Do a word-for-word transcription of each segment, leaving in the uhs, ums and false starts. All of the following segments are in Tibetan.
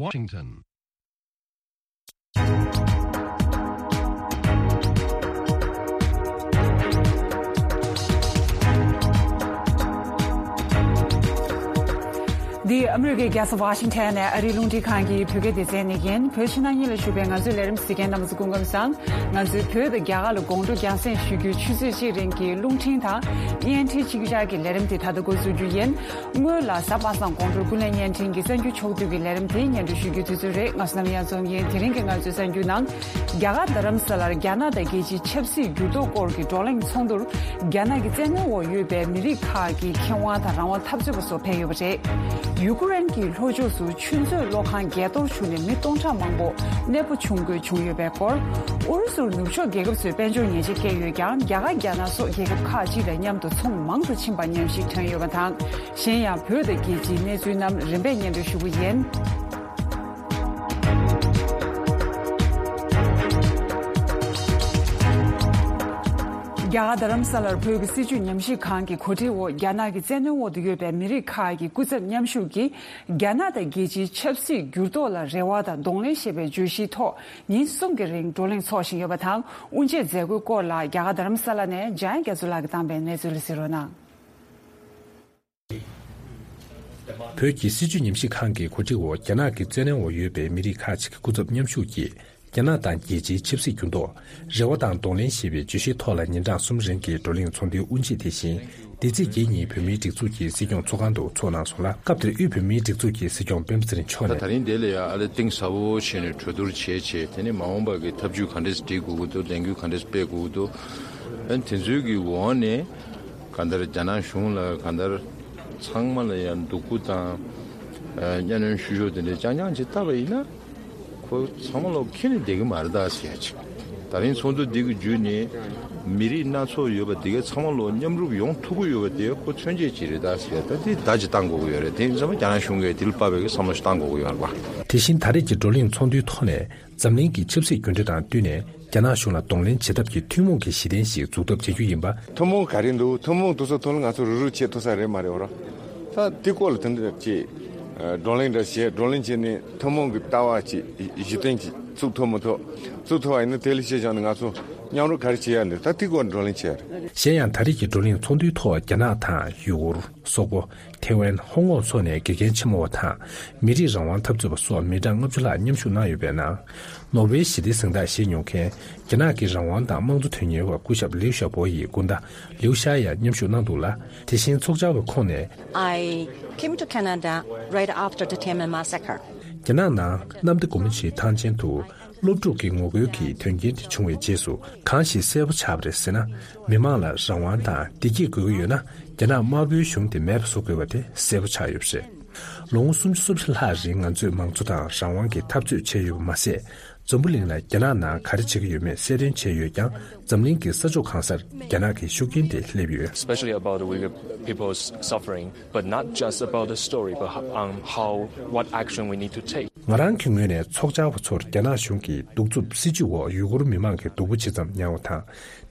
Washington. འདི་ཨ་མི་རི་ཀའི་རྒྱལ་ས་ཝ་ཤིང་ཊོན་ནས་ཨ་རིའི་རླུང་འཕྲིན་ཁང་གི་བོད་སྐད་སྡེ་ཚན་ནས་ཡིན། བོད་ཕྱི་ནང་གཉིས་ལ་བཞུགས་པའི་ང་ཚོའི་ལས་རིམ་གཟིགས་མཁན་རྣམ་པ་ཚོ་སྐུ་ཁམས་བཟང་། ང་ཚོའི་བོད་དང་རྒྱ་གར་ལ་དགོང་དྲོ་རྒྱང་སྲིང་ཞུ་རྒྱུའི་ཆུ་ཚོད་གཅིག་རིང་གི་རླུང་འཕྲིན་དང་བརྙན་འཕྲིན་ཆིག་ཇག་གི་ལས་རིམ་དེ་ད་ལྟ་འགོ་འཛུགས་རྒྱུ་ཡིན། སྔོན་ལ་གཟའ་པ་སངས་དགོང་དྲོའི་ཀུན་གླེང་བརྙན་འཕྲིན་གྱི་གསར་འགྱུར་ཕྱོགས་བསྡུས་ཀྱི་ལས་རིམ་དེ་སྙན་སྒྲོན་ཞུ་རྒྱུའི་དུས་ཚོད་རེད། ང་བསོད་ནམས་གཡང་འཛོམས་ཡིན། དེ་རིང་གི་ང་ཚོའི་གསར་འགྱུར་ནང་། རྒྱ་གར་རྡ་རམ་ས་ལར་རྒྱ་ནག་དང་རྒྱལ་སྤྱིའི་ཆབ་སྲིད་འགྱུར་ལྡོག་སྐོར་གྱི་བགྲོ་གླེང་ཚོགས་འདུར་རྒྱ་ནག་གི་བཙན་གནོན་འོག་ཡོད་པའི་མི་རིགས་ཁག་གི་མཁས་དབང་དང་རང་དབང་འཐབ་རྩོད་པ་སོགས་ཕེབས་ཡོད་པ་རེད། ཡུ་ཀེ་རེན་གྱི་ལྷོ་ཕྱོགས་སུ་ཆུ་མཛོད་གློག་ཁང་བརྒལ་གཏོར་བྱུང་ནས་མི་སྟོང་ཕྲག་མང་པོ་གནས་སྤོ་བྱུང་དགོས་བྱུང་ཡོད་པའི་སྐོར། ཨུ་རུ་སུར་ནུབ་ཕྱོགས་རྒྱལ་ཁབ་ཚོས་དཔལ་འབྱོར་ཉེས་ཆད་བཀལ་ཡོད་ཀྱང་། རྒྱ་གར་རྒྱ་ནག་སོགས་རྒྱལ་ཁབ་ཁག་ཅིག་དང་མཉམ་དུ་ཚོང་མང་དུ་ཕྱིན་པ་ཉམས་ཞིབ་ཐོན་ཡོད་པ་དང་། གཞན་ཡང་བོད་དང་རྒྱལ་སྤྱིའི་གནས་ཚུལ་རྣམས་རིམ་པས་སྙན་སྒྲོན་ཞུ་གི་ཡིན། རྒྱ་གར་རྡ་རམ་ས་ལར་བོད་ཀྱི་སྲིད་བྱུས་ཉམས་ཞིབ་ཁང་གི་གོ་སྒྲིག་འོག་རྒྱ་ནག་གི་བཙན་གནོན་འོག་ཏུ་ཡོད་པའི་མི་རིགས་ཁག་གི་སྐུ་ཚབ་མཉམ་ཞུགས་ཀྱིས། རྒྱ་ནག་དང་རྒྱལ་སྤྱིའི་ཆབ་སྲིད་འགྱུར་ལྡོག་ལ་རེ་བ་དང་གདོང་ལེན་ཞེས་པའི་བརྗོད་གཞིའི་ཐོག་ཉིན་གསུམ་གྱི་རིང་བགྲོ་གླེང་འཚོགས་བཞིན་ཡོད་པ་དང་། དབུ་འབྱེད་མཛད་སྒོའི་སྐོར་ལ་རྒྱ་གར་རྡ་རམ་ས་ལ་ནས་འཇམ་དབྱངས་རྒྱ་མཚོ་ལགས་ཀྱིས་བཏང་པའི་གནས་ཚུལ་ལ་གཟིགས་རོགས་གནང་། བོད་ཀྱི་སྲིད་བྱུས་ཉམས་ཞིབ་ཁང་གི་གོ་སྒྲིག་འོག་རྒྱ་ནག་གི་བཙན་གནོན་འོག་ཡོད་པའི་མི་རིགས་ཁག་ཅིག་གི་སྐུ་ཚབ་མཉམ་ཞུགས་ཀྱིས། རྒྱ་ནག་དང་རྒྱལ་སྤྱིའི་ཆབ་སྲིད་འགྱུར་ལྡོག་རེ་བ་དང་གདོང་ལེན་ཞེས་པའི་བརྗོད་གཞིའི་ཐོག་ལ་ཉིན་གྲངས་གསུམ་རིང་གི་བགྲོ་གླེང་ཚོགས་འདུའི་དབུ་འབྱེད་དེ་བཞིན། འདི་ཚེས་བརྒྱད་ཉིན་བོད་མིའི་སྒྲིག་འཛུགས་ཀྱི་སྲིད་སྐྱོང་ཚོགས་ཁང་དུ་འཚོགས་གནང་སོང་ལ། སྐབས་དེར་དབུས་བོད་མིའི་སྒྲིག་འཛུགས་ཀྱི་སྲིད་སྐྱོང་སྤེན་པ་ཚེ་རིང་མཆོག་ད་ནས། ད་རིང་འདི་ལ་ཡང་ཨ་ལེ་གཏིང་ཟབ་པོ་བྱས་ནས་གྲོས་བསྡུར་བྱས་བྱས། དེ་ནས་མ་འོངས་པ་གི་ཐབས་ཇུས་ག་འདྲས་སྒྲིག་དགོས་ཀྱི་འདུག་ལས་འགུལ་ག་འདྲས་སྤེལ་དགོས་ཀྱི་འདུག་ཨ་ནི་དེ་ཚོའི་གི་འོག་ནས་གང་ལྟར་རྒྱ་ནག་གཞུང་ལ་གང་ལྟར་ཚང་མ་ལ་ཡང་སྡུག་པོ་དང་། ཨ་གཉའ་གནོན་བཤུ་གཞོག་དེ་འདྲས་རྐྱང་རྐྱང་ཅིག་བཏབ་པ་ཡིན་ན། ཁོ་ཚང་མ་ལོག་ཁྱེར་ནས་བསྡད་ཀྱི་མ་རེད་ད་ཟེར་ཡ་ཅིག་ད་རིང་ཚོགས་འདུ་འདི་གི་བརྒྱུད་ནས་མི་རིགས་སྣ་ཚོགས་ཡོད་པ་དེ་ག་ཚང་མ་ལོག་མཉམ་རུབ་ཡོང་ཐུབ་ཀྱི་ཡོད་པ་དེ་ཁོ་མཚོན་བྱེད་ཅིག་རེད་ད་ཟེར་ཡ། ད་དེ་བརྡ་ཅིག་བཏང་དགོས་ཀྱི་ཡོད་རེད། དེ་ཡིན་ཙང་རྒྱ་ནག་གཞུང་གིས་དེ་ལ་དཔག་པའི་བསམ་བློ་ཞིག་བཏང་དགོས་ཀྱི་ཡོད་རེད་པ། དེ་བཞིན་ད་རེས་ཀྱི་བགྲོ་གླེང་ཚོགས་འདུའི་ཐོག་ནས་འཛམ་གླིང་གི་ཆབ་སྲིད་འགྱུར་འགྲོས་དང་བསྟུན་ནས་རྒྱ་ནག་གཞུང་ལ་གདོང་ལེན་བྱེད་ཐབས་ཀྱི་ཐུན་མོང་གི་གཞི་རྟེན་ཞིག་འཛུགས་ཐབས་བྱ་རྒྱུ་ཡིན་པ། ཐུན་མོང་ག་རེ་འདུག་ཐུན་མོང་དེ་ཚོ་ཐོག་ལ་ང་ཚོ་རུབ་རུབ་བྱེད་ཐུབ་ས་རེད་མ་རེད་འོ་ར། ད་དེ་སྐོར་ལ་དེ་འདྲ་ཅིག་བགྲོ་གླེང་འདྲ་བྱས། བགྲོ་གླེང་བྱས་ནས་ཐུན་མོང་གི་ལྟ་བ་ཅིག་གཞི་རྟེན་ཅིག་བཙུགས་ཐུབ་མི་ཐུབ། བཙུགས་ཐུབ་པ་ཡིན་ན་དེ་ལ་གཞི་བཞག་ནས་ང་ཚོ་མཉམ་རུབ་ག་རེ་བྱེད་ཡ་འདུག་ད་དེ་སྐོར་བགྲོ་གླེང་བྱས་ཡ་རེད། གཞན་ཡང་ད་རེས་ཀྱི་བགྲོ་གླེང་ཚོགས་འདུའི་ཐོག་རྒྱ་ནག་དང་ཡུ་གུར། སོག་པོ། ཐེ་ཝན། ཧོང་ཀོང་སོགས་ནས་དགེ་རྒན་ཆེན་མོ་བ་དང་། མི་རིགས་རང་དབང་འཐབ་རྩོད་པ་སོགས་མི་གྲངས་ལྔ་བཅུ་ལྷག་མཉམ་ཞུགས་གནང་ཡོད་པའི་ནང་། ནོར་ཝེ་ཞི་བདེ་གཟེངས་རྟགས་བཞེས་མྱོང་མཁན། རྒྱ་ནག་གི་རང་དབང་དང་དམངས་གཙོ་དོན་གཉེར་བ་སྐུ་ཞབས་ལིའུ་ཞའོ་པོ་ཡི་སྐུ་ཟླ་ལིའུ་ཞའོ་ཡང་མཉམ་ཞུགས་གནང་འདུག་ལ། དེ་བཞིན་ཚོགས་བཅར་བ་ཁོང་ནས། I came to Canada right after the Tiananmen massacre. རྒྱ་ནག་ནང་གནམ་བདེ་སྒོ་མོ་ཆེའི་ཐང་ཆེན་དུ། སློབ་ཕྲུག་གི་ངོ་རྒོལ་གྱི་དོན་རྐྱེན་དེ་བྱུང་བའི་རྗེས་སུ་གང་ཞིག་གསལ་པོ་ཆགས་པ་རེད་ཟེར་ན། མི་མང་ལ་རང་དབང་དང་བདེ་སྐྱིད་དགོས་ཀྱི་ཡོད་ན། རྒྱ་ནག་དམར་པོའི་གཞུང་དེ་མེད་པ་བཟོ་དགོས་པ་དེ་གསལ་པོ་ཆགས་ཡོད་པ་རེད། ལོ་ངོ་སུམ་ཅུ་སོ་བཞི་ལྷག་རིང་ང་ཚོས་མང་གཙོ་དང་རང་དབང་གི་འཐབ་རྩོད་བྱས་ཡོད་པ་མ་ཟད། འཛམ་བུ་གླིང་ལ་རྒྱ་ནག་ནང་ག་རེ་བྱེད་ཀྱི་ཡོད་མེད་གསལ་སྟོན་བྱས་ཡོད་ཀྱང་། འཛམ་གླིང་གི་ས་ཕྱོགས་གང་སར་རྒྱ་ནག་གི་ཤུགས་རྐྱེན་དེ་སླེབས་ཡོད། Especially about the Uyghur people's suffering, but not just about the story, but um, how, what action we need to take. ང་རང་གི་ངོས་ནས་ཚོགས་བཅར་བ་ཚོར་རྒྱ་ནག་གཞུང་གི་གདུག་རྩུབ་སྲིད་བྱུས་འོག་ཡུ་གུར་མི་མང་གི་སྡུག་པོ་ཇི་ཙམ་མྱངས་པ་དང་།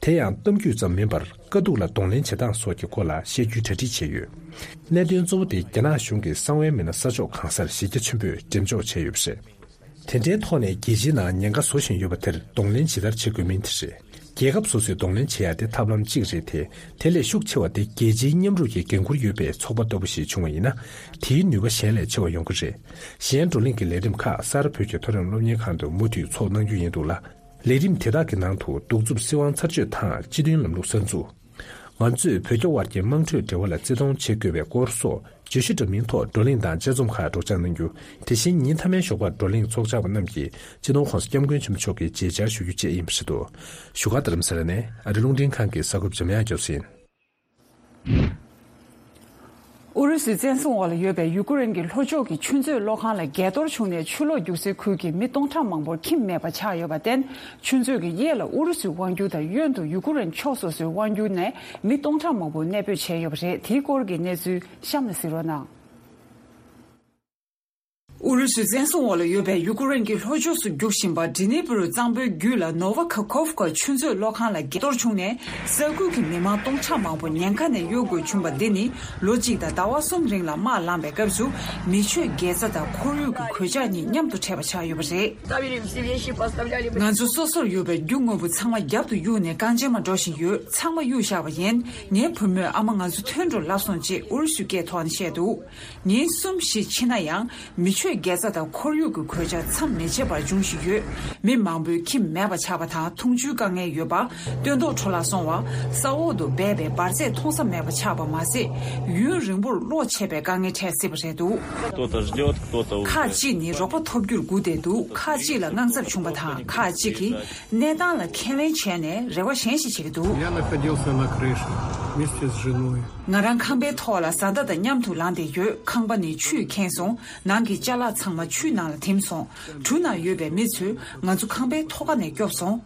དེ་ཡང་གཏམ་རྒྱུད་ཙམ་མིན་པར་དཀའ་སྡུག་ལ་གདོང་ལེན་བྱེད་སྟངས་སོགས་ཀྱི་སྐོར་ལ་བཤད་རྒྱུའི་གྲ་སྒྲིག་བྱས་ཡོད། གནད་དོན་གཙོ་བོ་དེ་རྒྱ་ནག་གཞུང་གིས་གསང་བའི་མི་སྣ་ས་ཕྱོགས་གང་སར་གཞི་རྒྱ་ཆེན་པོས་འགྲེམས་འཇོག་བྱས་ཡོད་པ་རེད། དེ་འདྲའི་ཐོག་ནས་རྒྱལ་སྤྱིའི་ནང་ཉེན་ཁ་བཟོ་བཞིན་ཡོད་པ་དེར་གདོང་ལེན་ཇི་ལྟར་བྱེད་དགོས་མིན་དེ་རེད། རྒྱལ་ཁབ་སོ་སོས་གདོང་ལེན་བྱེད་ཡ་དེ་ཐབས་ལམ་གཅིག་རེད་དེ། དེ་ལས་ཤུགས་ཆེ་བ་དེ་རྒྱལ་སྤྱིའི་མཉམ་རུབ་ཀྱི་འགན་འཁུར་ཡོད་པའི་ཚོགས་པ་ལྟ་བུ་ཞིག་བྱུང་བ་ཡིན་ན། དེའི་ནུས་པ་གཞན་ལས་ཆེ་བ་ཡོང་གི་རེད། གཞན་བགྲོ་གླེང་གི་ལས་རིམ་ཁག་ས་རཱ་བོད་ཀྱི་མཐོ་རིམ་སློབ་གཉེར་ཁང་དུ་མུ་མཐུད་ཚོགས་གནང་རྒྱུ་ཡིན་འདུག་ལ། ལས་རིམ་དེ་དག་གི་ནང་དུ་གདུག་རྩུབ་སྲིད་དབང་ཚར་གཅོད་དང་སྤྱི་མཐུན་ལམ་ལུགས་གསར་འཛུགས། ང་ཚོས་བོད་རྒྱ་དབར་གྱི་དམངས་ཁྲོད་འབྲེལ་བ་ལ་བརྩི་མཐོང་བྱེད་དགོས་པའི་སྐོར་སོགས་བརྗོད་གཞི་འདྲ་མིན་ཐོག་བགྲོ་གླེང་དང་དཔྱད་རྩོམ་ཁག་སྒྲོག་སྦྱང་གནང་རྒྱུ། དེ་བཞིན་ཉིན་མཐའ་མའི་ཞོགས་པར་བགྲོ་གླེང་ཚོགས་བཅར་བ་རྣམས་ཀྱིས་སྤྱི་ནོར་༸གོང་ས་༸སྐྱབས་མགོན་ཆེན་པོ་མཆོག་གི་མཇལ་བཅར་ཞུ་རྒྱུ་བཅས་ཡིན་པ་རེད་འདུག་བཞུགས་སྒར་རྡ་རམ་ས་ལ་ནས་ཨ་རི་རླུང་འཕྲིན་ཁང་གི་གསར་འགོད་པ་འཇམ་དབྱངས་སྐྱབས་སུ་ཡིན། ཨུ་རུ་སུའི་བཙན་བཟུང་འོག་ལ་ཡོད་པའི་ཡུ་ཀེ་རེན་གྱི་ལྷོ་ཕྱོགས་ཀྱི་ཆུ་མཛོད་གློག་ཁང་ལ་བརྒལ་གཏོར་བྱུང་ནས་ཆུ་ལོག་རྒྱུག་སའི་ཁུལ་གྱི་མི་སྟོང་ཕྲག་མང་པོར་ཁྱིམ་མེད་པ་ཆགས་ཡོད་པར་བརྟེན། ཆུ་མཛོད་ཀྱི་གཡས་ལ་ཨུ་རུ་སུའི་དབང་སྒྱུར་དང་གཡོན་དུ་ཡུ་ཀེ་རེན་ཕྱོགས་སོ་སོའི་དབང་སྒྱུར་ནས་མི་སྟོང་ཕྲག་མང་པོ་གནས་སྤོས་བྱས་ཡོད་པ་རེད། དེའི་སྐོར་གྱི་གནས་ཚུལ་གཤམ་ལ་གཟིགས་རོགས་གནང་། ཨུ་རུ་སུའི་བཙན་བཟུང་འོག་ལ་ཡོད་པའི་ཡུ་ཀེ་རེན་གྱི་ལྷོ་ཕྱོགས་སུ་རྒྱུག་བཞིན་པ་ཌི་ནི་པུ་རུ་གཙང་པོའི་རྒྱུད་ལ་ནོ་ཝ་ཁ་ཁོབ་ཀ་ཆུ་མཛོད་གློག་ཁང་ལ་གཏོར་བྱུང་ནས། ས་ཁུལ་གྱི་མི་མང་སྟོང་ཕྲག་མང་པོ་ཉེན་ཁ་ནས་གཡོལ་དགོས་བྱུང་བ་འདི་ནི་ལོ་གཅིག་དང་ཟླ་བ་གསུམ་རིང་ལ་དམག་ལངས་པའི་སྐབས་སུ་མི་ཆོས་དགེ་རྩ་དང་ཁོར་ཡུག་གི་གོད་ཆག་གཉིས་མཉམ་དུ་འཕྲད་པ་ཆགས་ཡོད་པ་རེད། ང་ཚོ་སོ་སོར་ཡོད་པའི་རྒྱུ་དངོས་པོ་ཚང་མ་རྒྱབ་ཏུ་གཡུགས་ནས་རྐང་རྗེན་མ་འགྲོ་བཞིན་ཡོད། ཚང་མ་གཡུགས་བཞག་པ་ཡིན། ངའི་བུ་མོས་ཨ་མ་ང་ཚོ་ཐོན་འགྲོ་ལབ་སོང་ཅེས་ཨུ་རུ་སུའི་སྐད་ཐོག་ནས་བཤད་འདུག་ཉིན་གསུམ་བཞི་ཕྱིན་ན་ཡང་མི་ཆོས་དགེ་རྩ་དང་ཁོར་ཡུག་གི་གོད་ཆག་མཚམས་མི་ཆད་པར་འབྱུང་བཞིན་ཡོད། མི་མང་པོའི་ཁྱིམ་མེད་པ་ཆགས་པ་དང་འཐུང་ཆུའི་དཀའ་ངལ་ཡོད་པ། སྟོན་ཐོག་འཕྲོ་བརླག་སོང་བ། ས་འོག་ཏུ་སྦས་པའི་འབར་རྫས་མཐོང་ས་མེད་པ་ཆགས་པ་མ་ཟད། ཡུན་རིང་པོར་གློག་ཆད་པའི་དཀའ་ངལ་འཕྲད་སྲིད་པ་རེད་འདུག Кто-то ждёт, кто-то уже ཁག་ཅིག་ནི་རོགས་པ་ཐོབ་རྒྱུར་སྒུག་བསྡད་འདུག་ཁག་ཅིག་ལ་དངངས་འཚབ་བྱུང་བ་དང་། ཁག་ཅིག་གིས་གནས་སྟངས་ལ་ཁས་ལེན་བྱས་ནས་རེ་བ་གཞན་ཞིག་བྱེད་ཀྱི་འདུག Я находился на крыше вместе с женой. ང་རང་ཁང་པའི་ཐོག་ལ་བཟའ་ཟླ་དང་མཉམ་དུ་ལངས་བསྡད་ཡོད། ཁང་པ་ནི་ཆུས་ཁེངས་སོང་། ནང་གི་ཅ་ལག་ཚང་མ་ཆུའི་ནང་ལ་ཐིམ་སོང་། གྲུ་ནང་ཡོད་པའི་མི་ཚོས་ང་ཚོ་ཁང་པའི་ཐོག་ཁ་ནས་སྐྱོབ་སོང་།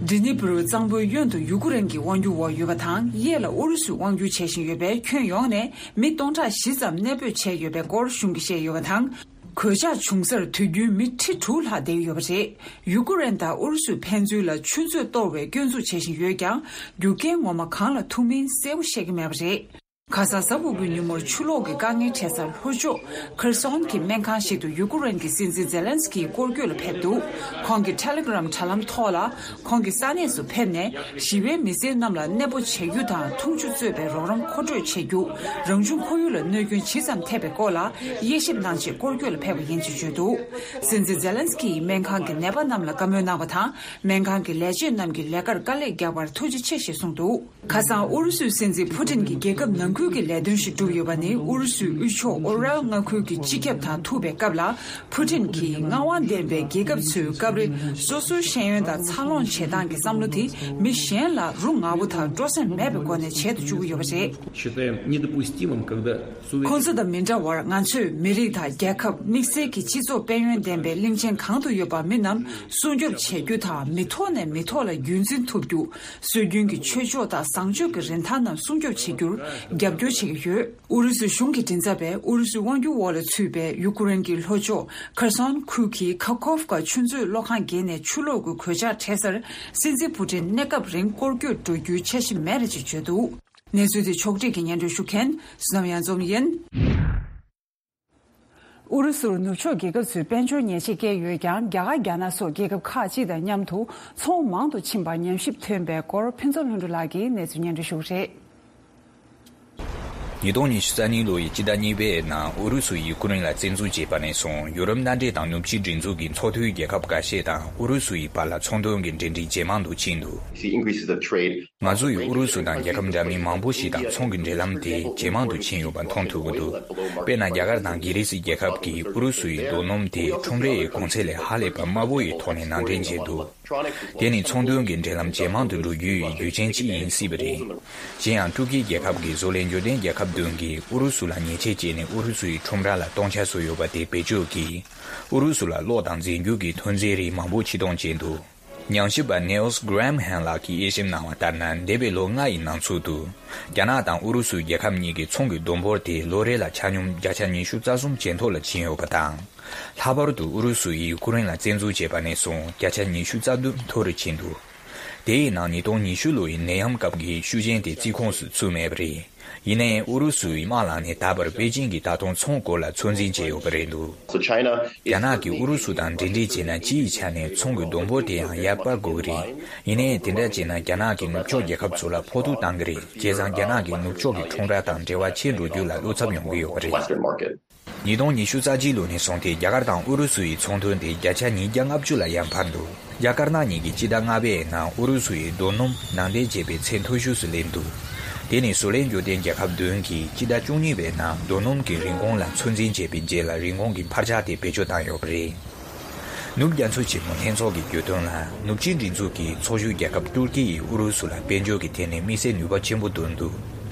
ཌི་ནི་པུ་རུ་གཙང་པོའི་གཡོན་དུ་ཡུ་ཀུ་རེན་གྱི་དབང་སྒྱུར་འོག་ཡོད་པ་དང་། གཡས་ལ་ཨུ་རུ་སུས་དབང་སྒྱུར་བྱེད་བཞིན་ཡོད་པས། ཁྱོན་ཡོངས་ནས་མི་སྟོང་ཕྲག་བཞི་ཙམ་གནས་སྤོས་བྱས་ཡོད་པའི་སྐོར་གཞུང་གིས་བཤད་ཡོད་པ་དང་། གོད་ཆག་བྱུང་སར་དུས་རྒྱུན་མི་ཁྲི་དྲུག་ལྷག་བསྡད་ཡོད་པ་རེད། ཡུ་ཀུ་རེན་དང་ཨུ་རུ་སུས་ཕན་ཚུན་ལ་ཆུ་མཛོད་གཏོར་བའི་སྐྱོན་འཛུགས་བྱེད་བཞིན་ཡོད་ཀྱང་། རྒྱུ་རྐྱེན་ངོ་མ་གང་ལ་ཐུག་མིན་གསལ་པོ་ཤེས་ཀྱི་མེད་པ་རེད། ཁ་སང་གཟའ་ཕུར་བུའི་ཉིན་མོར་ཆུ་ལོག་གི་དཀའ་ངལ་འཕྲད་སར་ལྷོ་ཕྱོགས་ཁེར་སོན་གྱི་སྨན་ཁང་ཞིག་ཏུ་ཡུ་ཀུ་རེན་གྱི་སྲིད་འཛིན་ཛེ་ལན་སི་ཀི་སྐོར་སྐྱོད་ལ་ཕེབས་འདུག་ཁོང་གིས་ཊེ་ལི་གྷི་རམ་དྲ་ལམ་ཐོག་ལ། ཁོང་གིས་ས་གནས་སུ་ཕེབས་ནས་ཞི་བའི་མི་སེར་རྣམས་ལ་གནས་སྤོ་བྱེད་རྒྱུ་དང་འཐུང་ཆུ་གཙོས་པའི་རོགས་རམ་མཁོ་སྤྲོད་བྱེད་རྒྱུ། རང་བྱུང་ཁོར་ཡུག་ལ་གནོད་སྐྱོན་ཇི་ཙམ་ཐེབས་པའི་སྐོར་ལ་དབྱེ་ཞིབ་གནང་ཆེད་སྐོར་སྐྱོད་ལ་ཕེབས་པ་ཡིན་ཞེས་བརྗོད་འདུག་སྲིད་འཛིན་ཛེ་ལན་སི་ཀི་ཡིས་སྨན་ཁང་གི་ནད་པ་རྣམས་ལ་བཀའ་མོལ་གནང་བ་དང་། སྨན་ཁང་གི་ལས་བྱེད་རྣམས་ཀྱི་ལས་ཀར་དཀའ་ལས་རྒྱག་པར་ཐུགས་རྗེ་ཆེ་ཞེས་གསུངས་འདུག་ཁ་སང་ཨུ་རུ་སུའི་སྲིད་འཛིན་ཕུ་ཏིན་གྱིས་རྒྱལ་ཁབ་ནང་ཁུལ་གྱི་ལས་དོན་ཞིག་བསྒྲུབས་ཡོད་པ་ནི། ཨུ་རུ་སུའི་དབུས་ཕྱོགས་ཨོ་རལ་མངའ་ཁུལ་གྱི་སྤྱི་ཁྱབ་དང་ཐུག་པའི་སྐབས་ལ། ཕུ་ཏིན་གྱིས་མངའ་དབང་ལྡན་པའི་རྒྱལ་ཁབ་ཚོས་སྐབས་རེ་སོ་སོའི་ཤེས་ཡོན་དང་འཚར་ལོངས་བྱེད་སྟངས་ཀྱི་བསམ་བློ་དེ་མི་གཞན་ལ་རུ་ང་པོ་དང་སྤྲོ་སེམས་མེད་པའི་སྒོ་ནས་བྱེད་དུ་བཅུག་གི་ཡོད་པ་རེད། Считаем недопустимым, когда суверен- ཁོང་ཚོ་དང་མི་འདྲ་བར། ང་ཚོས་མི་རིགས་དང་རྒྱལ་ཁབ། དམིགས་བསལ་གྱི་སྤྱི་ཚོགས་དཔལ་ཡོན་ལྡན་པའི་གླིང་ཆེན་གང་དུ་ཡོད་པ་མི་རྣམས་སྲུང་སྐྱོབ་བྱེད་རྒྱུ་དང་། མི་ཐོག་ནས་མི་ཐོག་ལ་རྒྱུན་འཛིན་ཐུབ་རྒྱུ། སྲོལ་རྒྱུན་གྱི་ཆོས་ཕྱོགས་དང་བཟང་སྤྱོད་ཀྱི་རིན་ཐང་རྣམས་སྲུང་སྐྱོབ་བྱེད་རྒྱུར་རྒྱབ་སྐྱོར་བྱེད་ཀྱི་ཡོད། ཨུ་རུ་སུའི་གཞུང་གི་མགྲིན་ཚབ་པས་ཨུ་རུ་སུའི་དབང་སྒྱུར་འོག་ལ་ཚུད་པའི་ཡུ་ཀེ་རེན་གྱི་ལྷོ་ཕྱོགས་ཁེར་སོན་ཁུལ་གྱི་ཁ་ཁོབ་ཀ་ཆུ་མཛོད་གློག་ཁང་བརྒལ་ནས་ཆུ་ལོག་གི་གོད་ཆག་འཕྲད་སར། སྲིད་འཛིན་ཕུ་ཏིན་གནས་སྐབས་རིང་སྐོར་སྐྱོད་འགྲོ་རྒྱུའི་འཆར་གཞི་མེད་རེད་ཅེས་བརྗོད་འདུག་གནས་ཚུལ་དེ་ཕྱོགས་སྒྲིག་གིས་སྙན་སྒྲོན་ཞུ་མཁན་བསོད་ནམས་གཡང་འཛོམས་ཡིན། ཨུ་རུ་སུར་ནུབ་ཕྱོགས་རྒྱལ་ཁབ་ཚོས་དཔལ་འབྱོར་ཉེས་ཆད་བཀལ་ཡོད་ཀྱང་། རྒྱ་གར་རྒྱ་ནག་སོགས་རྒྱལ་ཁབ་ཁག་ཅིག་དང་མཉམ་དུ་ཚོང་མང་དུ་ཕྱིན་པར་ཉམས་ཞིབ་ཐོན་པའི་སྐོར་ཕུན་ཚོགས་ལྷུན་གྲུབ་ལགས་ཀྱིས་གནས་ཚུལ་སྙན་སྒྲོན་ཞུ་གི་རེད། ཉིས་སྟོང་ཉི་ཤུ་རྩ་གཉིས་ལོ་ཡི་སྤྱི་ཟླ་གཉིས་པའི་ནང་ཨུ་རུ་སུ་ཡིས་ཡུ་ཀེ་རེན་ལ་བཙན་འཛུལ་བྱས་པ་ནས་བཟུང་། ཡུ་རོབ་མནའ་འབྲེལ་དང་ནུབ་ཕྱོགས་སྒྲིག་འཛུགས་ཀྱི་ཚོགས་འཐུས་རྒྱལ་ཁབ་ཁ་ཤས་དང་ཨུ་རུ་སུ་ཡི་བར་ལ་ཚོང་དོན་གྱི་འབྲེལ་འདྲིས་ཇེ་མང་དུ་ཕྱིན་འདུག See increases of trade. ང་ཚོ་ཡིས་ཨུ་རུ་སུ་དང་རྒྱལ་ཁབ་འདྲ་མིན་མང་པོ་ཞིག་དང་ཚོང་གི་འབྲེལ་ལམ་དེ་ཇེ་མང་དུ་ཕྱིན་ཡོད་པ་མཐོང་ཐུབ་ཀྱི་འདུག་དཔེར་ན། རྒྱ་གར་དང་གྷི་རི་སི་རྒྱལ་ཁབ་ཀྱིས་ཨུ་རུ་སུ་ཡི་རྡོ་སྣུམ་དེ་ཁྲོམ་རའི་གོང་ཚད་ལས་ཧ་ལས་པ་དམའ་བོ་ཡི་ཐོག་ནས་ནང་འདྲེན་བྱས་འདུག་དེ་ནི་ཚོང་དོན་གྱི་འབྲེལ་ལམ་ཇེ་མང་དུ་འགྲོ་རྒྱུའི་རྒྱུ་རྐྱེན་གཅིག་ཡིན་སྲིད་པ་རེད། གཞན་ཡང་ཏུར་ཀིའི་རྒྱལ་ཁབ་ཀྱི་བཟོ་ལས་འབྱོར་ལྡན་རྒྱལ་ཁབ་བདུན་གྱིས་ཨུ་རུ་སུ་ལ་ཉེས་ཆད་བཅད་ནས་ཨུ་རུ་སུ་ཡི་ཁྲོམ་ར་ལ་གཏོང་འཆར་བཟོས་ཡོད་པ་དེ་བེད་སྤྱོད་ཀྱིས་ཨུ་རུ་སུ་ལ་གློག་དང་རྫས་འགྱུར་གྱི་ཐོན་རྫས་རིགས་མང་པོ་ཕྱིར་གཏོང་བྱས་འདུག་ཉམས་ཞིབ་པ་ནེལ་སི་གྷ་རམ་ཧན་ལགས་ཀྱིས་དབྱེ་ཞིབ་གནང་བ་ལྟར་ན། འདས་པའི་ལོ་ལྔ་ཡི་ནང་ཚུད་དུ། རྒྱ་ནག་དང་ཨུ་རུ་སུ་རྒྱལ་ཁབ་གཉིས་ཀྱི་ཚོང་གི་བསྡོམས་འབོར་དེ་ལོ་རེ་ལ་ཆ་སྙོམས་བརྒྱ་ཆ་ཉི་ཤུ་རྩ་གསུམ་ཇེ་མཐོ་ལ་ཕྱིན་ཡོད་པ་དང་། ལྷག་པར་དུ་ཨུ་རུ་སུ་ཡིས་ཡུ་ཀེ་རེན་ལ་བཙན་འཛུལ་བྱས་པ་ནས་བཟུང་བརྒྱ་ཆ་ཉི་ཤུ་རྩ་བདུན་མཐོ་རུ་ཕྱིན་འདུག་དེ་ཡི་ནང་ཉིས་སྟོང་ཉི་ཤུ་ལོ་ཡི་ནད་ཡམས་སྐབས་ཀྱི་ཤུགས་རྐྱེན་དེ་རྩིས་ཁོངས་སུ་ཚུད་མེད་པ་རེད། ཡིན་ནའི་ཨུ་རུ་སུའི་དམག་ལངས་ནས་ད་བར་པེ་ཅིང་གིས་ད་དུང་ཚོང་སྐོར་ལ་ཚོད་འཛིན་བྱས་ཡོད་པ་རེད་འདུག So China རྒྱ་ནག་གིས་ཨུ་རུ་སུ་དང་འབྲེལ་འདྲིས་བྱས་ན། སྤྱིའི་ཆ་ནས་ཚོང་གི་བསྡོམས་འབོར་དེ་ཡང་ཡར་སྤར་དགོས་ཀྱི་རེད། ཡིན་ནའི་དེ་འདྲ་བྱས་ན་རྒྱ་ནག་གིས་ནུབ་ཕྱོགས་རྒྱལ་ཁབ་ཚོ་ལ་ཕོག་ཐུག་བཏང་གི་རེད། བྱས་ཙང་རྒྱ་ནག་གིས་ནུབ་ཕྱོགས་ཀྱི་ཁྲོམ་ར་དང་འབྲེལ་བ་ཆད་འགྲོ་རྒྱུ་ལ་བློ་འཚབ་ཡོང་གི་ཡོད་པ་རེད། Western market. ཉིས་སྟོང་ཉི་ཤུ་རྩ་གཅིག་ལོ་ནས་བཟུང་སྟེ་རྒྱ་གར་དང་ཨུ་རུ་སུ་ཡི་ཚོང་དོན་དེ་བརྒྱ་ཆ་ཉིས་བརྒྱ་ལྔ་བཅུ་ལ་ཡར་འཕར་འདུག་རྒྱ་དཀར་ནག་གཉིས་ཀྱིས་སྤྱི་ཟླ་ལྔ་པའི་ནང་ཨུ་རུ་སུ་ཡི་རྡོ་སྣུམ་ནང་འདྲེན་བྱས་པའི་ཚད་མཐོ་ཤོས་སུ་སླེབས་འདུག་དེ་ནི་བཟོ་ལས་འབྱོར་ལྡན་རྒྱལ་ཁབ་བདུན་གྱིས་སྤྱི་ཟླ་བཅུ་གཉིས་པའི་ནང་རྡོ་སྣུམ་གྱི་རིན་གོང་ལ་ཚོད་འཛིན་བྱས་པའི་རྗེས་ལ་རིན་གོང་གི་འཕར་ཆག་དེ་བེད་སྤྱོད་བཏང་ཡོད་པ་རེད། ནུབ་རྒྱ་མཚོ་ཆེན་མོ་ལྷན་ཚོགས་ཀྱི་བརྗོད་དོན་ལ། ནུབ་ཕྱོགས་སྒྲིག་འཛུགས་ཀྱི་ཚོགས་ཞུགས་རྒྱལ་ཁབ་ཏུར་ཀི་ཡིས་ཨུ་རུ་སུ་ལ་དཔལ་འབྱོར་གྱི་ཐད་ནས་དམིགས་བསལ་ནུས་པ་ཆེན་པོ་བཏོན་འདུག་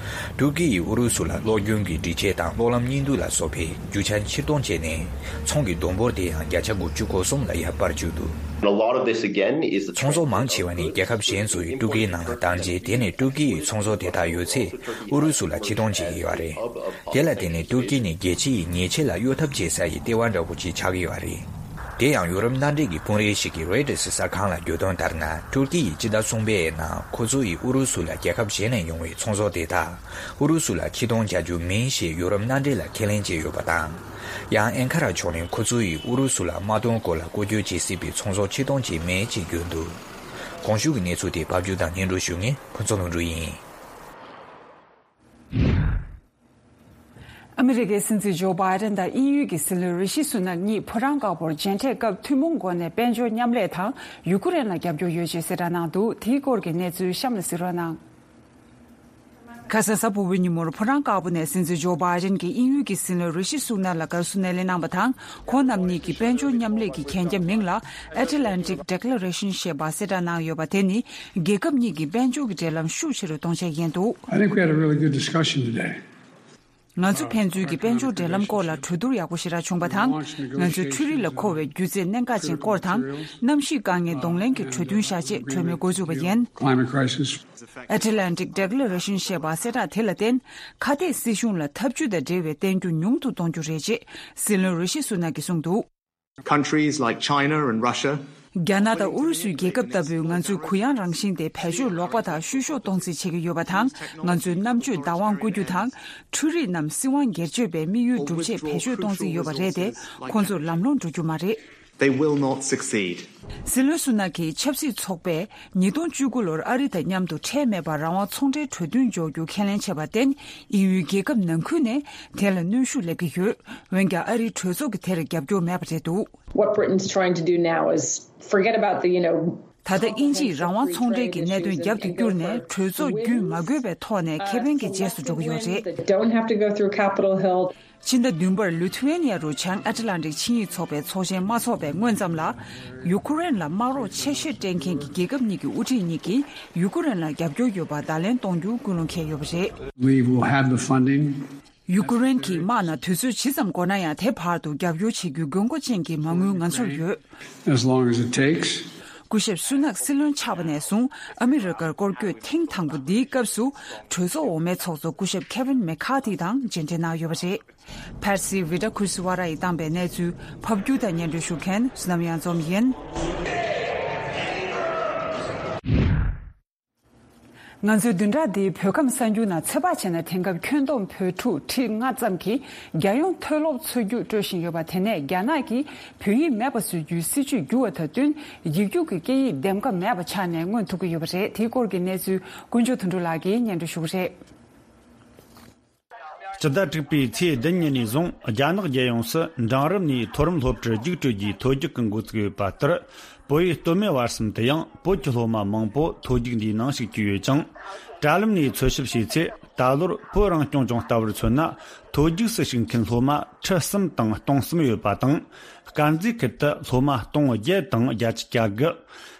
ཏུར་ཀི་ཡིས་ཨུ་རུ་སུ་ལ་གློག་རྒྱུན་གྱི་སྒྲིག་ཆས་དང་གློག་ལམ་གཉིས་འདུས་ལ་སོགས་པའི་རྒྱུ་ཆ་ཕྱིར་གཏོང་བྱས་ནས། ཚོང་གི་བསྡོམས་འབོར་དེ་ཡང་བརྒྱ་ཆ་དགུ་བཅུ་གོ་གསུམ་ལ་ཡར་སྤར་བཅུག་འདུག And a lot of this again is the ཚོང་ཟོག་མང་ཆེ་བ་ནི་རྒྱལ་ཁབ་གཞན་ཚོ་ཡིས་ཏུར་ཀིའི་ནང་ལ་བཏང་རྗེས། དེ་ནས་ཏུར་ཀི་ཡིས་ཚོང་ཟོག་དེ་དག་ཡོད་ཚད་ཨུ་རུ་སུ་ལ་ཕྱིར་གཏོང་བྱེད་ཀྱི་ཡོད་རེད། དེ་ལ་བརྟེན་ནས་ཏུར་ཀི་ནི་རྒྱལ་སྤྱི་ཡི་ཉེས་ཆད་ལ་གཡོལ་ཐབས་བྱེད་ས་ཡི་ལྟེ་བ་འདྲ་པོ་ཅིག་ཆགས་ཀྱི་ཡོད་རེད། དེ་ཡང་ཡུ་རོབ་མནའ་འབྲེལ་གྱི་དཔོན་རིགས་ཤིག་གིས་རོའི་ཊར་གསར་ཁང་ལ་བརྗོད་དོན་ལྟར་ན། ཏུར་ཀི་ཡིས་སྤྱི་ཟླ་གསུམ་པའི་ནང་ཁོ་ཚོ་ཡིས་ཨུ་རུ་སུ་ལ་རྒྱལ་ཁབ་གཞན་ནས་ཡོང་བའི་ཚོང་ཟོག་དེ་དག་ཨུ་རུ་སུ་ལ་ཕྱིར་གཏོང་བྱ་རྒྱུ་མིན་ཞེས་ཡུ་རོབ་མནའ་འབྲེལ་ལ་ཁས་ལེན་བྱས་ཡོད་པ་དང་། ཡང་ཨན་ཁ་ར་ཕྱོགས་ནས་ཁོ་ཚོ་ཡིས་ཨུ་རུ་སུ་ལ་དམག་དོན་སྐོར་ལ་བཀོལ་སྤྱོད་བྱེད་སྲིད་པའི་ཚོང་ཟོག་ཕྱིར་གཏོང་བྱས་མེད་ཅེས་བརྗོད་འདུག་གོང་ཞུས་ཀྱི་གནས་ཚུལ་དེ་ཕབ་སྒྱུར་དང་སྙན་སྒྲོན་ཞུ་མཁན་ཕུན་ཚོགས་ལྷུན་གྲུབ་ཡིན། ཨ་མི་རི་ཀའི་སྲིད་འཛིན་ཇོ་བྷའི་ཌེན་དང་དབྱིན་ཡུལ་གྱི་སྲིད་བློན་རི་ཤི་སུ་ནག་གཉིས་ཕོ་བྲང་དཀར་པོར་མཇལ་འཕྲད་སྐབས་ཐུན་མོང་སྒོ་ནས་དཔལ་འབྱོར་མཉམ་ལས་དང་ཡུ་ཀེ་རེན་ལ་རྒྱབ་སྐྱོར་ཡོད་ཅེས་གསལ་བསྒྲགས་གནང་འདུག་དེའི་སྐོར་གྱི་གནས་ཚུལ་གཤམ་ལ་གཟིགས་རོགས་གནང་། ཁ་སང་གཟའ་ཕུར་བུའི་ཉིན་མོར་ཕོ་བྲང་དཀར་པོ་ནས་སྲིད་འཛིན་ཇོ་བྷའི་ཌེན་གྱིས་དབྱིན་ཡུལ་གྱི་སྲིད་བློན་རི་ཤི་སུ་ནག་ལ་དགའ་བསུ་སྣེ་ལེན་གནང་བ་དང་། ཁོང་རྣམ་གཉིས་ཀྱིས་དཔལ་འབྱོར་མཉམ་ལས་ཀྱི་གན་རྒྱ་མིང་ལ་Atlantic Declaration ཞེས་པ་གསལ་བསྒྲགས་གནང་ཡོད་པ་དེ་ནི། རྒྱལ་ཁབ་གཉིས་ཀྱི་དཔལ་འབྱོར་གྱི་འབྲེལ་ལམ་ཤུགས་ཆེ་རུ་གཏོང་ཆེད་ཡིན་འདུག I think we had a really good discussion today. ང་ཚོ་ཕན་ཚུན་གྱི་དཔལ་འབྱོར་འབྲེལ་ལམ་སྐོར་ལ་གྲོས་བསྡུར་ཡག་པོ་ཞེ་དྲག་བྱུང་བ་དང་། ང་ཚོས་འཕྲུལ་རིག་ལ་མཁོ་བའི་སྒྱུ་རྩལ་གནད་འགག་ཅན་སྐོར་དང་། གནམ་གཤིས་དཀའ་ངལ་གདོང་ལེན་གྱི་གྲོས་མཐུན་བཞག་ཆེད་གྲོས་མོལ་འགོ་བཙུགས་པ་ཡིན། Climate crisis. Atlantic Declaration ཞེས་པ་གསལ་བསྒྲགས་དེ་ལ་བརྟེན། ཁ་གཏད་སྲིད་གཞུང་ལ་འཐབ་ཇུས་དང་འབྲེལ་བའི་བསྟན་རྒྱུ་ཉུང་དུ་གཏོང་རྒྱུ་རེད་ཅེས་སྲིད་བློན་རི་ཤི་སུ་ནག་གིས་གསུངས་འདུག Countries like China and Russia རྒྱ་ནག་དང་ཨུ་རུ་སུའི་རྒྱལ་ཁབ་ལྟ་བུས་ང་ཚོའི་གུ་ཡངས་རང་བཞིན་དེ་བེད་སྤྱོད་ལོག་པ་དང་བཤུ་གཞོག་གཏོང་རྩིས་བྱེད་ཀྱི་ཡོད་པ་དང་། ང་ཚོའི་རྣམ་དཔྱོད་བདག་དབང་བསྐུར་རྒྱུ་དང་། འཕྲུལ་རིག་རྣམས་སྲིད་དབང་སྒེར་གཅོད་པའི་དམིགས་ཡུལ་སྒྲུབ་ཆེད་བེད་སྤྱོད་གཏོང་རྩིས་ཡོད་པ་རེད་དེ། ཁོང་ཚོར་ལམ་ལྷོང་འགྲོ་རྒྱུ་མ་རེད། They will not succeed. སྲིད་བློན་སུ་ནག་གིས་ཆབ་སྲིད་ཚོགས་པས་ཉིས་སྟོང་བཅུ་དགུ་ལོར་ཨ་རི་དང་མཉམ་དུ་ཁྲལ་མེད་པར་རང་དབང་ཚོང་འབྲེལ་གྲོས་མཐུན་འཇོག་རྒྱུ་ཁས་ལེན་བྱས་པར་བརྟེན། དབྱིན་ཡུལ་རྒྱལ་ཁབ་ནང་ཁུལ་ནས་དེ་ལ་གནོན་ཤུགས་སླེབས་ཀྱི་ཡོད། འོན་ཀྱང་ཨ་རིའི་གྲོས་ཚོགས་ཀྱིས་དེར་རྒྱབ་སྐྱོར་མེད་པ་རེད་འདུག What Britain's trying to do now is forget about the, you know, ད་ལྟ་དབྱིན་ཇིས་རང་དབང་ཚོང་འབྲེལ་གྱི་གནད་དོན་རྒྱབ་ཏུ་བསྐྱུར་ནས། གྲོས་ཚོགས་བརྒྱུད་མ་དགོས་པའི་ཐོག་ནས་ཁེ་ཕན་གྱི་རྗེས་སུ་འགྲོ་གི་ཡོད་རེད། They don't have to go through Capitol Hill. ཕྱི་ཟླ་བདུན་པར་ལི་ཐུ་ཝེ་ནི་ཡ་རུ་བྱང་ཨེཊ་ལན་ཊིག་ཆིངས་ཡིག་ཚོགས་པའི་ཚོགས་ཆེན་མ་འཚོགས་པའི་སྔོན་ཙམ་ལ། ཡུ་ཀེ་རེན་ལ་དམག་རོགས་ཆེ་ཤོས་སྤྲད་མཁན་གྱི་རྒྱལ་ཁབ་གཉིས་ཀྱི་དབུ་ཁྲིད་གཉིས་ཀྱིས་ཡུ་ཀེ་རེན་ལ་རྒྱབ་སྐྱོར་ཡོད་པར་བརྡ་ལན་གཏོང་རྒྱུ་ཀུན་སློང་འཁེལ་ཡོད་པ་རེད། We will have the funding. ཡུ་ཀེ་རེན་གྱིས་དམག་ནང་དུས་ཚོད་ཇི་ཙམ་འགོར་ན་ཡང་། དེ་བར་དུ་རྒྱབ་སྐྱོར་བྱེད་རྒྱུའི་དགོས་མཁོ་ཅན་གྱི་མ་དངུལ་ང་ཚོར་ཡོད། As long as it takes. སྐུ་ཞབས་སུ་ནག་སྲིད་བློན་ཆགས་པ་ནས་བཟུང་ཨ་མི་རི་ཀར་སྐོར་སྐྱོད་ཐེངས་དང་པོ་འདིའི་སྐབས་སུ། གྲོས་ཚོགས་འོག་མའི་ཚོགས་གཙོ་སྐུ་ཞབས་ཁེ་ཝིན་མེ་ཁ་ཐི་དང་མཇལ་འཕྲད་གནང་ཡོད་པ་རེད། ཕར་སི་ཝི་ཏྲ་ཁུར་སི་ཝ་ར་ཡིས་བཏང་པའི་གནས་ཚུལ་ཕབ་སྒྱུར་དང་སྙན་སྒྲོན་ཞུ་མཁན་བསོད་ནམས་གཡང་འཛོམས་ཡིན། ང་ཚོའི་བདུན་ཕྲག་འདིའི་བོད་ཁམས་གསར་འགྱུར་ནང་ཚོད་དཔག་བྱས་ན། དེང་སྐབས་ཁྱོན་བསྡོམས་བོད་ཕྲུག་ཁྲི་ལྔ་ཙམ་གྱིས་རྒྱལ་ཡོངས་མཐོ་སློབ་འཚོལ་རྒྱུ་སྤྲོད་བཞིན་ཡོད་པ། དེ་ནས་རྒྱ་ནག་གིས་བོད་ཡིག་མེད་པ་བཟོ་རྒྱུའི་སྲིད་ཇུས་བསྒྱུར་བ་དང་བསྟུན། ཡིག་རྒྱུགས་ཀྱི་སྐད་ཡིག་འདེམས་ཀ་མེད་པ་ཆགས་ནས་མངོན་ཐུབ་ཀྱི་ཡོད་པ་རེད། དེའི་སྐོར་གྱི་གནས་ཚུལ་ཀུན་སྤྱོད་དོན་གྲུབ་ལགས་ཀྱིས་སྙན་སྒྲོན་ཞུ་གི་རེད། སྤྱི་ཟླ་དྲུག་པའི་ཚེས་བདུན་ཉིན་ནས་བཟུང་རྒྱ་ནག་རྒྱལ་ཡོངས་སུ་འབྲིང་རིམ་ནས་མཐོ་རིམ་སློབ་གྲྭར་རྒྱུགས་སྤྲོད་རྒྱུའི་ཐོ་རྒྱུགས་ཀྱི་འགོ་བཙུགས་ཡོད་པ་ལྟར། བོད་ཡིག་སྟོད་སྨད་བར་གསུམ་དུ་ཡང་བོད་ཀྱི་སློབ་མ་མང་པོ་ཐོ་རྒྱུགས་འདིའི་ནང་ཞུགས་ཀྱི་ཡོད་ཅིང་། དྲ་ལམ་ནས་འཚོལ་ཞིབ་བྱས་ཚེ། ད་ལོར་བོད་རང་སྐྱོང་ལྗོངས་ལྟ་བུར་མཚོན་ན། ཐོ་རྒྱུགས་སུ་ཞུགས་མཁན་སློབ་མ་ཁྲི་གསུམ་དང་སྟོང་གསུམ་ཡོད་པ་དང་། དཀར་མཛེས་ཁུལ་དུ་སློབ་མ་སྟོང་བརྒྱད་དང་བརྒྱད་ཅུ་གྱ་དགུ།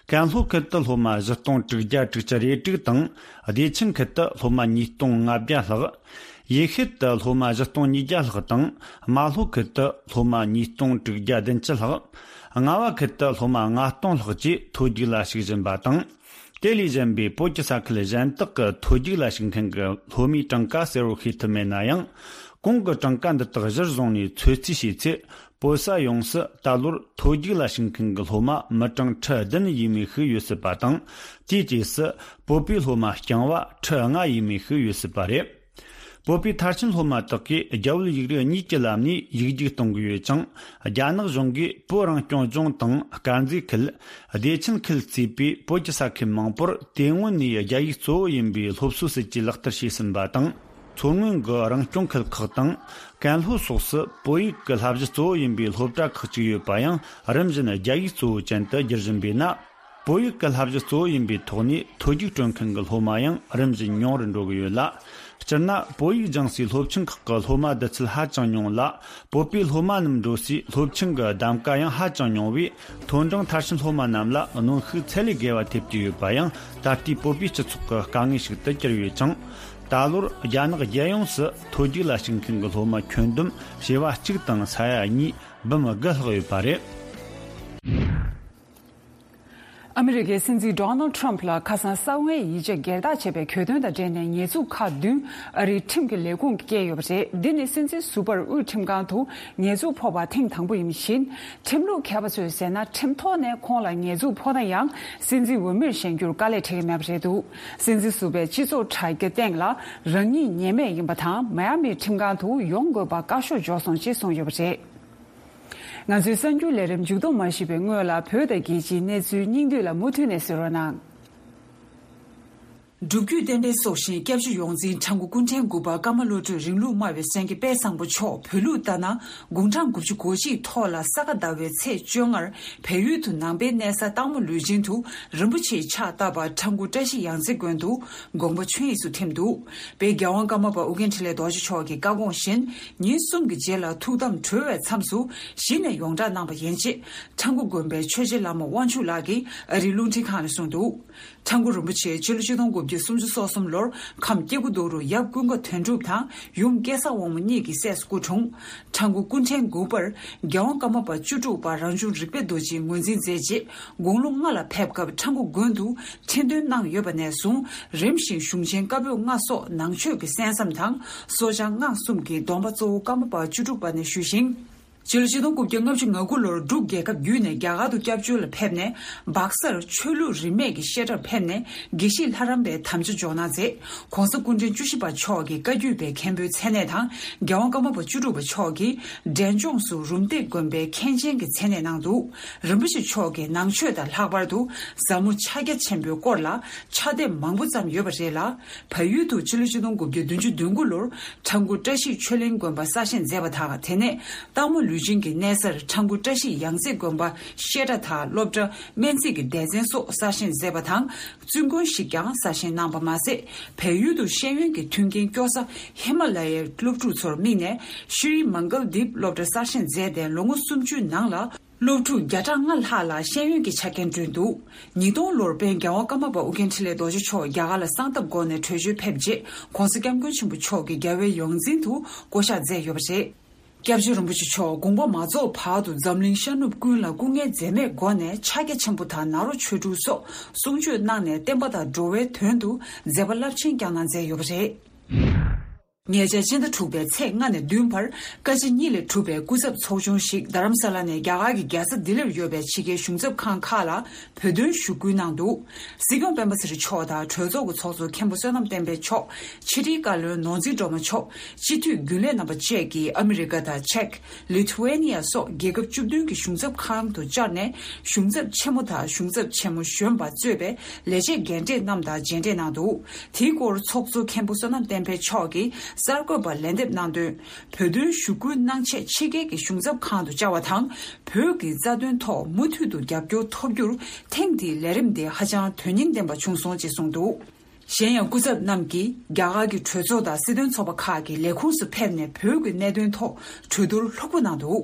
ཀན་ལྷོ་ཁུལ་དུ་སློབ་མ་བཞི་སྟོང་དྲུག་བརྒྱ་དྲུག་ཅུ་རེ་དྲུག་དང་། བདེ་ཆེན་ཁུལ་དུ་སློབ་མ་ཉིས་སྟོང་ལྔ་བརྒྱ་ལྷག། ཡེ་ཤུལ་དུ་སློབ་མ་བཞི་སྟོང་ཉིས་བརྒྱ་ལྷག་དང་། རྨ་ལྷོ་ཁུལ་དུ་སློབ་མ་ཉིས་སྟོང་དྲུག་བརྒྱ་བདུན་ཅུ་ལྷག། རྔ་བ་ཁུལ་དུ་སློབ་མ་ལྔ་སྟོང་ལྷག་བཅས་ཐོ་རྒྱུགས་ལ་ཞུགས་བཞིན་པ་དང་། དེ་ལས་གཞན་པའི་བོད་ཀྱི་ས་ཁུལ་གཞན་དག་གི་ཐོ་རྒྱུགས་ལ་ཞུགས་མཁན་གྱི་སློབ་མའི་གྲངས་ཀ་གསལ་བོར་ཤེས་ཐུབ་མེད་ན་ཡང་། གོང་གི་གྲངས་ཀ་འདི་དག་གཞིར་བཟུང་ནས་ཚོད་རྩིས་བྱས་ཚེ། བོད་ས་ཡོངས་སུ་ད་ལོར་ཐོ་རྒྱུགས་ལ་ཞུགས་མཁན་གྱི་སློབ་མ་མི་གྲངས་ཁྲི་བདུན་ཡས་མས་ཤིག་ཡོད་སྲིད་པ་དང་། དེའི་རྗེས་སུ་བོད་པའི་སློབ་མ་རྐྱང་བ་ཁྲི་ལྔ་ཡས་མས་ཤིག་ཡོད་སྲིད་པ་རེད། བོད་པའི་མཐར་ཕྱིན་སློབ་མ་དག་གིས་རྒྱ་བོད་ཡིག་རིགས་གཉིས་ཀྱི་ལམ་ནས་ཡིག་རྒྱུགས་གཏོང་གི་ཡོད་ཅིང་། རྒྱ་ནག་གཞུང་གིས་བོད་རང་སྐྱོང་ལྗོངས་དང་དཀར་མཛེས་ཁུལ། བདེ་ཆེན་ཁུལ་གཙོས་པའི་བོད་ཀྱི་ས་ཁུལ་མང་པོར་དེ་སྔོན་ནས་རྒྱ་ཡིག་གཙོ་བོ་ཡིན་པའི་སློབ་གསོའི་སྲིད་ཇུས་ལག་བསྟར་བྱས་ཟིན་པ་དང་། མཚོ་སྔོན་གྱི་རང་སྐྱོང་ཁུལ་ཁག་དང་། ཀན་ལྷོ་སོགས་སུ་བོད་ཡིག་གི་བསླབ་གཞི་གཙོ་བོ་ཡིན་པའི་སློབ་གྲྭ་ཁག་ཅིག་ཡོད་པ་ཡང་། རིམ་བཞིན་རྒྱ་ཡིག་གཙོ་བོ་ཅན་དུ་བསྒྱུར་བཞིན་པས་ན། བོད་ཡིག་གི་བསླབ་གཞི་གཙོ་བོ་ཡིན་པའི་ཐོག་ནས་ཐོ་རྒྱུགས་སྤྲོད་མཁན་གྱི་སློབ་མ་ཡང་རིམ་བཞིན་ཉུང་རུ་འགྲོ་གི་ཡོད་ལ། སྤྱིར་ན་བོད་ཡིག་སྦྱང་སའི་སློབ་ཆེན་ཁག་གི་སློབ་མ་བསྡུ་ཚད་ཧ་ཅང་ཉུང་ལ། བོད་པའི་སློབ་མ་རྣམས་འགྲོ་སའི་སློབ་ཆེན་གྱི་གདམ་ག་ཡང་ཧ་ཅང་ཉུང་བས། མཐོ་འབྲིང་མཐར་ཕྱིན་སློབ་མ་རྣམས་ལ་གནོན་ཤུགས་ཚད་ལས་བརྒལ་བ་ཐེབས་ཀྱི་ཡོད་པ་ཡང་ད་ལྟའི་བོད་པའི་སྤྱི་ཚོགས་ཀྱི་དཀའ་ངལ་ཞིག་ཏུ་གྱུར་ཡོད་ཅིང་། ད་ལོར་རྒྱ་ནག་རྒྱལ་ཡོངས་སུ་ཐོ་རྒྱུགས་ལ་ཞུགས་མཁན་གྱི་སློབ་མ་ཁྱོན་བསྡོམས་བྱེ་བ་གཅིག་དང་ས་ཡ་གཉིས་འབུམ་དགུ་ལྷག་ཡོད་པ་རེད། ཨ་མི་རི་ཀའི་སྲིད་འཛིན་ཌོ་ནལ་ཊམ་ཕ་ལ་ཁ་སང་གསང་བའི་ཡིག་ཆ་སྒེར་བདག་བྱས་པའི་གྱོད་དོན་དང་འབྲེལ་ནས་ཉེས་འཛུགས་ཁག་བདུན་ཨ་རིའི་ཁྲིམས་ཀྱི་ལས་ཁུངས་ཀྱིས་བཀལ་ཡོད་པ་རེད། འདི་ནི་སྲིད་འཛིན་ཟུར་པར་དབུས་ཁྲིམས་ཁང་དུ་ཉེས་འཛུགས་ཕོག་པ་ཐེངས་དང་པོ་ཡིན་པ་བཞིན། ཁྲིམས་ལུགས་མཁས་པ་ཚོས་ཟེར་ན། ཁྲིམས་ཐོག་ནས་ཁོང་ལ་ཉེས་འཛུགས་ཕོག་ན་ཡང་། སྲིད་འཛིན་འོས་མིར་བཞེངས་རྒྱུར་དཀའ་ལས་འཕྲད་ཀྱི་མེད་པ་རེད་འདུག་སྲིད་འཛིན་ཟུར་པས་སྤྱི་ཚོགས་དྲ་རྒྱ་སྟེང་ལ་རང་ཉིད་ཉེས་མེད་ཡིན་པ་དང་། མའི་ཨ་མིའི་ཁྲིམས་ཁང་དུ་ཡོང་དགོས་པ་བཀའ་ཤོག་འབྱོར་སོང་ཅེས་གསུངས་ཡོད་པ་རེད། ང་ཚོའི་གསར་འགྱུར་ལས་རིམ་མཇུག་བསྡོམས་མ་ཞུས་པའི་སྔོན་ལ། བོད་དང་རྒྱལ་སྤྱིའི་གནས་ཚུལ་སྙིང་བསྡུས་ལ་མུ་མཐུད་ནས་གསན་རོགས་གནང་། སྒྲུབ་བརྒྱུད་བསྟན་པའི་སྲོག་ཤིང་སྐྱབས་རྗེ་ཡོངས་འཛིན་ཁྲ་འགུ་ཀུན་ཕྲན་དགུ་པ་ཀརྨ་བློ་གྲོས་རིང་ལུགས་སྨྲ་བའི་སེང་གེ་དཔལ་བཟང་པོ་མཆོག་བོད་ལུགས་ལྟར་ན་དགུང་གྲངས་དགུ་བཅུ་གོ་གཅིག་ཐོག་ལ་ས་ག་ཟླ་བའི་ཚེས་བཅོ་ལྔར་བལ་ཡུལ་དུ་ནང་པའི་གནས་ས་སྟག་མོ་ལུས་སྦྱིན་དུ་རིན་པོ་ཆེའི་ཕྱག་བཏབ་པ་ཁྲ་འགུ་བཀྲ་ཤིས་ཡང་རྩེ་དགོན་དུ་དགོངས་པ་ཆོས་དབྱིངས་སུ་ཐིམ་འདུག་དཔལ་རྒྱལ་དབང་ཀརྨ་པ་ཨོ་རྒྱན་འཕྲིན་ལས་རྡོ་རྗེ་མཆོག་གི་བཀའ་དགོངས་བཞིན། ཉིན་གསུམ་གྱི་རྗེས་ལ་ཐུགས་དམ་གྲོལ་བའི་མཚམས་སུ་གཞི་ནས་ཡོངས་གྲགས་གནང་བ་ཡིན་ཅེས། ཁྲ་འགུ་དགོན་པའི་ཆོས་རྗེ་བླ་མ་དབང་ཕྱུག་ལགས་ཀྱིས་ཨ་རིའི་རླུང་འཕྲིན་ཁང་ལ་གསུངས་འདུག་ཁྲ་འགུ་རིན་པོ་ཆེ་ཕྱི་ལོ་ཆིག་སྟོང་དགུ་བརྒྱ་སུམ་ཅུ་སོ་གསུམ་ལོར་ཁམས་སྐྱེ་རྒུ་མདོ་རུ་ཡབ་ཀུན་དགའ་དོན་གྲུབ་དང་ཡུམ་སྐལ་བཟང་དབང་མོ་གཉིས་ཀྱི་སྲས་སུ་སྐུ་འཁྲུངས། ཁྲ་འགུ་ཀུན་ཕྲན་དགུ་པར་རྒྱལ་དབང་ཀརྨ་པ་བཅུ་དྲུག་པ་རང་བྱུང་རིག་པའི་རྡོ་རྗེས་ངོས་འཛིན་མཛད་རྗེས། དགུང་ལོ་ལྔ་ལ་ཕེབས་སྐབས་ཁྲ་འགུ་དགོན་དུ་ཁྲི་འདོན་གནང་ཡོད་པ་ནས་བཟུང་རིམ་བཞིན་གཞུང་ཆེན་བཀའ་པོད་ལྔ་སོགས་ནང་ཆོས་ཀྱི་གསན་བསམ་དང་གསོལ་བྱང་སྔགས་གསུམ་གྱི་སྡོམ་པ་གཙོ་བོ་ཀརྨ་པ་བཅུ་དྲུག་པ་ནས་ཞུས་ཤིང་། སྤྱི་ལོ་ཆིག་སྟོང་དགུ་བརྒྱ་ལྔ་བཅུ་ང་དགུ་ལོར་འབྲུག་རྒྱལ་ཁབ་བརྒྱུད་ནས་རྒྱ་གར་དུ་སྐྱབས་བཅོལ་ལ་ཕེབས་ནས་སྦག་སར་ཆོས་ལུགས་རིས་མེད་ཀྱི་བཤད་གྲྭར་ཕེབས་ནས་དགེ་བཤེས་ལྷ་རམས་པའི་དམ་བཅའ་འཇོག་གནང་མཛད། ྋགོང་ས་སྐུ་ཕྲེང་བཅུ་བཞི་པ་མཆོག་གིས་བཀའ་བརྒྱུད་པའི་མཁན་པོའི་མཚན་གནས་དང་རྒྱལ་དབང་ཀརྨ་པ་བཅུ་དྲུག་པ་མཆོག་གིས་འབྲས་ལྗོངས་སུ་རུམ་བཏེག་དགོན་པའི་མཁན་ཆེན་གྱི་མཚན་གནས་གནང་འདུག་རིན་པོ་ཆེ་མཆོག་གིས་ནང་ཆོས་དང་ལྷག་པར་དུ་ཟབ་མོ་ཕྱག་རྒྱ་ཆེན་པོའི་སྐོར་ལ་ཕྱག་དེབ་མང་པོ་བརྩམས་ཡོད་པ་རེད་ལ། བལ་ཡུལ་དུ་ཕྱི་ལོ་ཆིག་སྟོང་དགུ་བརྒྱ་བདུན་ཅུ་དོན་དགུ་ལོར་ཁྲ་འགུ་བཀྲ་ཤིས་ཆོས་གླིང་དགོན་པ་གསར་བཞེངས་མཛད་པ་དང་། དེ་ནས་སྟག་མོ་ལུས་སྦྱིན་གྱི་གནས་སར་ཁྲ་འགུ་བཀྲ་ཤིས་ཡང་རྩེ་དགོན་པ་བཤད་གྲྭ་དང་སློབ་གྲྭ། སྨན་རྩིས་ཀྱི་སྡེ་ཚན་སོགས་གསར་བཞེངས་མཛད་པ་དང་། བཙུན་དགོན་ཞིག་ཀྱང་གསར་བཞེངས་གནང་བ་མ་ཟད། བལ་ཡུལ་དུ་ཤེས་ཡོན་གྱི་མཐུན་རྐྱེན་སྐྱོ་ས་ཧི་མ་ལ་ཡའི་སློབ་ཕྲུག་ཚོར་དམིགས་ནས་ཤྲི་མང་གལ་དིབ་སློབ་གྲྭ་གསར་བཞེངས་མཛད་དེ་ལོ་ངོ་སུམ་ཅུའི་ནང་ལ། སློབ་ཕྲུག་བརྒྱ་ཕྲག་ལྔ་ལྷག་ལ་ཤེས་ཡོན་གྱི་ཆ་རྐྱེན་བསྐྲུན་འདུག་ཉིས་སྟོང་ལོར་དཔལ་རྒྱལ་དབང་ཀརྨ་པ་ཨོ་རྒྱན་འཕྲིན་ལས་རྡོ་རྗེ་མཆོག་རྒྱ་གར་ལ་གསང་སྟབས་སྒོ་ནས་བྲོས་བྱོལ་ཕེབས་རྗེས་ྋགོང་ས་ྋསྐྱབས་མགོན་ཆེན་པོ་མཆོག་གིས་རྒྱལ་བའི་ཡོངས་འཛིན་དུ་བསྐོ་གཞག་མཛད་ཡོད་པ་རེད། སྐྱབས་རྗེ་རིན་པོ་ཆེ་མཆོག་དགོངས་པ་མ་རྫོགས་བར་དུ་འཛམ་གླིང་ཤར་ནུབ་ཀུན་ལ་སྐུ་ངལ་འཛེམས་མེད་སྒོ་ནས་ཕྱག་རྒྱ་ཆེན་པོ་དང་ནཱ་རོ་ཆོས་དྲུག་སོགས་གསུང་ཆོས་གནང་ནས་བསྟན་པ་དང་འགྲོ་བའི་དོན་དུ་མཛད་པ་རླབས་ཆེན་བསྐྱངས་གནང་མཛད་ཡོད་པ་རེད། ཉེ་ཆར་སྤྱི་ཟླ་དྲུག་པའི་ཚེས་ལྔ་ནས་བདུན་བར་བཀའ་སྤྱི་གཉིས་ལས་གྲུབ་པའི་སྐུ་ཚབ་ཚོགས་ཆུང་ཞིག་རྡ་རམ་ས་ལ་ནས་རྒྱ་གར་གྱི་རྒྱལ་ས་ལྡི་ལིར་ཡོད་པའི་ཕྱི་རྒྱལ་གཞུང་ཚབ་ཁང་ཁག་ལ་བོད་དོན་ཞུ་སྐུལ་གནང་འདུག་སྲིད་སྐྱོང་སྤེན་པ་ཚེ་རིང་མཆོག་དང་གྲོས་ཚོགས་ཀྱི་ཚོགས་གཙོ་མཁན་པོ་བསོད་ནམས་བསྟན་འཕེལ་མཆོག་ཕྱི་དྲིལ་བཀའ་བློན་ནོར་འཛིན་སྒྲོལ་མ་མཆོག་སྤྱི་འཐུས་རྒྱུན་ལས་རྣམ་པ་བཅས་ཀྱིས་ཨ་མི་རི་ཀ་དང་ཅེཀ་ལི་ཐུ་ཝེ་ནི་ཡ་སོགས་རྒྱལ་ཁབ་བཅུ་བདུན་གྱི་གཞུང་ཚབ་ཁང་དུ་བཅར་ནས་གཞུང་ཚབ་ཆེན་མོ་དང་གཞུང་ཚབ་ཆེན་མོ་གཞོན་པ་གཙོས་པའི་ལས་བྱེད་རྒན་གྲས་རྣམས་དང་མཇལ་འཕྲད་གནང་འདུག་དེའི་སྐོར་ཚོགས་གཙོ་མཁན་པོ་བསོད་ནམས་བསྟན་འཕེལ་མཆོག་གིས་གསར་འགོད་པར་ལན་འདེབས་གནང་དོན། བོད་དོན་ཞུ་སྐུལ་གནང་ཆེད་ཕྱི་རྒྱལ་གྱི་གཞུང་ཚབ་ཁང་དུ་བཅར་བ་དང་། བོད་ཀྱི་རྩ་དོན་ཐོག་མུ་མཐུད་དུ་རྒྱབ་སྐྱོར་ཐོབ་རྒྱུར་ཐེངས་འདིའི་ལས་རིམ་དེ་ཧ་ཅང་དོན་སྙིང་ལྡན་པ་བྱུང་སོང་ཅེས་གསུངས་འདུག་གཞན་ཡང་སྐུ་ཚབ་རྣམས་ཀྱིས་རྒྱ་གར་གྱི་གྲོས་ཚོགས་དང་སྲིད་དོན་ཚོགས་པ་ཁག་གི་ལས་ཁུངས་སུ་ཕེབས་ནས་བོད་ཀྱི་གནད་དོན་ཐོག་གྲོས་བསྡུར་ལྷུག་པོ་གནང་འདུག་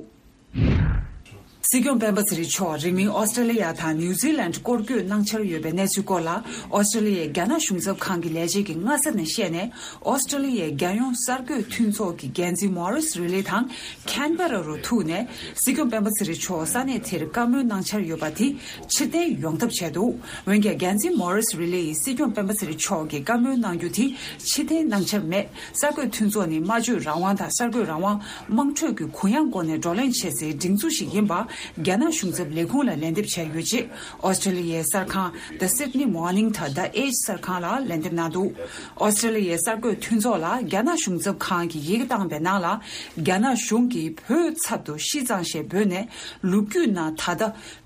སྲིད་སྐྱོང་སྤེན་པ་ཚེ་རིང་མཆོག་རིང་མིན་ཨོ་སི་ཀྲེ་ལི་ཡ་དང་ནིའུ་ཛི་ལན་སྐོར་སྐྱོད་གནང་འཆར་ཡོད་པའི་གནས་ཚུལ་སྐོར་ལ་ཨོ་སི་ཀྲེ་ལི་ཡའི་རྒྱ་ནག་གཞུང་ཚབ་ཁང་གི་ལས་བྱེད་ཀྱིས་སྔ་ས་ནས་བཤད་ནས། ཨོ་སི་ཀྲེ་ལི་ཡའི་རྒྱལ་ཡོངས་གསར་འགོད་མཐུན་ཚོགས་ཀྱི་འགན་འཛིན་མོ་རིས་རི་ལི་དང་ཁན་བེ་ར་རུ་ཐུག་ནས་སྲིད་སྐྱོང་སྤེན་པ་ཚེ་རིང་མཆོག་ས་གནས་དེར་བཀའ་མོལ་གནང་འཆར་ཡོད་པ་དེ་ཕྱིར་འཐེན་ཡོང་ཐབས་བྱས་འདུག་འོན་ཀྱང་འགན་འཛིན་མོ་རིས་རི་ལི་ཡིས་སྲིད་སྐྱོང་སྤེན་པ་ཚེ་རིང་མཆོག་གིས་བཀའ་མོལ་གནང་རྒྱུ་དེ་ཕྱིར་འཐེན་གནང་འཆར་མེད། གསར་འགོད་མཐུན་ཚོགས་ནི་སྨྲ་བརྗོད་རང་དབང་དང་གསར་འགོད་རང་དབང་། དམངས་ཁྲོད་ཀྱི་གུ་ཡངས་སྒོ་ནས་བགྲོ་གླེང་བྱེད་སའི་སྒྲིག་འཛུགས་ཤིག་ཡིན་པ་རྒྱ་ནག་གཞུང་ཚབ་ལས་ཁུངས་ལ་ལན་འདེབས་བྱས་ཡོད་ཅེས་ཨོ་སི་ཀྲེ་ལི་ཡའི་གསར་ཁང་The Sydney Morning དང་The Age གསར་ཁང་ལ་ལན་འདེབས་གནང་འདུག་ཨོ་སི་ཀྲེ་ལི་ཡའི་གསར་འགོད་མཐུན་ཚོགས་ལ་རྒྱ་ནག་གཞུང་ཚབ་ཁང་གིས་ཡི་གེ་བཏང་པའི་ནང་ལ། རྒྱ་ནག་གཞུང་གིས་བོད་ཚབ་ཏུ་ཤི་ཙང་ཞེས་འབོད་ནས། ལོ་རྒྱུས་ནང་ད་ལྟ་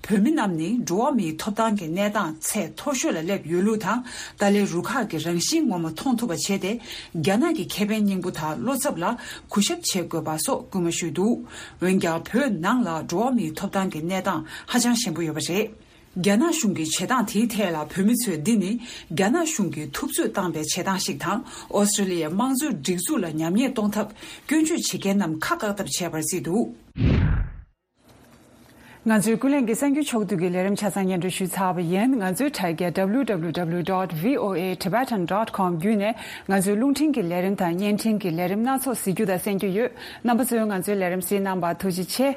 བོད་མི་རྣམས་ནི་འགྲོ་བ་མིའི་ཐོབ་ཐང་གི་གནས་སྟངས་ཚད་མཐོ་ཤོས་ལ་སླེབས་ཡོད་ལུགས་དང་། ཏཱ་ལའི་རུ་ཁག་གི་རང་བཞིན་ངོ་མ་མཐོང་ཐུབ་པ་བྱས་ཏེ། རྒྱ་ནག་གི་ཁེ་ཕན་སྙིང་པོ་དང་བློ་འཚབ་ལ་གུས་ཞབས་བྱེད་དགོས་པ་སོགས་སྐུལ་མ་ཞུས་འདུག་འོན་ཀྱང་བོད་ནང་ལ་འགྲོ་བ་མིའི་ཐོབ་ཐང་གི་གནས་སྟངས་ཧ་ཅང་ཞན་པོ་ཡོད་པ་རེད། རྒྱ་ནག་གཞུང་གི་བྱེད་སྟངས་དེའི་ཐད་ལ་བོད་མི་ཚོས་འདི་ནི་རྒྱ་ནག་གཞུང་གིས་ཐུབ་ཚོད་བཏང་པའི་བྱེད་སྟངས་ཤིག་དང་། ཨོ་སི་ཀྲེ་ལི་ཡའི་དམངས་གཙོའི་སྒྲིག་འཛུགས་ལ་ཉམས་ཉེས་གཏོང་ཐབས་སྐྱོན་བརྗོད་བྱེད་མཁན་རྣམས་ཁ་བཀག་ཐབས་བྱས་པར་བརྩིས་འདུག་ང་ཚོའི་ཀུན་གླེང་གི་གསར་འགྱུར་ཕྱོགས་བསྡུས་ཀྱི་ལས་རིམ་ཆ་ཚང་སྙན་སྒྲོན་ཞུས་ཚར་བ་ཡིན། ང་ཚོའི་དྲ་རྒྱ་W W W dot V O A Tibetan dot com བརྒྱུད་ནས་ང་ཚོའི་རླུང་འཕྲིན་གྱི་ལས་རིམ་དང་བརྙན་འཕྲིན་གྱི་ལས་རིམ་སྣ་ཚོགས་གཟིགས་རྒྱུ་དང་གསན་རྒྱུ་ཡོད། རྣམ་པ་ཚོས་ང་ཚོའི་ལས་རིམ་གཟིགས་གནང་བར་ཐུགས་རྗེ་ཆེ།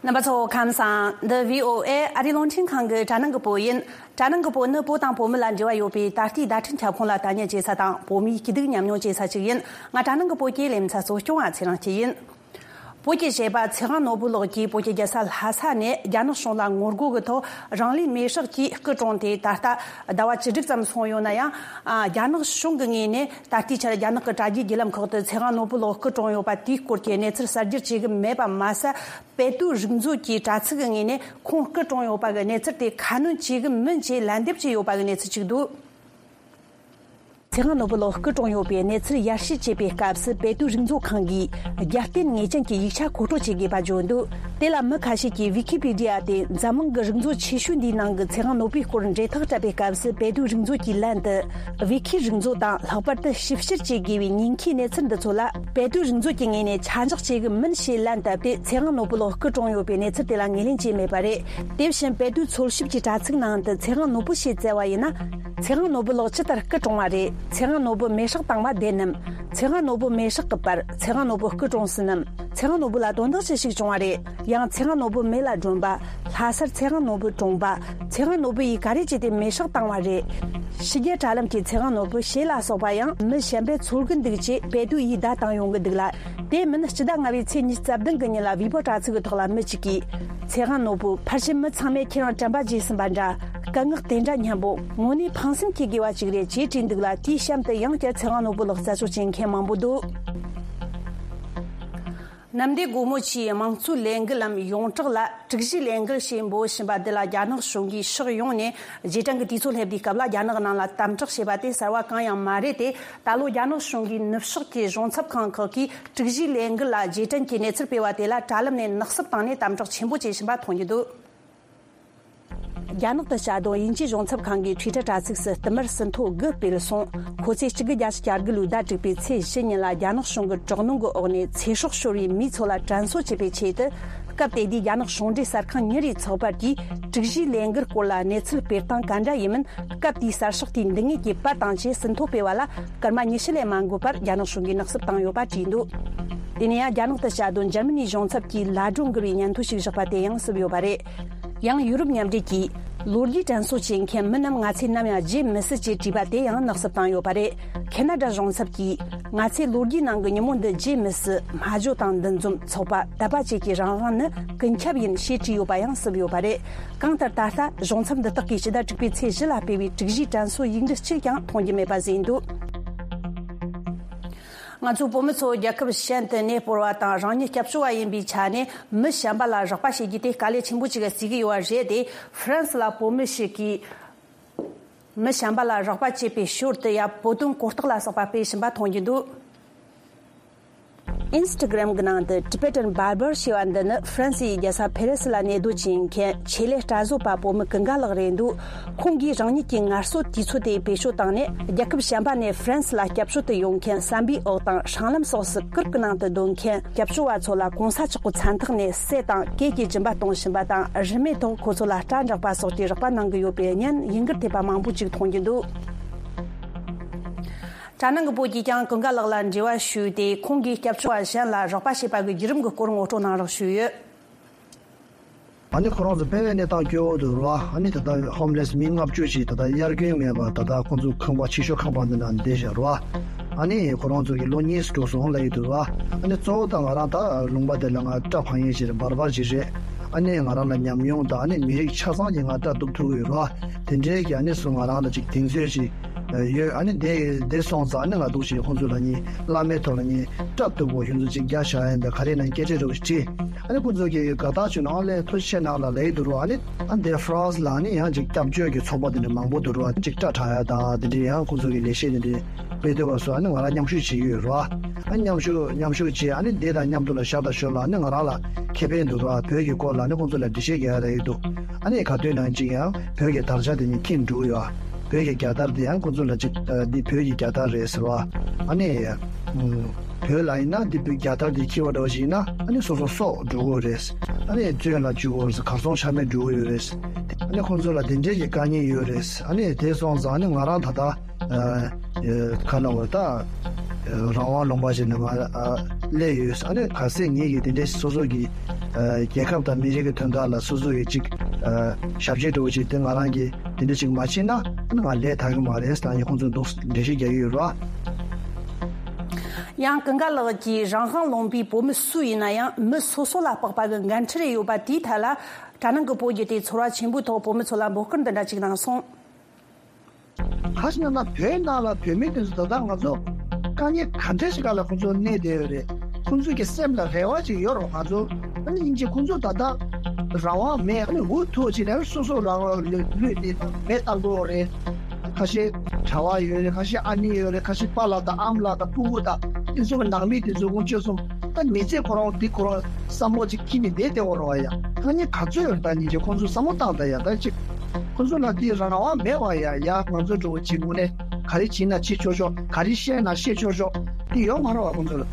རྣམ་པ་ཚོ་ཁམས་བཟང་། འདི་V O A ཨ་རིའི་རླུང་འཕྲིན་ཁང་གི་དྲ་ནང་གི་བོད་ཡིན། དྲ་ནང་གི་བོད་ནི་བོད་དང་བོད་མི་ལ་འབྲེལ་བ་ཡོད་པའི་ད་ལྟའི་བརྡ་འཕྲིན་ཁྱབ་ཁོངས་ལ་ལྟ་ཉན་བྱེད་ས་དང་བོད་མིའི་སྐྱིད་སྡུག་མཉམ་མྱོང་བྱེད་ས་ཞིག་ཡིན། ང་དྲ་ནང་གི་བོད་ཀྱི་ལེ་ཚན་གཙོ་སྐྱོང་བ་ཚེ་རིང་སྐྱིད་ཡིན། བོད་ཀྱི་གཞས་པ་ཚེ་དབང་ནོར་བུ་ལགས་ཀྱིས་བོད་ཀྱི་རྒྱལ་ས་ལྷ་ས་ནས་རྒྱ་ནག་གཞུང་ལ་ངོ་རྒོལ་གྱི་ཐོག་རང་ལུས་མེར་སྲེག་གིས་སྐུ་གྲོངས་ཏེ་ད་ལྟ་ཟླ་བ་བཅུ་དྲུག་ཙམ་སོང་ཡོད་ན་ཡང་། ཨ། རྒྱ་ནག་གཞུང་གི་ངོས་ནས་ད་ལྟའི་ཆར་རྒྱ་ནག་གི་དྲ་རྒྱའི་བརྒྱུད་ལམ་ཁག་ཏུ་ཚེ་དབང་ནོར་བུ་ལགས་སྐུ་གྲོངས་ཡོད་པ་དེའི་སྐོར་གྱི་གནས་ཚུལ་གསར་བསྒྱུར་བྱེད་ཀྱི་མེད་པ་མ་ཟད། པེ་ཏུའུ་རིག་མཛོད་ཀྱི་དྲ་ཚིགས་ཀྱི་ངོས་ནས་ཁོང་སྐུ་གྲོངས་ཡོད་པ་གི་གནས་ཚུལ་དེ་ཁ་སྣོན་བྱེད་ཀྱི་མིན་ཅེས་ལན་འདེབས་བྱས་ཡོད་པ་གི་གནས་ཚུལ་ཅིག་འདུག། ཚེ་དབང་ནོར་བུ་ལགས་སྐུ་གྲོངས་ཡོད་པའི་གནས་ཚུལ་ཡར་ཞུ་བྱེད་པའི་སྐབས་སུ་པེ་ཏུའུ་རིག་མཛོད་ཁང་གིས་རྒྱབ་རྟེན་ངེས་ཅན་གྱི་ཡིག་ཆ་མཁོ་སྤྲོད་བྱེད་དགོས་པ་བརྗོད་འདུག། དེ་ལ་མི་ཁ་ཤས་ཀྱིས་ཝི་ཀི་པི་ཌི་ཡ་སྟེ་འཛམ་གླིང་གི་རིག་མཛོད་ཆེ་ཤོས་འདིའི་ནང་གི་ཚེ་དབང་ནོར་བུའི་སྐོར་འབྲེལ་ཐག་བཀྲལ་བའི་སྐབས་སུ་པེ་ཏུའུ་རིག་མཛོད་ཀྱིས་ལན་དུ། ཝི་ཀི་རིག་མཛོད་དང་ལྷག་པར་དུ་ཞིབ་བཤེར་བྱེད་དགོས་པའི་ཉེན་ཁའི་གནས་ཚུལ་འདི་ཚོ་ལ་པེ་ཏུའུ་རིག་མཛོད་ཀྱི་ངོས་ནས་ཆ་འཇོག་བྱེད་ཀྱི་མིན་ཞེས་ལན་བཏབ་སྟེ་ཚེ་དབང་ནོར་བུ་ལགས་སྐུ་གྲོངས་ཡོད་པའི་གནས་ཚུལ་དེ་ལ་ངོས་ལེན་བྱས་མེད་པ་རེད། དེ་བཞིན་པེ་ཏུའུ་འཚོལ་ཞིབ་ཀྱི་དྲ་ཚིགས་ནང་དུ་ཚེ་དབང་ནོར་བུ་ཞེས་བཙལ་བ་ཡིན་ན། ཚེ་དབང་ནོར་བུ་ལགས་ཇི་ལྟར་སྐུ་གྲོངས་པ་རེད། ཚེ་དབང་ནོར་བུ་མེ་སྲེག་བཏང་བ་བདེན་ནམ། ཚེ་དབང་ནོར་བུ་མེ་སྲེག་གི་པར། ཚེ་དབང་ནོར་བུ་སྐུ་གྲོངས་ཟིན་ནམ། ཚེ་དབང་ནོར་བུ་ལ་དོན་དག་ཅི་ཞིག་བྱུང་བ་རེད། ཡང་ཚེ་དབང་ནོར་བུ་མེ་ལ་སྒྲོན་པ། ལྷ་སར་ཚེ་དབང་ནོར་བུ་གྲོངས་པ། ཚེ་དབང་ནོར་བུ་ཡིས་ག་རེ་བྱས་ཏེ་མེ་སྲེག་བཏང་བ་རེད། ཕྱི་རྒྱལ་དྲ་ལམ་གྱི་ཚེ་དབང་ནོར་བུ་ཞེས་ལ་སོགས་པ་ཡང་མི་གཞན་པས་འཚོལ་གི་འདུག་ཅེས་པེ་ཏུའུ་ཡིས་བརྡ་བཏང་ཡོང་གི་འདུག་ལ། དེ་མིན་སྤྱི་ཟླ་ལྔ་པའི་ཚེས་ཉི་ཤུ་རྩ་བདུན་གི་ཉིན་ལ་ཝི་པོ་དྲ་ཚིགས་ཀྱི་ཐོག་ལ་མི་གཅིག་གིས། ཚེ་དབང་ནོར་བུ་ཕལ་ཆེར་མི་ཚང་མས་ཁྱེད་རང་དྲན་པ་བརྗེད་ཟིན་པ་འདྲ། སྐད་ངག་དེ་འདྲ་སྙན་པོ། དངོས་གནས་ཕངས་སེམས་སྐྱེ་དགོས་པ་ཅིག་རེད་ཅེས་བྲིས་འདུག་ལ། དེའི་གཤམ་དུ་ཡང་བསྐྱར་ཚེ་དབང་ནོར་བུ་ལགས་རྩད་གཅོད་བྱེད་མཁན་མང་པོ་འདུག། གནམ་བདེ་སྒོ་མོ་ཆེའི་དམངས་གཙོའི་ལས་འགུལ་ལམ་ཡོངས་གྲགས་ལ་དྲུག་བཞིའི་ལས་འགུལ་ཞེས་འབོད་བཞིན་པ་འདི་ལ་རྒྱ་ནག་གཞུང་གིས་ཕྱོགས་ཡོངས་ནས་རྗེས་དྲན་གྱི་དུས་ཚོད་སླེབས་དུས་སྐབས་ལ་རྒྱ་ནག་ནང་ལ་དམ་དྲག་བྱས་པ་དེ་གསར་བ་གང་ཡང་མ་རེད་དེ། ད་ལོ་རྒྱ་ནག་གཞུང་གིས་ནུབ་ཕྱོགས་ཀྱི་གཞུང་ཚབ་ཁང་ཁག་གིས་དྲུག་བཞིའི་ལས་འགུལ་ལ་རྗེས་དྲན་གྱི་གནས་ཚུལ་སྤེལ་བ་དེ་ལ་དྲ་ལམ་ནས་ནག་སུབ་བཏང་ནས་དམ་དྲག་ཆེན་པོ་བྱེད་བཞིན་པ་མཐོང་རྒྱུ་འདུག། རྒྱ་ནག་ཏུ་བྱ་དོན་དབྱིན་ཇིའི་གཞུང་ཚབ་ཁང་གི་ཊུའི་ཊར་དྲ་ཚིགས་སུ་བསྟུད་མར་ཟིན་ཐོ་དགུ་སྤེལ་སོང་། ཁོ་ཚོས་གཅིག་དགུ་བརྒྱད་ཅུ་གྱ་དགུ་ལོའི་ཟླ་དྲུག་པའི་ཚེས་བཞི་ཉིན་ལ་རྒྱ་ནག་གཞུང་གི་དྲག་གནོན་གྱི་འོག་ནས་ཚེ་སྲོག་ཤོར་བའི་མིའི་ཚོ་ལ་དྲན་གསོ་བྱེད་པའི་ཆེད་དུ། སྐབས་དེ་དུས་རྒྱ་ནག་གཞུང་འབྲེལ་གསར་ཁང་ཉིན་རེའི་ཚགས་པར་གྱིས་དྲུག་བཞིའི་ལས་འགུལ་སྐོར་ལ་གནས་ཚུལ་སྤེལ་སྟངས་ག་འདྲ་ཡིན་མིན། སྐབས་དེའི་གསར་ཤོག་དེའི་འདི་ངེད་ཀྱིས་པར་དང་བཅས་ཟིན་ཐོ་སྤེལ་བ་ལ་སྐར་མ་ཉི་ཤུ་ལས་མ་འགོར་བར་རྒྱ་ནག་གཞུང་གིས་ནག་སུབ་བཏང་ཡོད་པ་བྲིས་འདུག། དེ་ནས་ཡང་རྒྱ་ནག་ཏུ་བྱ་དོན་འཇར་མ་ནིའི་གཞུང་ཚབ་ཀྱིས་ལ་སྒྲོ་འགུལ་བའི་སྙན་ཐོ་ཞིག་བཞག་པ་དེ་ཡང་སུབ་ཡོད་པ་རེད། ཡང་ཡུ་རོབ་མཉམ་འབྲེལ་གྱིས་ལོ་རྒྱུས་དྲན་གསོ་བྱེད་མཁན་མི་རྣམས་ང་ཚོས་ནམ་ཡང་བརྗེད་མི་སྲིད་ཅེས་བྲིས་པ་དེ་ཡང་ནག་སུབ་བཏང་ཡོད་པ་རེད། ཁེ་ན་ཌ་གཞུང་ཚབ་ཀྱིས་ང་ཚོས་ལོ་རྒྱུས་ནང་གི་ཉིན་མོ་འདི་བརྗེད་མི་སྲིད། སྨྲ་བརྗོད་དང་འདུ་འཛོམས་ཚོགས་པ་དད་པ་བཅས་ཀྱི་རང་དབང་ནི་ཀུན་ཁྱབ་ཡིན་ཞེས་བྲིས་ཡོད་པ་ཡང་སུབ་ཡོད་པ་རེད། གང་ལྟར་ད་ལྟ་གཞུང་ཚབ་འདི་དག་གིས་ཕྱི་ཟླ་དྲུག་པའི་ཚེས་བཞི་ལ་སྤེལ་བའི་དྲུག་བཞིའི་དྲན་གསོའི་ཡིག་འབྲུ་གཅིག་ཀྱང་མཐོང་རྒྱུ་མེད་པ་ཟིན་འདུག། ང་ཚོའི་བོད་མི་ཚོ་རྒྱལ་ཁབ་གཞན་དུ་གནས་སྤོར་བ་དང་རང་ཉིད་སྐྱབས་བཅོལ་བ་ཡིན་པའི་ཆ་ནས་མི་གཞན་པ་ལ་རོགས་པ་བྱེད་རྒྱུ་དེ་དཀའ་ལས་ཆེན་པོ་ཅིག་བརྩི་གི་ཡོད་པ་རེད་དེ། ཧྥ་རན་སི་ལ་བོད་མི་ཞིག་གིས་མི་གཞན་པ་ལ་རོགས་པ་བྱེད་པའི་ཞོར་དུ་ཡང་བོད་དོན་གོ་རྟོགས་ལ་སོགས་པ་སྤེལ་བཞིན་པ་མཐོང་རྒྱུ་འདུག། ཨིན་སི་ཊ་གྷི་རམ་གྱི་ནང་དུ་Tibetan Barber ཞེས་པ་འདི་ནི་ཧྥ་རན་སིའི་རྒྱལ་ས་ཕེ་རི་སི་ལ་གནས་སྡོད་ཅིང་མཁན་ཆེད་ལས་སྐྲ་བཟོ་པ་བོད་མི་ཀུན་དགའ་ལགས་རེད་འདུག། ཁོང་གིས་རང་ཉིད་ཀྱི་ངལ་གསོ་དུས་ཚོད་དེ་བེད་སྤྱོད་བཏང་ནས་རྒྱལ་ཁབ་གཞན་པ་ནས་ཧྥ་རན་སི་ལ་སྐྱབས་བཅོལ་དུ་ཡོང་མཁན་བསམ་པའི་འོག་དང་སྲང་ལམ་སོགས་སུ་གུར་གྱི་ནང་དུ་སྡོད་མཁན་སྐྱབས་བཅོལ་བ་ཚོ་ལ་གོང་ས་མཆོག་གི་མཚན་རྟགས་ནས་གསེར་དང་གོས་ཀྱི་སྦྱིན་པ་གཏོང་བཞིན་པ་དང་རིན་མེད་ཐོག་ཁོ་ཚོ་ལ་སྐྲ་འབྲེག་པ་སོགས་ཀྱི་རོགས་པ་གནང་གི་ཡོད་པའི་བརྙན་ཡིན་གུར་ཐེབས་པ་མང་པོ་ཅིག་མཐོང་རྒྱུ་འདུག། དྲ་ནང་གི་བོད་ཀྱིས་ཀྱང་ཀུན་དགའ་ལགས་ལ་འབྲེལ་བ་ཞུས་ཏེ་ཁོང་གིས་སྐྱབས་བཅོལ་བ་གཞན་ལ་རོགས་པ་བྱེད་པ་གི་བརྒྱུད་རིམ་གྱི་སྐོར་ངོ་སྤྲོད་གནང་རོགས་ཞུས་ཡོད། ཨ་ནི་ཁོ་རང་ཚོ་དཔེ་བའི་གནས་སྟངས་སྐྱོ་བོ་འདུག་ར། ཨ་ནི་ད་ལྟ་ཧོམ་ལེ་སི་མི་ལྔ་བཅུ་ཞིག་ད་ལྟ་དབྱར་དགུན་མེད་པར་ད་ལྟ་ཁོང་ཚོ་ཁང་པ་ཕྱི་ཤོག་ཁང་པ་འདི་ན་བསྡད་བཞག་ར། ཨ་ནི་ཁོ་རང་ཚོ་གི་ལོ་གཉིས་འགྲོ་སོང་ལབ་ཡོད་འདུག་ར། ཨ་ནི་གཙོ་བོ་ད་ང་རང་ད་ལུང་པ་དེ་ལ་ང་སྐྲ་འཕང་ཡས་ཞིག་རེད། བར་བར་ཞིག་རེད། ཨ་ནི་ང་རང་ལ་ཉམས་མྱོང་དང་ཨ་ནི་མི་རིགས་ཆ་ཚང་གི་ང་སྐྲ་གཏུབ་ཐུབ་ཡོད་ར། དེ་འདྲའི་གི་ཨ་ནི་སུ་ང་རང་ལ་ཅིག་གདེང་ཚོད་ཅིག་ཡོད། ཨ་ནི་དེ་དེ་སོང་ཙང་ཨ་ནི་ང་འདུག་ཞིག་ཁོང་ཚོ་ལ་ནི་བླ་མའི་ཐོག་ལ་ནི་སྐྲ་གཏུབ་པོ་ཁྱོད་ཚོ་ཅིག་རྒྱག་བཞག་ཡིན་པས་ག་རེ་ན་སྐད་ཆ་རེ་བ་ཞིག་དྲིས། ཨ་ནི་ཁོང་ཚོ་གི་དགའ་རྟགས་བྱུང་ན་ཨ་ལས་ཐུགས་རྗེ་ཆེ་གནང་ལ་ལབ་ཡི་འདུག་རོ། ཨ་ནི་ཨ་འདི་ཧྥ་རན་སི་ལ་ཨ་ནི་ཡང་ཅིག་སྐྱབས་བཅོལ་གྱི་ཚོགས་པ་དེ་འདྲ་མང་པོ་འདུག་རོ། ཅིག་སྐྲ་བྲེག་ཡ་དང་དེ་འདྲའི་ཡང་ཁོང་ཚོ་གི་ལས་བྱེད་དེ་འདྲའི་སྤེལ་འདོད་པ་སོགས་ཨ་ནི་ང་རང་མཉམ་ཞུགས་བྱེད་ཀྱི་ཡོད་རོ། ཨ་མཉམ་ཞུགས་མཉམ་ཞུགས་བྱས་ཨ་ནི་འདི་དང་མཉམ་དུ་ལ་ཞག་དང་ཞོར་ལ་ཨ་ནི་ང་རང་ལ་ཁེ་ཕན་འདུག་རོ། བོད་ཀྱི་སྐོར་ལ་ཨ་ནི་ཁོང་ཚོ་ལ་འགྲེལ་བཤད་རྒྱག་ཡ་ལ་ཡོད་འདུག། ཨ་ནི་ག་དུས་ནང་ཅིག་ཡང་བོད་ཀྱི་དར་ཆ་དེ་ཉིད་ཁྱེར་འགྲོ་གི་ཡོད། བོད་ཀྱི་རྒྱལ་དར་དེ་ཡང་ཁོ་ཚོ་ལ་ཅིག་ཨ་འདི་བོད་ཀྱི་རྒྱལ་དར་རེད་ཟེར་བ། ཨ་ནི་ཨ་བོད་ལ་ཡིན་ན་འདི་བོད་རྒྱལ་དར་དེ་འཁྱེར་བ་འདྲ་བ་ཞིག་ཡིན་ན་ཨ་ནི་སོ་སོ་སྲོག་འགྲོ་གི་རེད། ཨ་ནི་བཙོན་ལ་འཇུག་གི་རེད། གར་སོང་ཆ་མེད་འགྲོ་གི་ཡོད་རེད། ཨ་ནི་ཁོ་ཚོ་ལ་དེ་འདྲའི་གི་དཀའ་ངལ་ཡོད་རེད། ཨ་ནི་དེ་སོང་ཙང་ཨ་ནི་ང་རང་ད་ལྟ་ཨ་ཨ་ག་ལ་བར་ད་ཨ་རང་དབང་ལུང་པ་ཞིག་ནང་ང་ཨ་སླེབས་ཡོད། ཨ་ནི་གལ་སྲིད་ངེད་ཀྱིས་དེ་འདྲའི་སོ་སོ་གི་ཨ་རྒྱལ་ཁབ་དང་མི་རིགས་ཀྱི་དོན་དག་ལ་སོ་སོ་གི་ཅིག་ཨ་ཞབས་ཕྱི་འདྲ་བོ་ཅིག་དེ་ང་རང་གིས་དེ་འདྲ་ཅིག་མ་བྱས་ན་ཨ་ནི་ང་ལས་ཐར་གི་མ་རེད་ཟེར་ནས་ཁོང་ཚོས་འདུག་འགྲེལ་བཤད་རྒྱག་གི་ཡོད་རེད། ཡང་ཀུན་དགའ་ལགས་ཀྱིས་རང་དབང་ལུང་པའི་བོད་མི་སུ་ཡིན་ན་ཡང་མི་སོ་སོ་ལ་དཔག་པ་གི་འགན་འཁྲི་རེ་ཡོད་པ་དེའི་ཐད་ལ་དྲ་ནང་གི་བོད་བརྒྱུད་དེ་ཚོར་བ་ཆེན་པོའི་ཐོག་བོད་མི་ཚོ་ལ་འབོད་སྐུལ་འདི་འདྲ་ཅིག་གནང་སོང་། ག་ཞིག་ན་ན་བོད་ནང་ལ་བོད་མི་དེ་ཚོ་ད་ལྟ་ང་ཚོ་དཀའ་ངལ་ག་འདྲ་ཞིག་ག་ལ་ཁོང་ཚོ་གནས་བསྡད་ཡོད་རེད། ཁོང་ཚོ་གི་སེམས་ལ་རེ་བ་ཅིག་ཡོད་རེད། ང་ཚོ་ཨ་ནི་སྙིང་རྗེ། ཁོང་ཚོ་ད་ལྟ་རང་དབང་མེད། ཨ་ནི་འུ་ཐུག་ཅིག་ནས་སོ་སོ་རང་དབང་ལུས་ལུས་དེ་མེད་བཏང་གི་ཡོད་རེད། ཁ་ཤས་གྲྭ་བ་ཡོད་རེད། ཁ་ཤས་ཨ་ནེ་ཡོད་རེད། ཁ་ཤས་པཱ་ལགས་དང་ཨ་མ་ལགས་དང་ཕྲུ་གུ་དང་དེ་ཚོ་གི་ནང་མི་དེ་ཚོ་དཀོན་མཆོག་གསུམ། ད་མི་ཚེ་ཁོ་རང་འདི་ཁོ་རང་བསམ་བློ་ཅིག་འཁྱེར་ནས་བསྡད་བསྡད་འོ་རོ་བ་ཡ། ཐ་སྙད་ག་ཚོད་ཡོད་ད་ཉིན་གྱི་ཁོང་ཚོ་བསམ་བློ་བཏང་ད་ཡ། ད་ཅིག་ཁོང་ཚོ་ལ་འདི་རང་དབང་མེད་བ་ཡ། ཡ་ང་ཚོ་འགྲོ་བ་ཅིག་དངོས་གནས་ག་རེ་བྱེད་ན་བྱེད་ཆོག་ཆོག་ག་རེ་བཤད་ན་བཤད་ཆོག་ཆོག་འདི་ཡོད་མ་རེད་བ། ཁོང་ཚོ་ལ་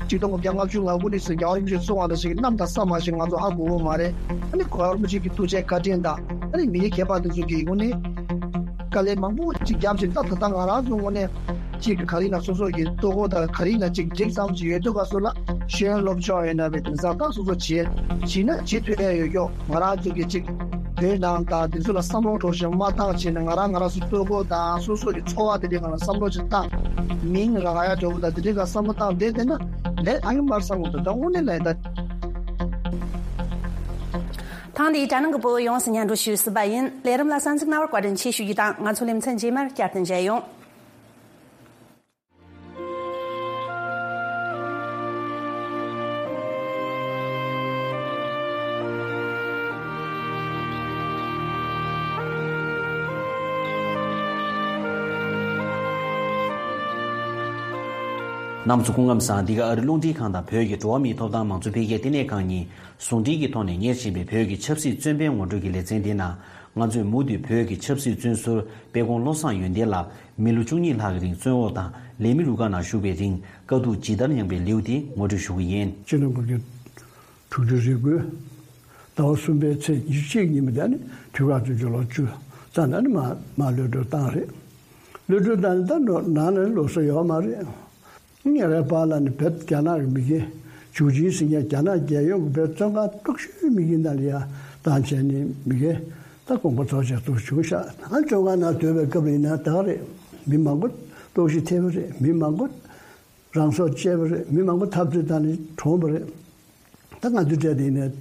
ཆིག་སྟོང་དགུ་བརྒྱ་ལྔ་བཅུ་ང་དགུ་ནས་བཟུང་རྒྱལ་བ་རིན་པོ་ཆེ་གསུང་བ་ད་ཞིག་གནམ་དང་ས་མ་ཞིག་ང་ཚོ་ཧ་གོ་གི་མ་རེད། ཨ་ནི་གོ་བ་རིན་པོ་ཆེ་གི་ཐུགས་རྗེ་བཀའ་དྲིན་དང་ཨ་ནི་མི་རིགས་ཁྱད་པར་དེ་ཚོ་གི་དངོས་གནས། དཀའ་ལས་མང་པོ་ཅིག་བརྒྱབ་ཅིང་ད་ད་ལྟ་ང་རང་ཚོ་དངོས་གནས་ཅིག་ག་རེ་ན་སོ་སོ་གི་ལྟོ་གོས་དང་ག་རེ་ན་ཅིག་འགྲིག་ཙམ་ཅིག་ཡོད་དུས་ག་སོ་ལ་ཤེས་ཡོན་སློབ་སྦྱོང་ཡོད་ན་བའི་དེང་སང་ད་སོ་སོ་བྱེད་བྱེད་ན་བྱེད་ཐུབ་ཡ་ཡོད་ཀྱོག་ང་རང་ཚོ་གི་ཅིག་བོད་ནང་དང་དེ་ཚོ་ལ་བསམ་བློ་འགྲོ་བཞིན་མ་བཏང་བྱས་ན་ང་རང་ང་རང་ཚོ་ལྟོ་གོས་དང་སོ་སོ་གི་འཚོ་བ་དེ་འདྲའི་ང་རང་བསམ་བློ་ཅིག་བཏང་མིང་རང་ཡ་འགྲོ་བ་དང་དེ་འདྲའི་ག་བསམ་བློ་བཏང་བསྡད་བསྡད་ན་ལས་ཨ་ཡོད་མར་བསམ་བློ་དང་ད་དངོས་གནས་ལས་ད། ཐེངས་འདིའི་དྲ་ནང་གི་བོད་ཡོངས་སུ་སྙན་སྒྲོན་ཞུས་ཟིན་པ་ཡིན། ལས་རིམ་ལ་གསན་གཟིགས་གནང་བར་བཀའ་དྲིན་ཆེ་ཞུ་རྒྱུ་དང་ང་ཚོ་ལེ་ཚན་རྗེས་མར་བསྐྱར་དུ་མཇལ་ཡོང་། གནམ་མཚོ་སྐུ་ཁམས་བཟང་། འདི་ག་ཨ་རི་རླུང་འཕྲིན་ཁང་དང་བོད་ཀྱི་འགྲོ་བ་མིའི་ཐོབ་ཐང་མང་གཙོ་འཕེལ་རྒྱས་ལྟེ་གནས་ཁང་གཉིས་ཟུང་འབྲེལ་གྱི་ཐོག་ནས་གཉེར་བཞིན་པའི་བོད་ཀྱི་ཆབ་སྲིད་བཙོན་པའི་ངོ་སྤྲོད་ཀྱི་ལེ་ཚན་འདི་ནང་། ང་ཚོས་མུ་མཐུད་བོད་ཀྱི་ཆབ་སྲིད་བཙོན་ཟུར་དཔལ་ཀོང་བློ་བཟང་ཡོན་ཏན་ལགས་མི་ལོ་བཅུ་གཉིས་ལྷག་གི་རིང་བཙོན་འོག་དང་ལས་མི་རུ་ཁག་ནང་བཞུགས་པའི་རིང་དཀའ་སྡུག་ཇི་ལྟར་མྱངས་པའི་ལེའུ་དེ་ངོ་སྤྲོད་ཞུ་གི་ཡིན། སྤྱི་ནོར་གོང་ས་དྲུག་ཅུ་རེ་དགུའི་ཟླ་བ་གསུམ་པའི་ཚེས་ཉི་ཤུ་གཅིག་ཉིན་མོ་དེ་ནི་དུས་རབས་བཙན་བྱོལ་ལོ་བཅུ་ཙམ་ནས་ནི་མ་མ་གློད་གྲོལ་བཏང་རེད། གློད་གྲོལ་བཏང་ནས་ད་ནང་ནས་ལོགས་ས་ཡོད་མ་རེད། ཉེ་རའི་བར་ལ་ནི་བོད་རྒྱ་ནག་གི་མི་སྒེར་ཇུའུ་ཅིན་ཟེར་མཁན་རྒྱ་ནག་རྒྱལ་ཡོངས་ཀྱི་བོད་བཙོན་ཁང་སྟོབས་ཤུགས་མི་སྒེར་ནང་ལ་ཡ་བཏང་བྱས་ནས་མི་སྒེར་ད་དགོངས་པ་རྫོགས་བྱས་འདུག་བྱུང་ཤག་ཨ་བཙོན་ཁང་ནང་སྡོད་པའི་སྐབས་ལ་ཡིན་ན་ད་ག་རེད། མི་མང་པོ་ལྟོགས་ཤི་ཐེབས་པ་རེད། མི་མང་པོ་རང་སྲོག་བཅད་པ་རེད། མི་མང་པོ་འཐབ་རྩོད་བཏང་ནས་གྲོངས་པ་རེད། ད་ང་ཚོའི་གྲས་དེ་ནས་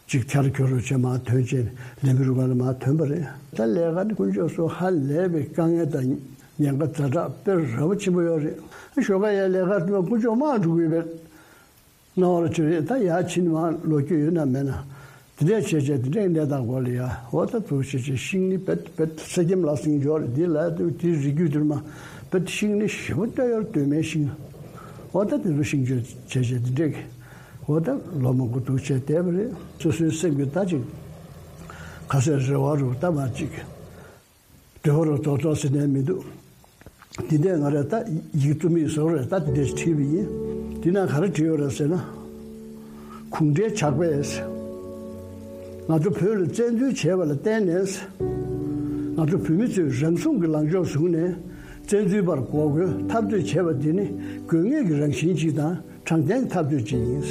ཅིག་ཁྱར་ཁྱོར་རུ་བྱས་མར་ཐོན་བྱས་ལས་མི་རུ་ཁག་ལ་མར་ཐོན་པ་རེད། ད་ལས་ཀ་ནི་དཀོན་མཆོག་གསུམ་ཧ་ལས་པའི་དཀའ་ངལ་དང་ཉེན་ཁ་ཛ་དྲག་དཔེ་ར་བ་ཆེན་པོ་ཡོད་རེད། ཞོགས་ཀ་ཡར་ལས་ཀ་དུས་དཀོན་མཆོག་མར་འགྲོ་གི་ཡོད་པའི་སྣང་བ་ལ་བྱོན་རེད། ད་ཡར་ཕྱིན་མར་ལོག་རྒྱུ་ཡོད་ན་མེད་ན་དེ་འདྲས་བྱས་བྱས་དེ་འདྲས་གནས་སྟངས་སྐོར་ལ་ཡ་འོ་ད་དུ་བྱས་བྱས་ཤིང་ནི་བེད་བེད་ས་ཁྱིམ་ལ་སྲིང་འཇོག་རེད། འདི་ལ་དེ་རི་རྒྱུད་དུ་མ་བེད་ཤིང་ནི་ཞེ་པོ་སྟོད་ཡོར་སྟོད་མའི་ཤིང་འོ་ད་དེ་ཚོ་ཤིང་བཅོས་བྱས་བྱས་དེ་འདྲས་ཀྱི། འོ་ད་ལོ་མང་པོ་འདུག་བྱས་བསྡད་པ་རེད། སོ་སོའི་སེམས་ཀྱི་ད་ཅིག་ཁ་ཟས་རེ་བ་རུ་ད་མ་ཅིག་འདོད་པ་རུ་རྡོག་རྡོག་ཟེར་ནས་མི་འདུག་འདི་འདྲས་ང་རས་ད་ཡིག་རྩོམ་ཡིག་བཟོ་རེད། ད་འདི་འདྲས་བྲིས་པ་ཡིན། འདི་ན་ག་རེ་བྲིས་ཡོད་རེད་ཟེར་ན། གུང་ཁྲན་ཇག་པས་ང་ཚོ་བོད་ལ་བཙན་འཛུལ་བྱས་པ་ལ་བརྟེན་ནས་ང་ཚོ་བོད་མི་ཚོས་རང་སྲུང་གི་ལངས་ཕྱོགས་བཟུང་ནས་བཙན་འཛུལ་པར་འགོག་རྒོལ་འཐབ་རྩོད་བྱས་པ་འདི་ནི་དགོས་ངེས་ཀྱི་རང་བཞིན་ཅིག་དང་། དྲང་བདེན་འཐབ་རྩོད་ཅིག་ཡིན།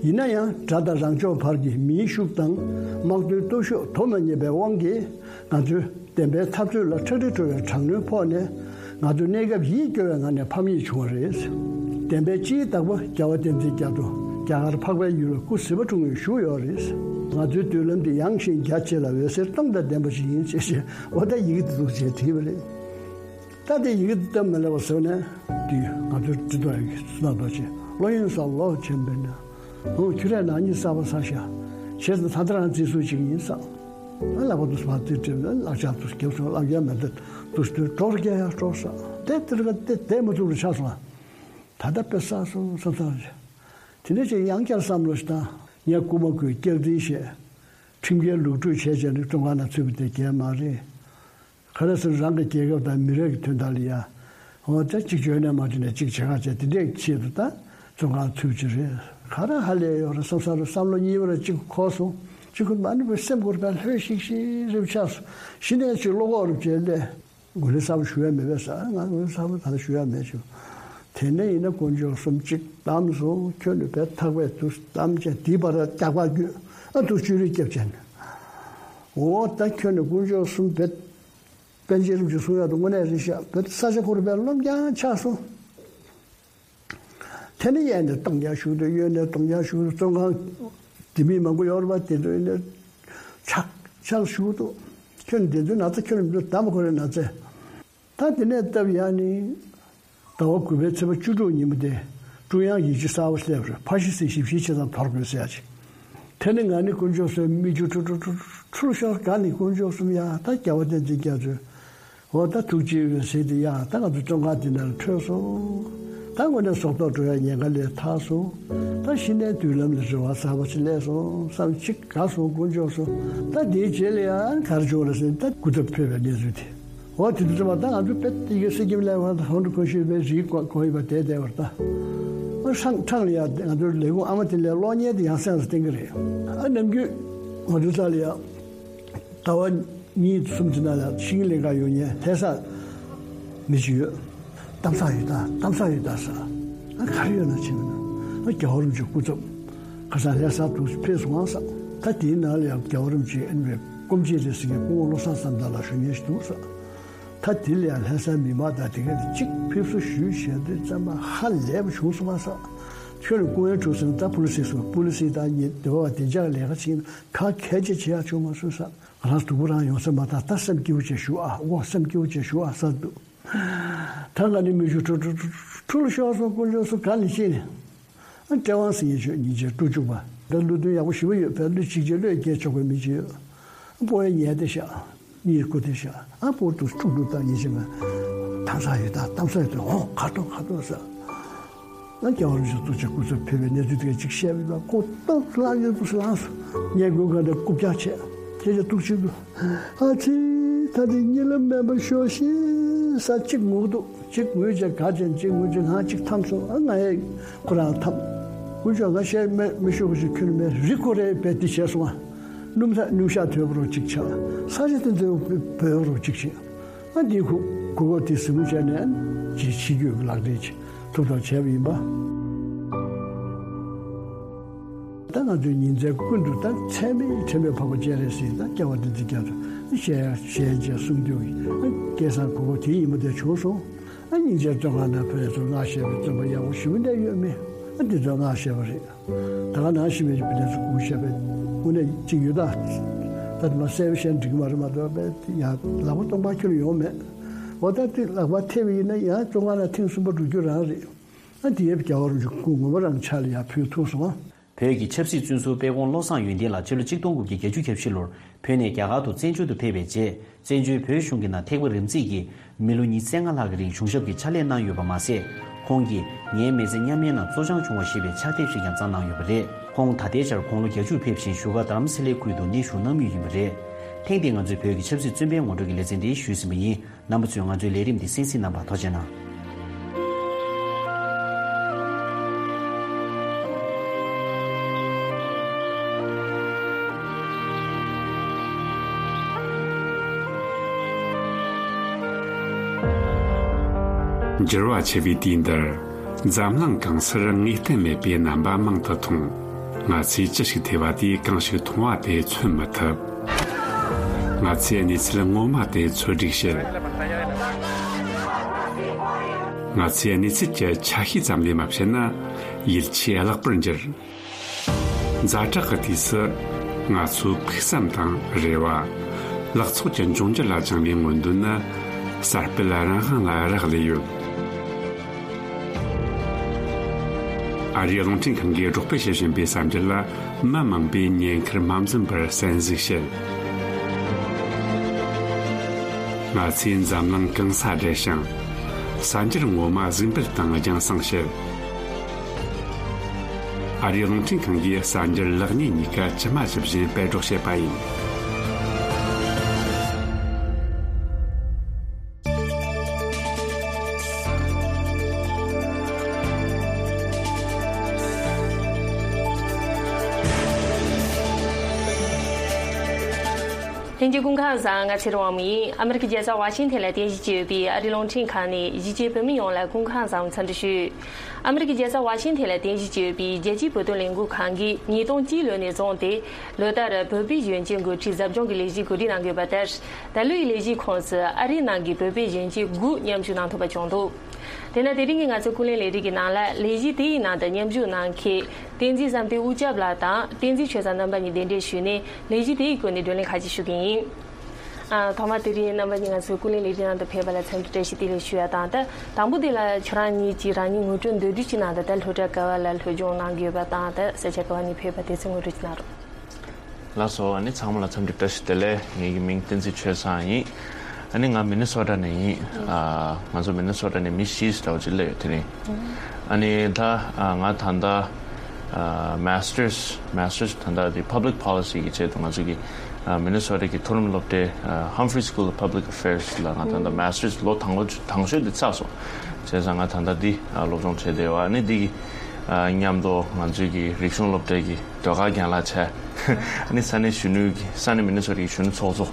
ཡིན་ན་ཡང་དགྲ་དང་རང་ཕྱོགས་བར་གྱི་མིའི་ཤུགས་དང་དམག་དོན་སྟོབས་ཤུགས་དོ་མ་མཉམ་པའི་དབང་གིས་ང་ཚོའི་བདེན་པའི་འཐབ་རྩོད་ལ་ཁྲག་དྲི་བྲོ་བའི་དྲག་གནོན་ཕོག་ནས་ང་ཚོ་གནས་སྐབས་ཡིད་སྐྱོ་བའི་ངང་ནས་ཕམ་ཉེས་བྱུང་བ་རེད། བདེན་པའི་སྤྱིའི་བདག་པོ་རྒྱལ་བ་བསྟན་འཛིན་རྒྱ་མཚོ་རྒྱ་གར་འཕགས་པའི་ཡུལ་ལ་སྐུ་གཟི་དཔའ་འཁྲུངས་ནས་བཞུགས་ཡོད་རེད། ང་ཚོའི་མདུན་ལམ་འདི་ཡངས་ཤིང་རྒྱ་ཆེ་ལ་འོད་ཟེར་སྟོང་དང་ལྡན་པ་ཞིག་ཡིན་ཞེས་བཤད། འོ་ད་ཡི་གེ་འདི་འདུག་ཅེས་བྲིས་པ་རེད། ད་དེ་ཡི་གེ་འདི་སྟབས་མི་ལེགས་པ་བཟོས་ནས་དེ་ང་ཚོའི་སྤྱི་ཚོགས་ཡི་གེ་སུ་དང་ཐོག་ཆེ་བློ་ཡིན་ས་ལོག་ཆེན་པོས་ན་ཨོ་ཁྱོད་རས་ནག་ཉེས་གསར་པ་ས་ཤ་བྱས་ཙང་ད་ལྟ་རང་བརྩི་སྲུང་བྱེད་ཀྱི་ཡིན་ས། ཨ་ལག་པ་དུ་སུ་བ་རྩིས་སྤྲད་ལག་ཆ་དུ་རྒྱབ་སོང་། ལག་ཆ་མེད་ད་དུ་སུ་དུ་གྲོགས་རྒྱག་ཡ་གྲོགས་ས་དེ་དེར་ག་དེ་དེ་མ་ཐུབ་རུ་ཆགས་སོང་། ད་ལྟ་དཔེ་བསགས་སོང་བསམ་བསམ་རེད། དེ་ནས་ཅིག་ཡང་བསྐྱར་བསམ་བློ་ཞིག་བཏང་། ངས་རྐུ་མ་རྐུས་སྐྱག་རྫུན་བཤད། ཁྲིམས་འགལ་ལུགས་སྒྲུག་བྱས་བྱས་ནས་བཙོན་ཁང་ནང་ཚུད་པ་དེ་གལ་མ་རེད། ག་རེ་ཟེར་རང་གི་རྒྱལ་ཁབ་དང་མི་རིགས་ཀྱི་དོན་དག་ལ་ཡ། འོ་ད་གཅིག་བྱོས་ནས་མ་བྱོས་ནས་གཅིག་བྱེད་ག་བྱས་དེ་འདྲའི་ཆེད་དུ་ད་བཙོན་ཁང་ཚུད་ཀྱི་རེད། ག་རེ་ཧ་ལས་ཡོད་རེད་བསམ་ས་རུ་བསམ་བློ་གཉིས་པ་རེ་གཅིག་འཁོར་སོང་། གཅིག་ཁུར་མ་ནུས་པའི་སེམས་ཁུར་པའི་ལྷོད་ཤིག་ཤིག་རེ་ཆགས་སོང་། གཞི་ནས་ཅིག་བློ་ཁོག་རུ་བྱས་ལས། ངོས་ལེན་གསར་པ་ཞུ་ཡ་མེད་པས་ཟེར། ང་ངོས་ལེན་གསར་པ་ད་ལྟ་ཞུ་ཡ་མེད་ཞུ། དེ་ནས་ཡིན་ན་དཀོན་མཆོག་གསུམ་གཅིག་གཏམ་སོང་། ཁྱོད་ནི་བེད་ཐག་པས་དུ་གཏམ་བྱས་དེའི་བར་རྒྱག་པ་རྒྱུ་ཨ་དུ་བཅུ་རེ་སྐྱབས་བྱས་ནས། འོ་ད་ཁྱོད་ནི་དཀོན་མཆོག་གསུམ་བེད་པཎ་ཆེན་རིན་པོ་ཆེ་གསུང་ཡག་ཏུ་དངོས་གནས་རེད་ཤག་བེད་ས་ཆ་ཁོ་རུ་བེད་རློམ་རྐྱང་ཆགས་སོང་། དེ་ནས་གཡས་ནས་གཏོང་རྒྱག་ཞུགས་འདུག་གཡོན་ནས་གཏོང་རྒྱག་ཞུགས་འདུག་བཙོན་ཁང་དེ་མི་མང་པོ་ཡོད་རེད་པ། དེ་ཚོ་ཡིན་ནས་ཆག་ཆག་ཞུགས་འདུག་ཁྱོད་ནི་དེ་ཚོའི་ན་ཚ། ཁྱོད་ནི་མི་ཚོ་བདམས་པ་ཁོ་རའི་ན་ཚ། ད་དེ་ནས་སྟབས་ཡག་ནི་ཟླ་བ་དགུ་པའི་ཚེས་པ་བཅུ་དྲུག་ཉིན་མོ་དེ་ཀྲུང་དབྱང་ཡིག་ཆ་གསར་པ་སླེབས་རེད། ཕ་ཤི་སི་ཞིབ་བཤེར་བྱེད་སྟངས་དོར་དགོས་ཟེར་ཡ་ཅིག་དེ་ནི་ང་ནི་དཀོན་མཆོག་གསུམ་མིག་ཆུ་ཁྲུ་ཁྲུ་ཁྲུ་ཁྲུ་ཁྲུ་ཤོར། ག་ནི་དཀོན་མཆོག་གསུམ་ཡ། ད་རྒྱལ་བ་བསྟན་འཛིན་རྒྱ་མཚོས། འོ་ད་ཐུགས་རྗེ་ཡོད་ཟེར་དེ་ཡ། ད་ང་ཚོ་བཙོན་ཁང་འདི་ནང་ལ་འཕྲོད་སོང་། ད་དངོས་གནས་སྲོག་ཐོག་འགྲོ་ཡ་ཉེན་ཁ་ལས་ཐར་སོང་། ད་གཞི་ནས་མདུན་ལམ་ལ་རེ་བ་གསར་པ་ཞིག་སླེབས་སོང་བསམ་གཅིག་དགའ་སོང་། དཀོན་མཆོག་གསུམ། ད་དེའི་རྗེས་ལ་ཡང་ག་རེ་བྱུང་རེད་ཟེར་ན། ད་སྐུ་ཚབ་ཕེབས་པའི་གནས་ཚུལ་དེ། འོ་དེ་དུས་ཙམ་པ་ད་ང་ཚོ་དཔེ་དེ་གའི་སི་ཀིམ་ལ་ཡོང་བ་ཧོན་ཀྲུ་ཁོ་ཤུ་པའི་རིགས་གོ་གོ་ཡིན་པ་དེ་བསྡད་པར་ད། ཨ་ཧྲང་ཁྲང་ལ་ཡ་ང་ཚོའི་ལས་ཁུངས་ཨ་མ་དེ་ལས་གློག་བརྙན་དེ་ཡང་སེམས་སུ་བསྟན་གི་རེད། ཨ་ནམ་རྒྱུན་ང་ཚོའི་རྩ་ལ་ཡ། ཟླ་བ་གཉིས་གསུམ་གྱི་ནང་ལ་ཤིང་ལས་ཀ་ཡོང་མཁན་ལྷ་ས་མི་ཞིག་ཡོད། གཏམ་ས་ཡོད་ད། གཏམ་ས་ཡོད་ད་ཟེར། ཨ་ག་རེ་ཡོད་ན་ཕྱིན་ན། ཨ་རྒྱལ་བ་རིན་པོ་ཆེ་སྐུ་ཚབ་ཁ་སང་ལྷ་ས་དུ་ཕེབས་སོང་ཟེར། ད་དེའི་ནང་ལ་ཡང་རྒྱལ་བ་རིན་པོ་ཆེ་ཨ་ནི་སྐུ་མཆེད་རེད་ཟེར་མཁན་སྐུ་ངོ་བློ་བཟང་བསམ་གྲུབ་ལགས་ཞུ་མཁན་ཞིག་འདུག་ཟེར། ད་དེ་ལ་ཡང་ལྷ་སའི་མི་མང་དང་དེ་ག་དེ་གཅིག་ཕེབས་བསུ་ཞུས་བྱས་དུས་ཙམ་པ་ཧ་ལས་པ་བྱུང་སོང་ཟེར། ཁྱོད་ནི་སྐུ་ངལ་གྲོངས་སོང་ད་པུ་ལི་སི་སོང་། པུ་ལི་སི་དང་ཉེ་འབྲེལ་བ་བདེ་འཇགས་ལས་ཀ་བྱེད་མཁན་ག་གལ་ཆེ་བྱེད་ཡག་བྱུང་མ་སོང་ཟེར། ང་རང་སྡུག་པོ་རང་ཡོང་ས་མ་ཐག་ད་སེམས་སྐྱིད་པོ་བྱས་བཞུགས་ཨ། འོ་སེམས་སྐྱིད་པོ་བྱས་བཞུགས་ཨ་ཟེར་འདུག་ད་ང་ནི་མིག་ཆུ་ཁྲུ་ཁྲུ་ཁྲུ་ཁྲུ་ལ་ཤོར་སོང་། དཀོན་མཆོག་གསུམ་ག་ནས་ཤེས་ནས། ཨ་བཀྲ་དབང་ཟེར་མཁན་ཆོས་ཉིན་བྱེད་ཀྲུ་ཅུག་པ་ད་བློ་མཐུན་ཡག་པོ་ཞེ་པོ་ཡོད། བོད་བློ་གཅིག་བྱས་བློས་འགེལ་ཆོག་པའི་མི་ཅིག་ཡོད། ཨ་སྤོ་བའི་ཉལ་བསྡད་ཤག་གཉིད་ཁུག་བསྡད་ཤག་ཨ་སྤོ་དུ་ཁྲུག་ཁྲུག་བཏང་ཉིན་བྱེད་མ་གཏམ་ས་ཡོད་ད། གཏམ་ས་ཡོད་ད། འོ་ག་ཏོ་ག་ཏོ་ཟེར། ང་རྒྱལ་བ་རིན་པོ་ཆེ་ཐུགས་རྗེ་སྐུ་ཚབ་ཕེབས་པའི་གནས་ཚུལ་དེ་ག་ཅིག་བཤད་པ་ཡིན་པ་ཁོ་ཏོག་ཙམ་ལངས་ཡོད་དུས་ལངས་སོང་། ངས་མགོ་སྒང་དེ་རྐུབ་བཀྱག་བྱས། ཁྱེད་ཅག་ཐུགས་རྗེ་གཟིགས། ཨ་ཙི། ད་དེ་གཉིད་ལམ་མེད་པར་ཤོག་ཤིག་ཟེར་གཅིག་ངུ་འདུག་གཅིག་ངུས་བྱས་ག་ཅན་གཅིག་ངུས་བྱས་ང་གཅིག་འཐམས་སོང་། ཨ་ང་ཡང་ཁོ་རང་འཐམས། དཀོན་མཆོག་ང་བཤད་མེད་མི་ཤོག་གི་ཞིག་ཁྱོད་མེད་རི་ཁོ་རེ་བས་དེ་བྱས་སོང་ཨ། སྣུམ་ས་སྣུམ་ཤག་དོད་པོ་རོ་གཅིག་ཆགས། ས་ཆ་དེ་ཚོ་བོད་རོ་གཅིག་བྱས། ཨ་འདིའི་ཁུག་གུ་གོ་དེ་གཟིགས་མོ་བྱས་ནས་ཅིག་ཕྱི་སྐྱོད་ཀྱི་ལག་འབྲེལ་ཅིག་ཐུབ་ཐབས་བྱས་པ་ཡིན་པ། ད་ང་ཚོའི་ཉིན་མཚན་ཀུན་ཏུ་ད་ཚད་མེད་ཁྲེལ་མེད་འཕགས་པ་སྤྱན་རས་གཟིགས་དང་རྒྱལ་བ་བསྟན་འཛིན་རྒྱ་མཚོ་ཞལ་ཞལ་མཇལ་གསུང་དུས་སྐལ་བཟང་གུ་གོ་དེ་ཡིན་པ་དེ་བྱུང་སོང་། ཨ་སྙིང་རྗེ་བཙོན་ཁང་ནང་ཕེབས་ཚུར་སྔགས་བཤད་པའི་བཙུན་པ་ཡག་པོ་ཞེ་པོ་འདྲ་ཡོད་མེད། ཨ་འདི་ཚོ་སྔགས་བཤད་པ་རེད། ད་ག་ནང་བཞིན་པའི་བི་ལས་སུ་སྐུ་བཤད་པའི་དངོས་གནས་གཅིག་ཡོད་ད། ད་དེ་མ་གསལ་བཤད་འགྲིག་མ་རེད་མ་གཏོགས་པའི་ཡང་ལག་པ་སྟོང་པ་ཁྱོན་ཡོང་མེད། འོ་ད་དེ་ལག་པ་ཐེབས་ཡིན་ན་ཡང་བཙོན་ཁང་ནང་ཐེངས་གསུམ་པ་འགྲོ་རྒྱུ་རང་རེད། ཨ་འདི་ཡབ་རྒྱལ་བ་རིན་པོ་ཆེ་སྐུ་ངོ་མ་རང་ཕྱག་ལ་ཡར་ཕུལ་ཐུབ་སོང་ཨ། བོད་ཀྱི་ཆབ་སྲིད་བཙོན་ཟུར་དཔལ་ཁོང་བློ་བཟང་ཡོན་ཏན་ལགས་ཕྱི་ལོ་ཆིག་སྟོང་དགུ་བརྒྱ་བརྒྱད་ཅུ་གྱ་བཞི་ལོར་བོད་ནས་རྒྱ་གར་དུ་བཙན་བྱོལ་དུ་ཕེབས་པའི་རྗེས། བཙན་བྱོལ་བོད་གཞུང་གི་ནང་ཐེག་པ་རིམ་འཛེགས་ཀྱིས་མི་ལོ་ཉི་ཤུ་རྩ་ལྔ་ལྷག་གི་རིང་གཞུང་ཞབས་ཀྱི་ཕྱག་ལས་གནང་ཡོད་པ་མ་ཟད། ཁོང་གིས་ངའི་མི་ཚེ་མཉམ་མེད་ནང་བཙོ་སྦྱང་བྱུང་བ་ཞེས་པའི་ཕྱག་དེབ་ཞིག་ཀྱང་བརྩམས་གནང་ཡོད་པ་རེད། ཁོང་ད་ལྟའི་ཆར་དགུང་ལོ་བརྒྱད་ཅུར་ཕེབས་ཤིང་བཞུགས་སྒར་རྡ་རམ་ས་ལའི་ཁུལ་དུ་གནས་བཞུགས་གནང་མུས་ཡིན་པ་རེད། ཐེངས་འདིའི་ང་ཚོའི་བོད་ཀྱི་ཆབ་སྲིད་བཙོན་པའི་ངོ་སྤྲོད་ཀྱི་ལེ་ཚན་འདི་ཞུས་ཟིན་པ་ཡིན། རྣམ་པ་ཚོས་ང་ཚོའི་ལས་རིམ་འདི་གསན་གཟིགས་གནང་བར་ཐུགས་རྗེ་གནང་། འགྱུར་བ་ཆེ་བའི་དུས་འདིར། འཛམ་གླིང་གང་སར་ངེས་གཏན་མེད་པའི་རྣམ་པ་མང་དུ་མཐོང་། ང་ཚོས་ཅི་ཞིག་ཐོས་པ་དེས་གང་ཞིག་མཐོང་བ་དེ་མཚོན་མི་ཐུབ། ང་ཚོས་གནས་ཚུལ་ངོ་མ་དེ་འཚོལ་སྒྲིག་བྱེད། ང་ཚོས་གནས་ཚུལ་གྱི་ཆ་ཤས་ཙམ་ལས་མ་བཤད་ན་ཡིད་ཆེས་བརླག་པར་འགྱུར། ཛ་དྲག་གི་དུས་སུ་ང་ཚོའི་ཕུགས་བསམ་དང་རེ་བ། ལག་ཚོགས་ཀྱི་འབྱུང་འགྱུར་ལ་བཅངས་པའི་མངོན་འདོད་ནི་གསར་སྤེལ་རང་དབང་ལ་རག་ལས་ཡོད། ཨ་རིའི་རླུང་འཕྲིན་ཁང་གིས་སྒྲོག་སྤེལ་བྱེད་བཞིན་པའི་གསར་འགྱུར་ལ་མི་མང་པོས་ཉེན་ཁར་མ་འཛེམས་པར་གསན་གཟིགས་བྱེད། ང་ཚོས་འཛམ་གླིང་གང་སར་བསྡད་ཞིང་། གསར་འགྱུར་ངོ་མ་གཟིགས་འབུལ་དང་རྒྱང་སྲིང་བྱེད། ཨ་རིའི་རླུང་འཕྲིན་ཁང་གིས་གསར་འགྱུར་ལེགས་ཉེས་གཉིས་ཀ་ཇི་མ་ཇི་བཞིན་སྤེལ་སྒྲོག་བྱེད་པ་ཡིན། ལྷན་རྒྱས་སྐུ་ཁམས་བཟང་། ང་ཚེ་རིང་དབང་མོ་ཡིན། ཨ་མི་རི་ཀའི་རྒྱལ་ས་ཝ་ཤིང་ཐན་ལ་རྟེན་གཞི་བྱས་ཡོད་པའི་ཨ་རིའི་རླུང་འཕྲིན་ཁང་ནས་གཞིས་བྱེས་བོད་མི་ཡོངས་ལ་སྐུ་ཁམས་བཟང་འཚམས་འདྲི་ཞུ། ཨ་མི་རི་ཀའི་རྒྱལ་ས་ཝ་ཤིང་ཐན་ལ་རྟེན་གཞི་བྱས་ཡོད་པའི་རྒྱལ་སྤྱིའི་བོད་དོན་ལས་འགུལ་ཁང་གིས་ཉིས་སྟོང་གཅིག་ལོ་ནས་བཟུང་སྟེ་ལོ་ལྟར་བོད་པའི་གཞོན་སྐྱེས་འགོ་ཁྲིད་ཟབ་སྦྱོང་གི་ལས་གཞི་གོ་སྒྲིག་གནང་གི་ཡོད་པ་ལྟར། ད་ལོའི་ལས་གཞིའི་ཁོངས་སུ་ཨ་རིའི་ནང་གི་བོད་པའི་གཞོན་སྐྱེས་དགུ་མཉམ་ཞུགས་གནང་ཐུབ་པ་བྱུང་འདུག་དེས་ན་དེ་རིང་གི་ང་ཚོའི་ཀུན་གླེང་ལས་རིམ་གྱི་ནང་ལ་ལས་གཞི་དེའི་ནང་དུ་མཉམ་ཞུགས་གནང་མཁན་བསྟན་འཛིན་བསམ་གཏན་དབུ་སྐྱབས་ལགས་དང་བསྟན་འཛིན་ཆོས་བཟང་རྣམ་པ་གཉིས་གདན་འདྲེན་ཞུས་ནས་ལས་གཞི་དེའི་སྐོར་ནས་བགྲོ་གླེང་ཁ་ཤས་ཞུ་གི་ཡིན། ཨ། ཐོག་མར་དེ་རིང་རྣམ་པ་གཉིས་ང་ཚོའི་ཀུན་གླེང་ལས་རིམ་ནང་དུ་ཕེབས་པ་ལ་འཚམས་འདྲི་བཀྲ་ཤིས་བདེ་ལེགས་ཞུ་ཡ་དང་། ད་དང་པོ་དེ་ལ་ཁྱོད་རང་གཉིས་ཀྱིས་རང་ཉིད་ངོ་སྤྲོད་མདོར་བསྡུས་ཅིག་གནང་དང་། ད་སློབ་གྲྭ་ག་བ་ལ་སློབ་སྦྱོང་གནང་གི་ཡོད་པ་དང་། ད་ས་ཆ་ག་བ་ནས་ཕེབས་པ་དེ་ཚོའི་ངོ་སྤྲོད་ཅིག་གནང་རོགས། ལགས་སོ། ཨ་ནི་ཚང་མ་ལ་འཚམས་འདྲི་བཀྲ་ཤིས་བདེ་ལེགས། ངེད་ཀྱི་མིང་བསྟན་འཛིན་ཆོས་བཟང་ཡིན། ཨ་ནི་ང་མི་ནི་སོ་ཊ་ནས་ཡིན། ཨ། ང་ཚོ་མི་ནི་སོ་ཊ་ནས་མི་བཞི་འདྲ་བོ་ཅིག་སླེབས་ཡོད་དེ་རིང་། ཨ་ནི་ད་ང་ད་ལྟ་མ་སི་ཊར་སི། མ་སི་ཊར་སི་ད་ལྟ་དེ་Public Policy གི་ཆེད་དུ་ང་ཚོ་གི་མི་ནི་སོ་ཊ་གི་མཐོ་རིམ་སློབ་གྲྭའི་Humphrey School of Public Affairs ལ་ང་ད་ལྟ་མ་སི་ཊར་སི་ལོ་དང་པོ་དང་ཤོས་དེ་ཚར་སོང་། བྱས་ཙང་ང་ད་ལྟ་འདི་སློབ་སྦྱོང་བྱས་བསྡད་ཡོད། ཨ་ནི་འདི་གི་མཉམ་དུ་ང་ཚོའི་གི་རིག་གཞུང་སློབ་གྲྭའི་གི་ཟློས་གར་རྒན་ལགས་བྱས། ཨ་ནི་ས་གནས་གཞོན་ནུའི་གི་ས་གནས་མི་ནི་སོ་ཊ་གི་གཞོན་ནུ་ཚོགས་གཙོ།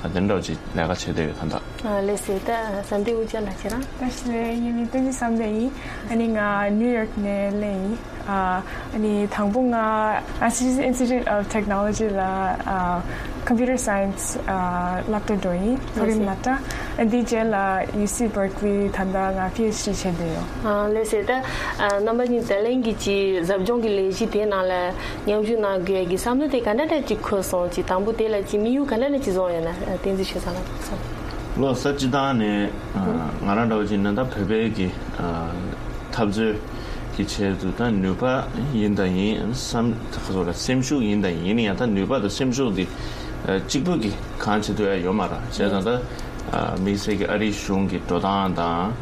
ཨ། དེ་འདྲ་ཅིག་ལས་ཀ་བྱས་བསྡད་ཡོད་ད་ལྟ། ཨ། ལགས་སེ། ད་བསམ་གཏན་དབུ་སྐྱབས་ལགས་ཁྱེད་རང་། ལགས་སེ། ངའི་མིང་བསྟན་འཛིན་བསམ་གཏན་ཡིན། ཨ་ནི་ང་ནིའུ་ཡོག་ནས་སླེབས་ཡིན། ཨ། ཨ་ནི་དང་པོ་ང་Massachusetts Institute of Technology ལ། ཨ། Computer Science ཨ། སློབ་གྲྭ་འགྲོ་ཡིན། མཐོ་རིམ་སློབ་གྲྭ། ཨ། འདིའི་རྗེས་ལ་ཡུ་སི་བར་ཀི་ལི་ད་ལྟ་ང་པི་ཨེཆ་ཌི་བྱས་བསྡད་ཡོད། ཨ། ལགས་སེ། ད་ཨ། རྣམ་པ་གཉིས་ད་ལན་གྱི་ཅིག་ཟབ་སྦྱོང་གི་ལས་གཞི་དེ་ནང་ལ་མཉམ་ཞུགས་གནང་དགོས་ཀྱི་བསམ་བློ་དེ་ག་འདྲ་འདྲ་ཅིག་འཁོར་སོང་། ཅིག་དང་པོ་དེ་ལ་ཅིག་དམིགས་ཡུལ་ག་འདྲ་འདྲ་ཅིག་བཟུང་ཡོད་ན། ཨ། བསྟན་འཛིན་ཆོས་བཟང་ལགས་གསུངས། ལགས་སོ། སྤྱིར་བཏང་ནས་ང་རང་འདྲ་བོ་ཅིག་ན་ད་བོད་པའི་གི་ཨ། འཐབ་རྩོད་ཀྱི་ཆེད་དུ་ད་ནུས་པ་ཡིན་དང་ཡིན། བསམ་ཁ་སོགས་ལ་སེམས་ཤུགས་ཡིན་དང་ཡིན། ཡིན་ཡང་ད་ནུས་པ་དང་སེམས་ཤུགས་འདི་ཨ། གཅིག་པུ་གི་གང་བྱེད་ཐུབ་ཡ་ཡོད་མ་རེད། བྱས་ཙང་ད་ཨ། དམིགས་བསལ་གྱི་ཨ་རིའི་གཞུང་གི་འགྲོ་སྟངས་དང་།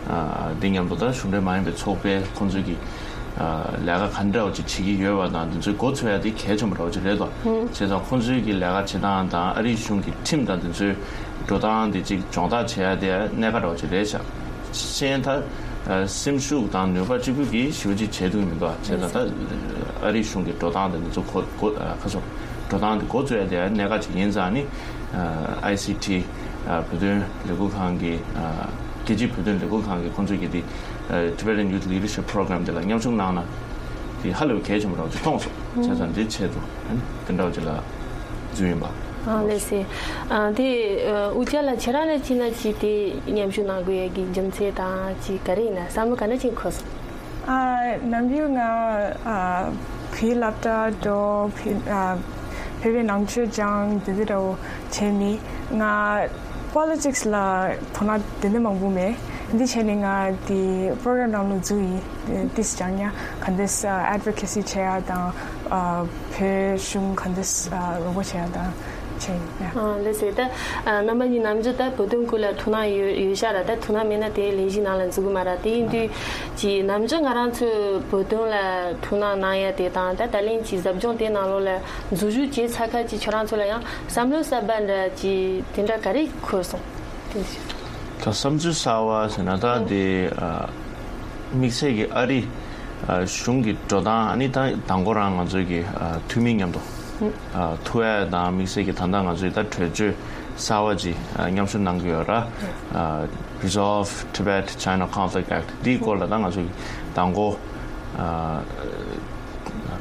ཨ། འདི་མཉམ་དུ་ད་གཞུང་འབྲེལ་མ་ཡིན་པའི་ཚོགས་པའི་ཁོང་ཚོའི་གི་ཨ། ལས་ཀ་ག་འདྲ་བ་ཅིག་བྱེད་ཀྱི་ཡོད་པ་དང་། འདི་ཚོའི་འགོ་ཚུགས་ཡ་དེ་གལ་ཆེན་པོ་འདྲ་བ་ཅིག་རེད་དོ། བྱས་ཙང་ཁོང་ཚོའི་གི་ལས་ཀ་བྱེད་སྟངས་དང་ཨ་རིའི་གཞུང་གི་ཁྲིམས་དང་འདི་ཚོའི་འགྲོ་སྟངས་འདི་ཅིག་སྦྱོང་བརྡར་བྱེད་ཡ་དེ་གནད་འགག་འདྲ་བ་ཅིག་རེད་ཤག་གཞན་ད་ཨ། སེམས་ཤུགས་དང་ནུས་པ་གཅིག་པུ་གིས་ཞེ་པོ་ཅིག་བྱེད་ཐུབ་ཀྱི་མི་འདུག་ཨ། བྱས་ཙང་ད་ཨ་རིའི་གཞུང་གི་འགྲོ་སྟངས་དང་འདི་ཚོ་གོ་གོ་ཨ། ཁ་སོ་འགྲོ་སྟངས་འདི་འགོ་བཙུགས་ཡ་དེ་གནད་འགག་ཅིག་ཡིན་ཙང་ནི། ཨ། ཨའི་སི་ཊི། ཨ། བོད་དོན་ལས་འགུལ་ཁང་གི། ཨ། རྒྱལ་སྤྱིའི་བོད་དོན་ལས་འགུལ་ཁང་གི་ཁོང་ཚོས་ཀྱི་དེ། ཨ། Tibetan Youth Leadership Program དེ་ལ་མཉམ་ཞུགས་གནང་ན་དེ་ཧ་ལས་པའི་གལ་ཆེན་པོ་འདྲ་བོ་ཅིག་མཐོང་སོང་། བྱས་ཙང་འདིའི་ཆེད་དུ་ཨ་ནི་དེ་འདྲ་བོ་ཅིག་ལ་འཛུལ་ཡིན་པ། ཨ། ལགས་སེ། ཨ། དེ་ཨ། དབུ་སྐྱབས་ལགས་ཁྱེད་རང་ལ་ཅིག་ན་ཅིག་དེ་མཉམ་ཞུགས་གནང་དགོས་ཡ་གི་རྒྱུ་མཚན་དང་ཅིག་ག་རེ་ཡིན་ན་བསམ་བློ་ག་འདྲ་ཅིག་འཁོར་སོང་། ཨ། ནམ་རྒྱུན་ང་ཨ། བོད་སློབ་གྲྭ་འགྲོ། བོད་ཨ། བོད་པའི་ནང་ཆོས་སྦྱང་། དེ་འདྲ་འདྲ་བོ་བྱས་ནས་ང་པོ་ལི་ཊིག་སི་ལ་དོ་སྣང་དེ་འདྲ་མང་པོ་མེད། འདི་བྱས་ནས་ང་དེ་པོ་རོ་གྷ་རམ་ནང་ལ་འཛུལ་ཡིན། ཏིས་སྦྱང་ཡ་ག་འདྲས་ཨ། ཨེཌ་ཝོ་ཀེ་སི་བྱེད་ཡ་དང་། ཨ། བོད་གཞུང་ག་འདྲས་ཨ། རོགས་པ་བྱེད་ཡ་དང་བྱས་ཡིན། ཨ། ལགས་སེ། ད་ཨ། རྣམ་པ་གཉིས་ནམ་རྒྱུན་ད་བོད་དོན་སྐོར་ལ་ཐུགས་སྣང་ཡོད་ཡོད་ཤག་ར། ད་ཐུགས་སྣང་མེད་ན་དེ་ལས་གཞི་ནང་ལ་འཛུལ་གི་མ་ར། དེ་ཡིན་དུས་ཀྱི་ནམ་རྒྱུན་ང་རང་ཚོས་བོད་དོན་ལ་ཐུགས་སྣང་གནང་ཡ་དེ་དང་། ད་ད་ལན་གྱི་ཟབ་སྦྱོང་དེ་ནང་ལོགས་ལ་འཛུལ་ཞུགས་བྱས་ཚར་ཁ་ཅིག་ཁྱོད་རང་ཚོ་ལ་ཡང་བསམ་བློ་གསར་པ་འདྲ་ཅིག་དེ་འདྲ་ག་རེ་འཁོར་སོང་། དེ་ད་བསམ་ཚུལ་གསར་བ་ཟེར་ན་ད་དེ་ཨ། དམིགས་བསལ་གྱི་ཨ་རི་ཨ། གཞུང་གི་འགྲོ་སྟངས། ཨ་ནི་ད་དང་པོ་རང་ང་ཚོའི་གི་ཨ། འཐུས་མི་མཉམ་དུ་ཨ། ཐུག་ཡ་དང་། དམིགས་བསལ་གྱི་ད་ལྟ་ང་ཚོའི་ད་གྲོས་ཆོད་གསར་བ་ཅིག་ཨ། མཉམ་ཞུགས་གནང་གི་ཡོད་ར། ཨ། Resolve Tibet China Conflict Act འདིའི་སྐོར་ལ་ད་ང་ཚོ་གི་དང་པོ་ཨ།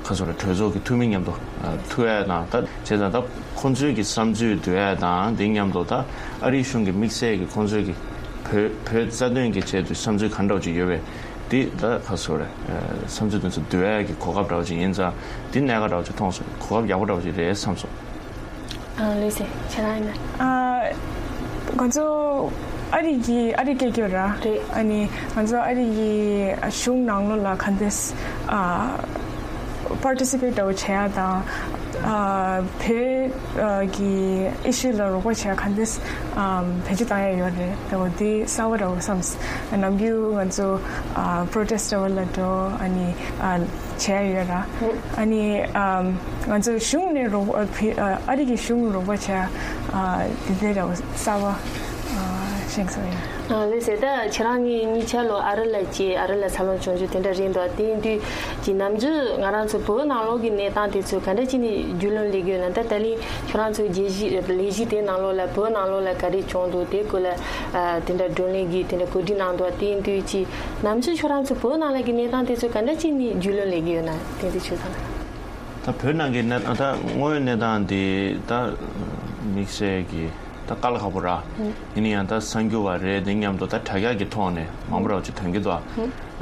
ཁ་སོ་ར་གྲོས་ཚོགས་ཀྱི་འཐུས་མི་མཉམ་དུ་ཨ། ཐུག་ཡ་དང་། ད་བྱས་ཙང་ད་ཁོང་ཚོའི་གི་བསམ་ཚུལ་བསྡུ་ཡ་དང་། དེ་མཉམ་དུ་ད་ཨ་རིའི་གཞུང་གི་དམིགས་བསལ་གྱི་ཁོང་ཚོའི་གི་བོད་བོད་རྩ་དོན་གྱི་ཆེད་དུ་བསམ་ཚུལ་ག་འདྲ་བ་ཅིག་ཡོད་པས། འདི་ད་ཁ་སོ་ར་ཨ། བསམ་ཚུལ་དེ་ཚོ་བསྡུ་ཡ་གི་གོ་སྐབས་འདྲ་བ་ཅིག་ཡིན་ཙང་། འདི་གནད་འགག་འདྲ་བ་ཅིག་མཐོང་སོང་། གོ་སྐབས་ཡག་པོ་འདྲ་བ་ཅིག་རེད་བསམ་སོང་། ཨ། ལགས་སེ། ཁྱེད་རང་ཡིན་ན། ཨ། ང་ཚོ་ཨ་རི་གི་ཨ་རི་སྐད་སྐྱོར་ར། རེད། ཨ་ནི་ང་ཚོ་ཨ་རི་གི་གཞུང་ནང་ལོགས་ལ་ག་འདྲས་ཨ། པར་ཊི་སི་པེཊ་འདྲ་བོ་བྱེད་ཡ་དང་། ཨ། བོད་ཨ། གི་ཨི་ཤུ་ལ་རོགས་པ་བྱེད་ཡ་ག་འདྲས་ཨ། བེད་སྤྱོད་བཏང་ཡ་ཡོད་རེད། འདྲ་བོ་འདི་གསར་བ་འདྲ་བོ་བསམས། ནམ་རྒྱུན་ང་ཚོ་ཨ། པྲོ་ཊེ་སི་ཊི་འདྲ་བོ་ལ་འགྲོ། ཨ་ནི་ཨ། བྱས་ཡོད་ར། ཨ་ནི་ཨམ། ང་ཚོ་གཞུང་ནས་རོགས་ཨ། ཕི་ཨ། ཨ་རི་གི་གཞུང་རོགས་པ་བྱས་ཨ། དེ་འདྲ་ར་གསར་བ་ཨ། དྲན་སོང་ཡ། ཨ་ལགས་སེ། ད་ཁྱེད་རང་གཉིས་གཉིས་ཆ་ལོ་ཨ་རི་ལ་སྐྱེས། ཨ་རི་ལ་འཚར་ལོངས་བྱུང་རྒྱུ་དེ་འདྲ་རེད་འདུག་དེ་ཡིན་དུས་ཀྱི་ནམ་རྒྱུན་ང་རང་ཚོ་བོད་ནང་ལོགས་ཀྱི་གནས་སྟངས་དེ་ཚོ་ག་འདྲ་བྱས་ནས་རྒྱུས་ལོན་སླེབས་ཀྱི་ཡོད་ན། ད་ད་ལན་ཁྱོད་རང་ཚོའི་རྒྱལ་གཞིས་ལས་གཞི་དེ་ནང་ལོགས་ལ་བོད་ནང་ལོགས་ལ་ག་རེ་བྱུང་འདུག་དེ་སྐོར་ལ་ཨ་དེ་འདྲ་བགྲོ་གླེང་གི་དེ་འདྲ་གོ་སྒྲིག་གནང་འདུག་དེ་ཡིན་དུས་ཀྱི་ནམ་རྒྱུན་ཁྱོད་རང་ཚོ་བོད་ནང་ལ་གི་གནས་སྟངས་དེ་ཚོ་ག་འདྲ་བྱས་ནས་རྒྱུས་ལོན་སླེབས་ཀྱི་ཡོད་ན་དེ་འདྲ་ཞུ་དང་། ད་བོད་ནང་གི་གནས་ད་དངོས་ཡོད་གནས་སྟངས་འདི་ད་དམིགས་བསལ་གྱི་ད་དཀའ་ལས་ཁག་པོ་ར། ཡིན་ན་ཡང་ད་གསར་འགྱུར་བ་རེད། འདི་མཉམ་དུ་ད་དྲ་རྒྱ་གི་ཐོག་ནས་མང་པོ་ར་ཅིག་ཐོན་གྱི་འདུག་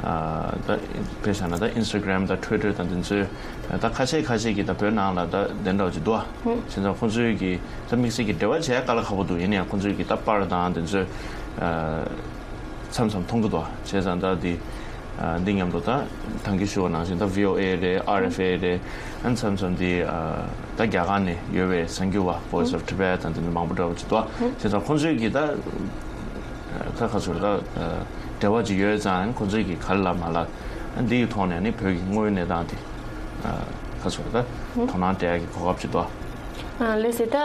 ཨ་ད་དཔེ་བཞག་ན་ད་Instagram་དང་Twitter་དང་འདི་ཚོའི་ད་ཁ་ཤས་ཁ་ཤས་ཀྱིས་ད་བོད་ནང་ལ་ད་དེ་འདྲ་ཅིག་འདུག་བྱས་ཙང་ཁོང་ཚོའི་གི་ད་དམིགས་བསལ་གྱི་འབྲེལ་བ་བྱས་དཀའ་ལས་ཁག་པོ་འདུག་ཡིན་ན་ཡང་ཁོང་ཚོའི་གི་ད་པར་དང་འདི་ཚོའི་མཚམས་མཚམས་མཐོང་གི་འདུག་བྱས་ཙང་ད་འདི་ཨ་འདི་མཉམ་དུ་ད་ད་གིན་ཞུ་བ་ནང་བཞིན་ད་VOA་རེད། RFA་རེད། ཨ་མཚམས་མཚམས་འདི་ཨ་ད་རྒྱ་གར་ནས་ཡོད་པའི་གསར་འགྱུར་བ་Voice of Tibet་དང་འདི་འདྲ་མང་པོ་འདྲ་བོ་ཅིག་འདུག་བྱས་ཙང་ཁོང་ཚོའི་གི་ད་ད་ག་ཚོད་ད་འབྲེལ་བ་ཅིག་ཡོད་ཙང་ཁོང་ཚོའི་གི་ག་རེ་ལབ་མ་ལབ་འདི་གི་ཐོག་ནས་ནི་བོད་ཀྱི་དངོས་ཡོད་གནས་སྟངས་དེ་ག་ཚོད་ད་དོ་སྣང་སྤྲད་ཡ་གི་གོ་སྐབས་ཅིག་འདུག་ཨ་ལགས་སེ། ད་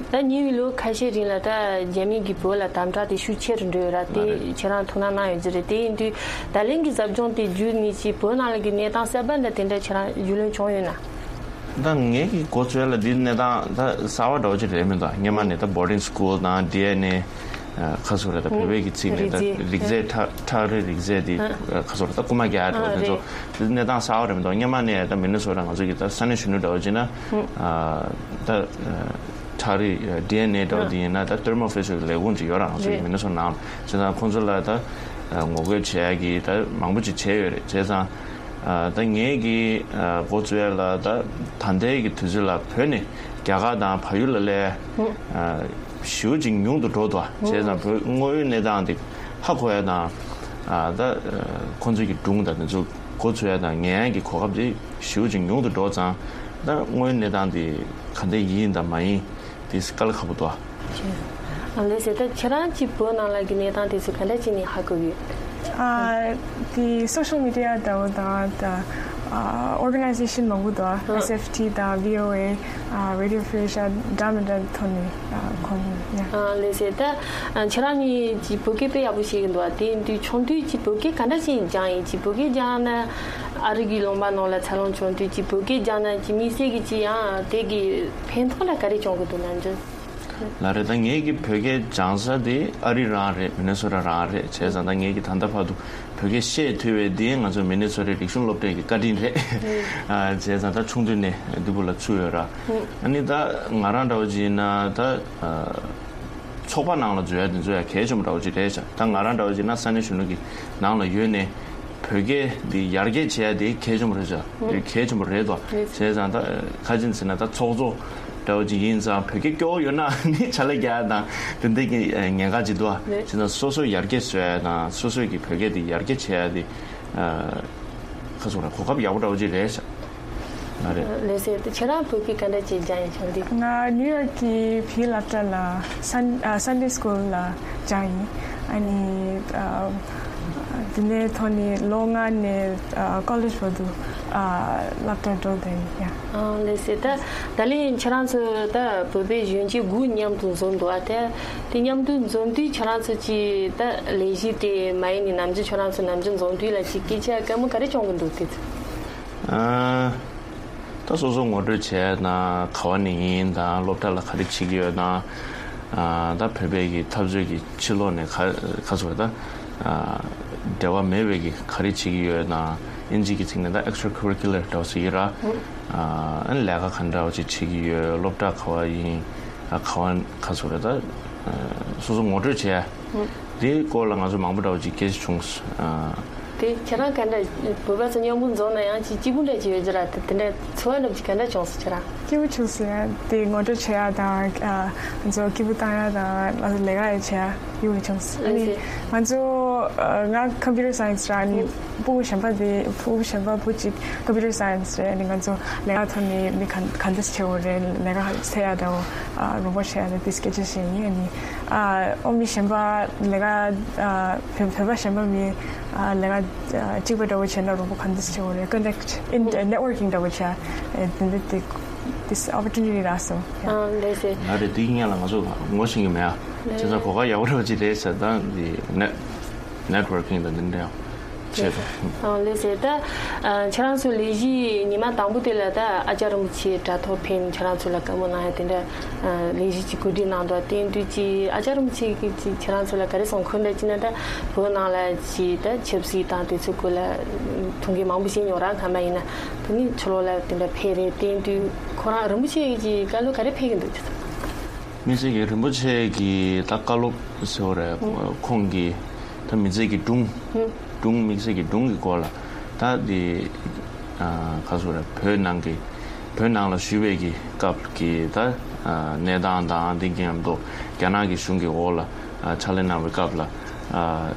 ད་ཉེ་བའི་ལོ་ཁ་ཤས་རིང་ལ་ད་རྒྱ་མི་གིས་བོད་ལ་དམ་དྲག་དེ་ཤུགས་ཆེ་རུ་འགྲོ་ཡོད་ར། དེ་ཁྱེད་རང་ཐུགས་སྣང་གནང་ཡོད་ཀྱི་རེད། དེ་ཡིན་དུས་ད་ལན་གྱི་ཟབ་སྦྱོང་དེ་བརྒྱུད་ནས་ཅིག་བོད་ནང་ལ་གི་གནས་སྟངས་གསར་པ་འདྲ་དེ་འདྲ་ཁྱེད་རང་རྒྱུས་ལོན་བྱུང་ཡོད་ན། ད་ངེད་ཀྱི་འགོ་ཚུགས་ཡ་ལ་འདི་གནས་སྟངས་ད་གསར་པ་འདྲ་བོ་ཅིག་རེད་མི་འདུག་སྔོན་མ་ནས་ད་boarding school་དང་DNA་ཁ་སོ་རེད། ད་བོད་པའི་གི་ཚིག་ནས་ད་རིགས་རྫས་ཁྲག་ཁྲག་རིགས་རིགས་རྫས་དེ་ཁ་སོ་རེད། ད་རྐུ་མ་རྒྱག་འགྲོ་དེ་ཚོ་དེ་གནས་སྟངས་གསར་པ་རེད་མི་འདུག་སྔོན་མ་ནས་ད་མི་ནི་སོ་ཊ་ང་ཚོ་གི་ད་ས་གནས་གཞོན་ནུ་འདྲ་བོ་ཅིག་ན་ད་ཁྲག་རིགས་DNA་འདྲ་བོ་དེ་ཡིན་ན་ད་Thermo Fisher་གི་ལས་ཁུངས་ཅིག་ཡོད་ར། ང་ཚོ་གི་མི་ནི་སོ་ཊ་ནང་བྱས་ཙང་ཁོང་ཚོ་ལ་ད་ངོ་རྒོལ་བྱེད་ཡ་གི་ད་མང་པོ་ཅིག་བྱས་ཡོད་རེད། བྱས་ཙང་ད་ངེད་ཀྱི་འགོ་བཙུགས་ཡ་ལ་ད་ད་ལྟའི་གི་དུས་ཚོད་ལ་བོད་ནས་རྒྱ་གར་དང་བལ་ཡུལ་ལ་སླེབས་ཞེ་པོ་ཅིག་ཉུང་དུ་འགྲོ་འདུག་བྱས་ཙང་བོད་དངོས་ཡོད་གནས་སྟངས་དེ་ཧ་གོ་ཡ་དང་ད་ཁོང་ཚོའི་གི་སྒྲུང་དང་དེ་ཚོ་འགོ་ཚུགས་ཡ་དང་ཉན་ཡ་གི་གོ་སྐབས་དེ་ཞེ་པོ་ཅིག་ཉུང་དུ་འགྲོ་ཙང་ད་དངོས་ཡོད་གནས་སྟངས་དེ་ག་འདྲ་ཡིན་དང་མ་ཡིན་དེ་དཀའ་ལས་ཁག་པོ་འདུག་ཨ་ལགས་སེ། ད་ཁྱེད་རང་གི་བོད་ནང་ལ་གི་གནས་སྟངས་དེ་ཚོ་ག་འདྲ་བྱས་ནས་ཧ་གོ་ཡོད། ཨ་དེ་social media་འདྲ་བོ་དང་ད་ཨ་organization་མང་པོ་འདུག་ཨ་SFT་དང་VOA་ཨ་Radio Free Asia་འདྲ་མི་འདྲ་ཐོག་ནས་ཨ་གོ་ཡ། ཨ་ལགས་སེ། ད་ཨ་ཁྱེད་རང་གཉིས་ཀྱིས་བོད་སྐད་དཔེ་ཡག་པོ་ཤེས་ཀྱི་འདུག་ཨ་དེ་ཡིན་དུས་ཆུང་དུས་ཀྱི་བོད་སྐད་ག་འདྲ་བྱས་ནས་སྦྱངས་ཡིན། ཅིག་བོད་སྐད་སྦྱངས་ན་ཨ་རི་གི་ལུང་པ་ནང་ལ་འཚར་ལོངས་བྱུང་དུས་ཀྱི་བོད་སྐད་སྦྱངས་ན་ཅིག་དམིགས་བསལ་གྱི་ཅིག་ཡང་དེ་གི་ཕན་ཐོགས་ལ་ག་རེ་བྱུང་གི་འདུག་ནམ་རྒྱུན། ལགས་རེད། ད་ངེད་ཀྱི་བོད་སྐད་སྦྱང་ས་དེ་ཨ་རི་རང་རེད། མི་ནི་སོ་ཊ་རང་རེད། བྱས་ཙང་ད་ངེད་ཀྱི་ད་ལྟ་བར་དུ་བོད་སྐད་བཤད་ཐུབ་པའི་དེ་ང་ཚོ་མི་ནི་སོ་ཊའི་རིག་གཞུང་སློབ་གྲྭའི་གི་བཀའ་དྲིན་རེད། ཨ་བྱས་ཙང་ད་ཆུང་དུས་ནས་འདི་བུ་ལ་ཚུད་ཡོད་ར། ཨ་ནི་ད་ང་རང་འདྲ་བོ་ཅིག་ཡིན་ན་ད་ཚོགས་པ་ནང་ལ་འཛུལ་ཡ་དེ་ཚོ་ཡ་གལ་ཆེན་པོ་འདྲ་བོ་ཅིག་རེད་ཤག་ད་ང་རང་འདྲ་བོ་ཅིག་ཡིན་ན་ས་གནས་གཞོན་ནུ་གི་ནང་ལ་ཡོད་ནས། བོད་སྐད་འདི་ཡར་རྒྱས་བྱེད་ཡ་དེ་གལ་ཆེན་པོ་རེད་ཤག་གལ་ཆེན་པོ་རེད་དོ། བྱས་ཙང་ད་ཁ་ཅིག་ཟེར་ན་ད་ཚོགས་གཙོ་འདྲ་བོ་ཅིག་ཡིན་ཙང་བོད་སྐད་སྐྱོ་བོ་ཡོད་ན་ནི་ཕྱག་ལས་རྒྱག་ཡ་དང་དེ་འདྲ་གི་ཉེན་ཁ་ཅིག་འདུག་བྱས་ཙང་སོ་སོ་ཡར་རྒྱས་བཟོ་ཡ་དང་སོ་སོ་གི་བོད་སྐད་འདི་ཡར་རྒྱས་བྱེད་ཡ་དེ་ཁ་སོ་ར་གོ་སྐབས་ཡག་པོ་འདྲ་བོ་ཅིག་རེད་ཤག་ལགས་རེད། ལགས་སེ། ད་ཁྱེད་རང་བོད་སྐད་ག་འདྲ་ཅིག་སྦྱངས་ཡིན་བྱུང་འདི། ང་ནིའུ་ཡོག་གི་བོད་སློབ་གྲྭ་ལ་Sun- ཨ་Sunday School་ལ་སྦྱངས་ཡིན། ཨ་ནི་ཨ་དེ་ནས་ཐོག་ནས་ལོ་ལྔ་ནས་ཨ་college་བར་དུ་ཨ་སློབ་གྲྭ་འགྲོ་བསྡད་ཡིན་ཡ། ཨ་ལགས་སེ། ད་ད་ལན་ཁྱེད་རང་ཚོ་ད་བོད་པའི་གཞོན་སྐྱེས་དགུ་མཉམ་དུ་འཛོམས་འདུག་ཨ་དེ་དེ་མཉམ་དུ་འཛོམས་དུས་ཁྱེད་རང་ཚོ་གི་ད་ལས་གཞི་དེ་མ་ཡིན་ནི་ནམ་རྒྱུན་ཁྱེད་རང་ཚོ་ནམ་རྒྱུན་འཛོམས་དུས་ལ་ཅིག་སྐད་ཆ་དཀའ་མོ་ག་རེ་བྱུང་གི་འདུག་དེ་ཚོ། ཨ། ད་སོ་སོ་ངོ་སྤྲོད་བྱས་དང་ག་བ་ནས་ཡིན་དང་སློབ་གྲྭ་ལ་ག་རེ་བྱེད་ཀྱི་ཡོད་དང་། ཨ། ད་བོད་པའི་གི་འཐབ་རྩོད་ཀྱི་ཕྱི་ལོགས་ནས་ག་ག་ཚོད་ད། ཨ། འབྲེལ་བ་མེད་པའི་གི་ག་རེ་བྱེད་ཀྱི་ཡོད་དང་ཨིན་ཇི་གི་ཚིག་ནས་ད་extracurricular་འདྲ་བོ་ཟེར་གྱི་ར། ཨ། ཨ་ནི་ལས་ཀ་ག་འདྲ་བ་ཅིག་བྱེད་ཀྱི་ཡོད། སློབ་གྲྭ་ག་བ་ཡིན། ཨ། ག་བ་ག་ཚོད་རེད་ད། ཨ། སོ་སོ་ངོ་སྤྲོད་བྱས། དེའི་སྐོར་ལ་ང་ཚོ་མང་པོ་འདྲ་བོ་ཅིག་སྐད་ཆ་བྱུང་། ཨ། དེ་ཁྱེད་རང་ག་འདྲ་བོད་པ་ཚོ་མཉམ་པོ་འཛོམས་ན་ཡང་ཅིག་སྐྱིད་པོ་འདྲ་ཅིག་ཡོད་ཀྱི་ར། དེ་དེ་འདྲ་ཚོར་བ་འདྲ་བོ་ཅིག་ག་འདྲ་བྱུང་སོང་ཁྱེད་རང་། སྐྱིད་པོ་བྱུང་སོང་ཡ། དེ་ངོ་སྤྲོད་བྱེད་ཡ་དང་ཨ་ང་ཚོ་སྐྱིད་པོ་བཏང་ཡ་དང་ང་ཚོ་ལས་ཀ་ཡ་བྱེད་ཡ་སྐྱིད་པོ་བྱུང་སོང་། ཨ་ནི་ང་ཚོ་ཨ་ང་computer science་ར། ཨ་ནི་ཕྲུ་གུ་གཞན་པ་དེ་ཕྲུ་གུ་གཞན་པ་བུ་གཅིག་computer science་རེད། ཨ་ནི་ང་ཚོ་ལས་ཀ་ཐོག་ནས་མི་ག་ག་འདྲས་བྱེད་དགོས་རེད། ལས་ཀ་བྱེད་ཡ་དང་ཨ་རོགས་པ་བྱེད་ཡ་དང་དེ་སྐད་ཆ་བཤད་ཡིན། ཨ་ནི་ཨ་ཨོ་མི་གཞན་པ་ལས་ཀ་ཨ་བོད་བོད་པ་གཞན་པ་མི་ཨ་ལས་ཀ་ཨ་གཅིག་པ་འདྲ་བོ་བྱས་ན་རོགས་པ་ག་འདྲས་བྱེད་དགོས་རེད། contact in networking་འདྲ་བོ་བྱེད་ཡ་དེ་འདྲ་དེ། this opportunity རག་སོང་། ཨ་ལགས་སེ། ང་རེད་དེ་སྔོན་ལ་ང་ཚོ་ངོ་ཤེས་ཀྱི་མེད་ཨ། བྱས་ཙང་གོ་སྐབས་ཡག་པོ་རེད་པ་ཅིག་རེད་ཟེར་ད་འདི་ནེ་networking དང་འདི་འདྲ་བྱས་ཏེ། ཨ་ལགས་སེ། ད་ཨ་ཁྱེད་རང་ཚོ་ལས་གཞི་ཉི་མ་དང་པོ་དེ་ལ་ད་ཨ་ཅག་རིན་པོ་ཆེ་དྲ་ཐོག་ཕེབས་ནས་ཁྱེད་རང་ཚོ་ལ་བཀའ་མོལ་གནང་ཡ་དེ་འདྲ་ཨ་ལས་གཞི་ཅིག་གོ་སྒྲིག་གནང་འདུག་དེ་དུས་ཀྱི་ཨ་ཅག་རིན་པོ་ཆེ་གིས་ཅིག་ཁྱེད་རང་ཚོ་ལ་ག་རེ་གསུངས། ཁོ་འདྲ་ཅིག་ན་ད་བོད་ནང་ལ་ཅིག་ད་ཆབ་སྲིད་དང་དེ་ཚོའི་སྐོར་ལ་ཐུགས་འགན་མང་པོ་བཞེས་མྱོང་ར། སྔ་མ་ཡིན་ན་དེ་ནི་ཕྱི་ལོགས་ལ་དེ་འདྲ་ཕེབས་རེད། དེ་དུས་ཁོ་རང་རིན་པོ་ཆེ་གི་བཀའ་སློབ་ག་རེ་ཕེབས་ཀྱི་འདུག་དམིགས་བསལ་གྱི་རིན་པོ་ཆེ་གི་ད་བཀའ་སློབ་ཟེར་བ་རེད། ཁོང་གི་ད་མི་ཚེ་གི་སྒྲུང་། སྒྲུང་དམིགས་བསལ་གྱི་སྒྲུང་གི་སྐོར་ལ་ད་དེ་ཨ་ག་ཟེར་རེད། བོད་ནང་གི་བོད་ནང་ལ་བཞུགས་པའི་གི་སྐབས་ཀྱི་ད་ཨ་གནས་སྟངས་དང་དེ་མཉམ་དུ་རྒྱ་ནག་གི་གཞུང་གི་འོག་ལ་ཨ་ཕྱག་ལས་གནང་བའི་སྐབས་ལ་ཨ་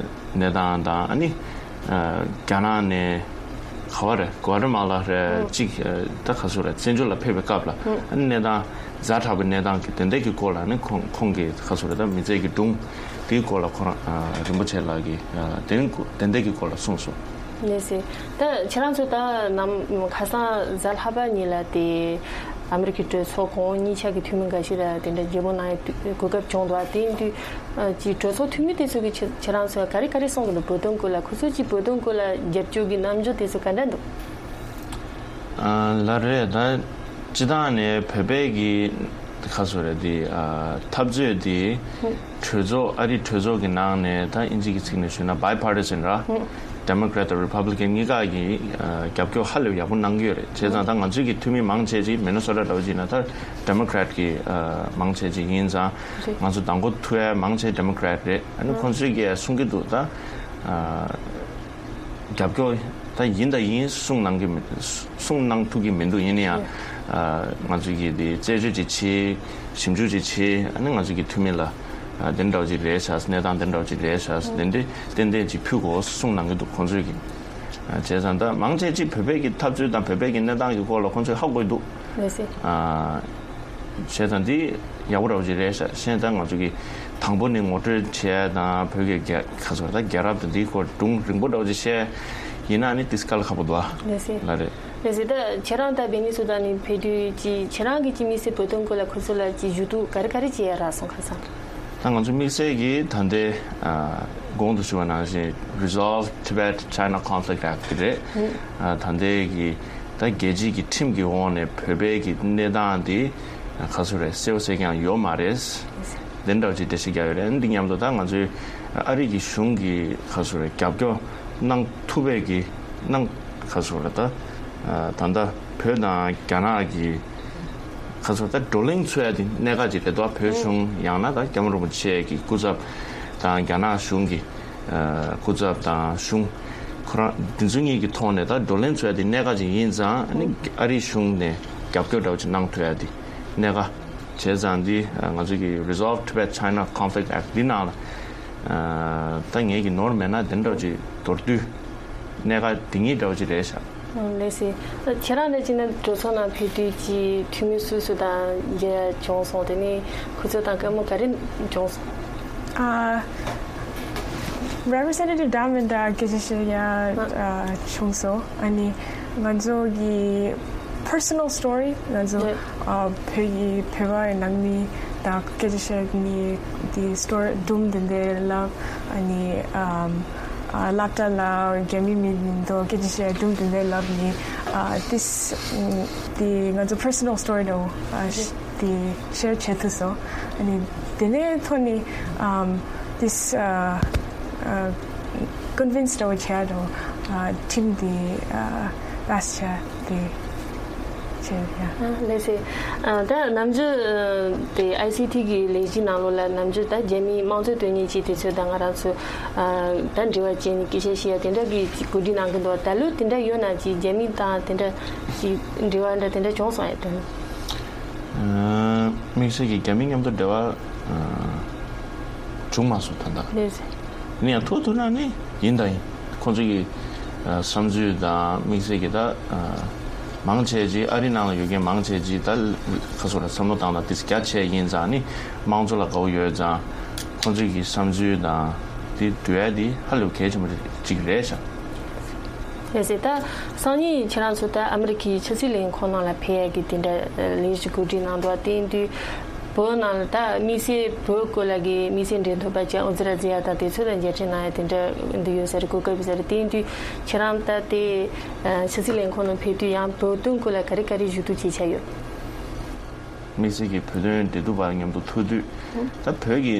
གནས་སྟངས་དང་། ཨ་ནི་ཨ་རྒྱ་ནག་ནས་ག་བ་རེད། གོ་ཝ་ཏི་མ་ལ་རེད། ཨ་གཅིག་ཨ་ད་ག་ཟེར་རེད། བཙན་བྱོལ་ལ་ཕེབས་པའི་སྐབས་ལ་ཨ་ནི་གནས་སྟངས་ཛ་དྲག་པའི་གནས་སྟངས་ཀྱི་དེ་འདྲ་གི་སྐོར་ལ་ནི་ཁོང་ཁོང་གིས་ག་ཟེར་རེད། ད་མི་ཚེ་གི་སྒྲུང་དེའི་སྐོར་ལ་ཁོ་རང་ཨ་རིན་པོ་ཆེ་ལགས་ཀྱིས་ཨ་དེ་དེ་འདྲ་གི་སྐོར་ལ་གསུངས་སོང་། ལགས་སེ། ད་ཁྱེད་རང་ཚོ་ད་ནམ་ཁ་སང་གཟའ་ལྷག་པ་ཉིན་ལ་དེ་ཨ་མི་རི་ཀའི་གྲོས་ཚོགས་གོང་འོག་གཉིས་ཆ་གི་འཐུས་མི་འགའ་ཤས་ལ་དེ་འདྲ་མཇལ་འཕྲད་གནང་ཡའི་གོ་སྐབས་བྱུང་འདུག་དེ་ཡིན་དུས་ཨ་ཅིག་གྲོས་ཚོགས་འཐུས་མི་དེ་ཚོ་གིས་ཁྱེད་ཁྱེད་རང་ཚོ་ལ་ག་རེ་ག་རེ་གསུང་གི་འདུག་བོད་དོན་སྐོར་ལ། ཁོ་ཚོ་ཅིག་བོད་དོན་སྐོར་ལ་རྒྱབ་སྐྱོར་གྱི་རྣམ་འགྱུར་དེ་ཚོ་ག་འདྲ་འདུག་ཨ་ལགས་རེད། ད་སྤྱིར་བཏང་ནས་བོད་པའི་གི་ག་ཟེར་རེད། དེ་ཨ་འཐབ་རྩོད་དེ་གྲོས་ཚོགས་ཨ་རིའི་གྲོས་ཚོགས་ཀྱི་ནང་ནས་ད་དབྱིན་ཇི་གི་ཚིག་ནས་ཞུས་ན་bipartisan ར། Democrat དང་Republican གཉིས་ཀ་གིས་ཨ་རྒྱབ་སྐྱོར་ཧ་ལས་ཡག་པོ་གནང་གི་ཡོད་རེད། བྱས་ཙང་ད་ང་ཚོའི་གི་འཐུས་མི་མང་ཆེ་ཅིག་Minnesota འདྲ་བོ་ཅིག་ན་ད་Democrat གི་ཨ་མང་ཆེ་ཅིག་ཡིན་ཙང་། རེད། ང་ཚོ་མདང་དགོང་ཐུག་ཡ་མང་ཆེ་Democrat རེད། ཨ་ནི་ཁོང་ཚོས་གི་གསུང་གི་འདུག་ད་ཨ་རྒྱབ་སྐྱོར་ད་ཡིན་དང་ཡིན་གསུང་གནང་གི་མི་གསུང་གནང་ཐུབ་ཀྱི་མི་འདུག་ཡིན་ན་ཡང་ཨ་ང་ཚོས་གི་དེ་རྩད་གཅོད་ཅིག་བྱེད། ཞིབ་འཇུག་ཅིག་བྱེད། ཨ་ནི་ང་ཚོས་གི་འཐུས་མི་ལ་ཨ་དེ་འདྲ་བོ་ཅིག་རེད་ཤག་གནས་སྟངས་དེ་འདྲ་བོ་ཅིག་རེད་ཤག་དེ་འདྲ་ཏན་ཏན་ཅིག་ཕུལ་དགོས་གསུང་གནང་གི་འདུག་ཁོང་ཚོས་གི། ཨ་བྱས་ཙང་ད་མང་ཆེ་ཅིག་བོད་པའི་གི་འཐབ་རྩོད་དང་བོད་པའི་གི་གནས་སྟངས་ཀྱི་སྐོར་ལ་ཁོང་ཚོས་ཧ་གོ་གི་འདུག་ལགས་སེ། ཨ། བྱས་ཙང་འདི་ཡག་པོ་འདྲ་བོ་ཅིག་རེད་ཤག་གཞན་ད་ང་ཚོ་གི་དང་པོ་ནས་ངོ་སྤྲོད་བྱས་དང་བོད་ཀྱི་རྒྱལ་ཁ་ཚོར་ད་རྒྱལ་རབས་དང་འདིའི་སྐོར་སྒྲུང་རིང་པོ་འདྲ་བོ་ཅིག་བཤད་ཡིན་ན་ནི་ཏིས་དཀའ་ལས་ཁག་པོ་འདུག་ཨ། ལགས་སེ། ལགས་རེད། ལགས་སེ། ད་ཁྱེད་རང་ད་མི་ནི་སོ་ཊ་ནས་ཕེབས་དུས་ཀྱི་ཁྱེད་རང་གི་ཅི་དམིགས་བསལ་བོད་དོན་སྐོར་ལ་ཁོ་ཚོ་ལ་ཅི་ཞུ་གཏུག་ག་རེ་ག་རེ་བྱས་ཡ་རག་སོང་ཁ་སང་། ད་ང་ཚོ་དམིགས་བསལ་གྱིས་ད་ལྟའི་ཨ་གོང་དུ་ཞུས་པ་ནང་བཞིན་Resolve Tibet China Conflict Act དེ་རེད། ཨ་ད་ལྟའི་གི་ད་རྒྱལ་སྤྱིའི་གི་ཁྲིམས་ཀྱི་འོག་ནས་བོད་པའི་གི་གནས་སྟངས་དེ་ག་ཚོད་རེད། གསལ་པོ་གསལ་རྐྱང་ཡོད་མ་རེད། དེ་འདྲ་བ་ཅིག་འགྲེལ་བཤད་རྒྱག་ཡོད་རེད། འདི་མཉམ་དུ་ད་ང་ཚོའི་ཨ་རི་གི་གཞུང་གི་ག་ཚོད་རེད། རྒྱབ་སྐྱོར་གནང་ཐུབ་པའི་གི་གནང་ག་ཚོད་རེད། ད་ད་ལྟ་བོད་དང་རྒྱ་ནག་གི་ག་ཚོད་ད་བགྲོ་གླེང་ཚོགས་ཡ་དེ་གནད་འགག་ཅིག་རེད་དོ། བོད་གཞུང་ཡང་ན་ད་སྐྱབས་མགོན་རིན་པོ་ཆེ་གི་སྐུ་ཚབ་དང་རྒྱ་ནག་གཞུང་གི་སྐུ་ཚབ་དང་གཞུང་ཁོ་རང་དེ་ཚོ་གཉིས་ཀྱི་ཐོག་ནས་ད་བགྲོ་གླེང་ཚོགས་ཡ་དེ་གནད་འགག་ཅིག་ཡིན་ཙང་། ཨ་ནི་ཨ་རིའི་གཞུང་ནས་རྒྱབ་སྐྱོར་འདྲ་བོ་ཅིག་གནང་ཐུབ་ཡ་དེ་གནད་འགག་བྱས་ཙང་འདི་ང་ཚོ་གི་Resolve Tibet China Conflict Act འདི་ནང་ལ་ད་ངེད་ཀྱི་ནོར་མེད་ན་དེ་འདྲ་བོ་ཅིག་མདོར་བསྡུས་གནད་འགག་དེ་གཉིས་འདྲ་བོ་ཅིག་རེད་ཤག་ལགས་སེ། ད་ཁྱེད་རང་ནས་ཅི་ན་གྲོས་ཚོགས་ནང་ཕེབས་དུས་ཀྱི་འཐུས་མི་སུ་སུ་དང་མཇལ་བྱུང་སོང་། དེ་ནས་ཁོ་ཚོ་དང་བཀའ་མོལ་ག་རེ་བྱུང་སོང་། ཨ། Representative Diamond དང་སྐད་ཆ་བཤད་ཡ་ཨ་བྱུང་སོང་། ཨ་ནི་ང་ཚོ་གི་personal story ང་ཚོ་ཨ་བོད་ཀྱི་བོད་པའི་ནང་མི་དང་སྐད་ཆ་བཤད་མཁན་དེ་story སྒྲུང་དེ་འདྲ་ལབ། ཨ་ནི་ཨམ། ཨ་སློབ་གྲྭ་ལ་རྒྱ་མི་མི་མི་འདུག་སྐད་ཆ་བཤད་སྒྲུང་དེ་འདྲ་ལབ་ནི། ཨ་this དེ་ང་ཚོ་personal story འདྲ་བོ་ཨ་དེ་share བྱེད་ཐུབ་སོང་། ཨ་ནི་དེ་ནས་ཐོག་ནས་ཨམ་this ཨ་ཨ་convince འདྲ་བོ་བྱས་འདྲ་བོ་ཨ་ཁྲིམས་དེ་ཨ་pass བྱས་དེ། ལགས་སེ། ད་ནམ་རྒྱུན་དེ་ཨའི་སི་ཐི་གི་ལས་གཞི་ནང་ལོགས་ལ་ནམ་རྒྱུན་ད་རྒྱ་མིའི་དམངས་གཙོ་དོན་གཉེར་ཅན་དེ་ཚོ་དང་ང་རང་ཚོ་ད་འབྲེལ་བ་བྱས་ནས་སྐད་ཆ་བཤད་ཡ་དེ་འདྲ་གི་གོ་སྒྲིག་གནང་གི་འདུག་ད་ལོ་དེ་འདྲ་ཡོད་ན་ཅིག་རྒྱ་མི་དང་དེ་འདྲ་ཅིག་འབྲེལ་བ་འདྲ་དེ་འདྲ་བྱུང་སོང་ཡ་དོན། དམིགས་བསལ་གྱི་རྒྱ་མི་མཉམ་དུ་འབྲེལ་བ་བྱུང་མ་སོང་ད་ལྟ། ལགས་སེ། ཡིན་ཡང་ཐུག་ཐུག་ན་ནི་ཡིན་དང་ཡིན། ཁོང་ཚོ་གི་བསམ་ཚུལ་དང་དམིགས་བསལ་གྱི་ད་མང་ཆེ་ཅིག་ཨ་རི་ནང་ལ་ཡོད་མཁན་མང་ཆེ་ཅིག་ད་ཁ་སོ་ལ་བསམ་བློ་བཏང་ན་ཏིས་རྒྱ་ཆེ་ཡིན་ཙང་ནི་དམངས་གཙོ་ལ་དགའ་བོ་ཡོད་ཙང་ཁོང་ཚོ་གི་བསམ་ཚུལ་དང་དེ་འདུལ་ཡ་དེ་ཧ་ལས་གལ་ཆེན་པོ་ཅིག་རེད་ཤག་ལགས་སེ། ད་སང་ཉིན་ཁྱེད་རང་ཚོ་ད་ཨ་མི་རི་ཀའི་ཕྱི་སྲིད་ལས་ཁུངས་ནང་ལ་ཕེབས་ཡ་གི་དེ་འདྲ་ལས་གཞི་གོ་སྒྲིག་གནང་འདུག་དེ་ཡིན་དུས་བོད་ནང་ལ་ད་དམིགས་བསལ་བོད་སྐོར་ལ་གི་དམིགས་བསལ་འབྲེལ་མཐུད་པ་ཅིག་ཨོ་ཛི་ར་ཛི་ཡ་དང་དེ་ཚོ་ལ་མཇལ་འཕྲད་གནང་ཡ་དེ་འདྲ་འདི་ཡོད་ས་རེད། གོ་སྐབས་ཡོད་ས་རེད། དེ་ཡིན་དུས་ཁྱེད་རང་ད་དེ་ཕྱི་སྲིད་ལས་ཁུངས་ནང་ཕེབས་དུས་ཡང་བོད་དོན་སྐོར་ལ་ག་རེ་ག་རེ་ཞུ་གཏུག་བྱེད་འཆར་ཡོད། དམིགས་བསལ་གྱི་བོད་དོན་འབྲེལ་མཐུད་པ་མཉམ་དུ་ཐུག་དུས། ད་བོད་ཀྱི་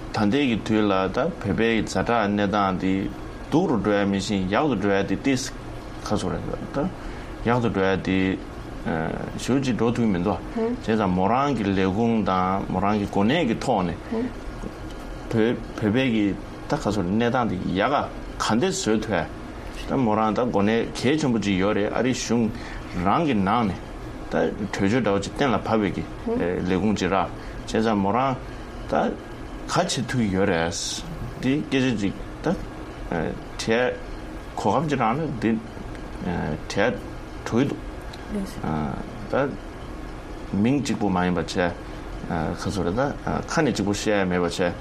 ད་ལྟའི་གི་དུས་ལ་ད་བོད་པའི་ཛ་དྲག་གནས་སྟངས་འདི་སྡུག་རུ་འགྲོ་ཡ་མི་ཤེས་ཡག་ཏུ་འགྲོ་ཡ་འདི་ཏིས་ཁ་སོ་རེད། ད་ཡག་ཏུ་འགྲོ་ཡ་འདི་ཞུ་ཅིག་འགྲོ་ཐུབ་མི་འདུག་བྱས་ཙང་མོ་རང་གི་ལས་ཁུངས་དང་མོ་རང་གི་གོ་གནས་ཀྱི་ཐོག་ནས་བོད་བོད་པའི་གི་ད་ཁ་སོ་གནས་སྟངས་འདི་ཡག་ག་ག་འདྲ་བཟོ་ཐུབ་ཡ། ད་མོ་རང་ད་གོ་གནས་གལ་ཆེན་པོ་ཅིག་ཡོད་རེད། ཨ་རི་གཞུང་རང་གི་ནང་ནས་ད་གྲོས་ཆོད་འདྲ་བོ་ཅིག་གཏན་ལ་ཕབ་པའི་གི་ལས་ཁུངས་ཅིག་ར། བྱས་ཙང་མོ་རང་ད་ག་བྱེད་ཐུབ་ཡོད་རེད། འདི་སྐད་ཆ་ཅིག་ད་དྲི་གོ་སྐབས་ཅིག་རག་ན་འདི་དྲི་འགྲོ་གི་འདུག་ད། མིང་གཅིག་པུ་མ་ཡིན་པ་བྱས། ཁ་སོ་རེད་ད། ཁ་ནས་གཅིག་པུ་བཤད་ཡ་མེད་པ་བྱས།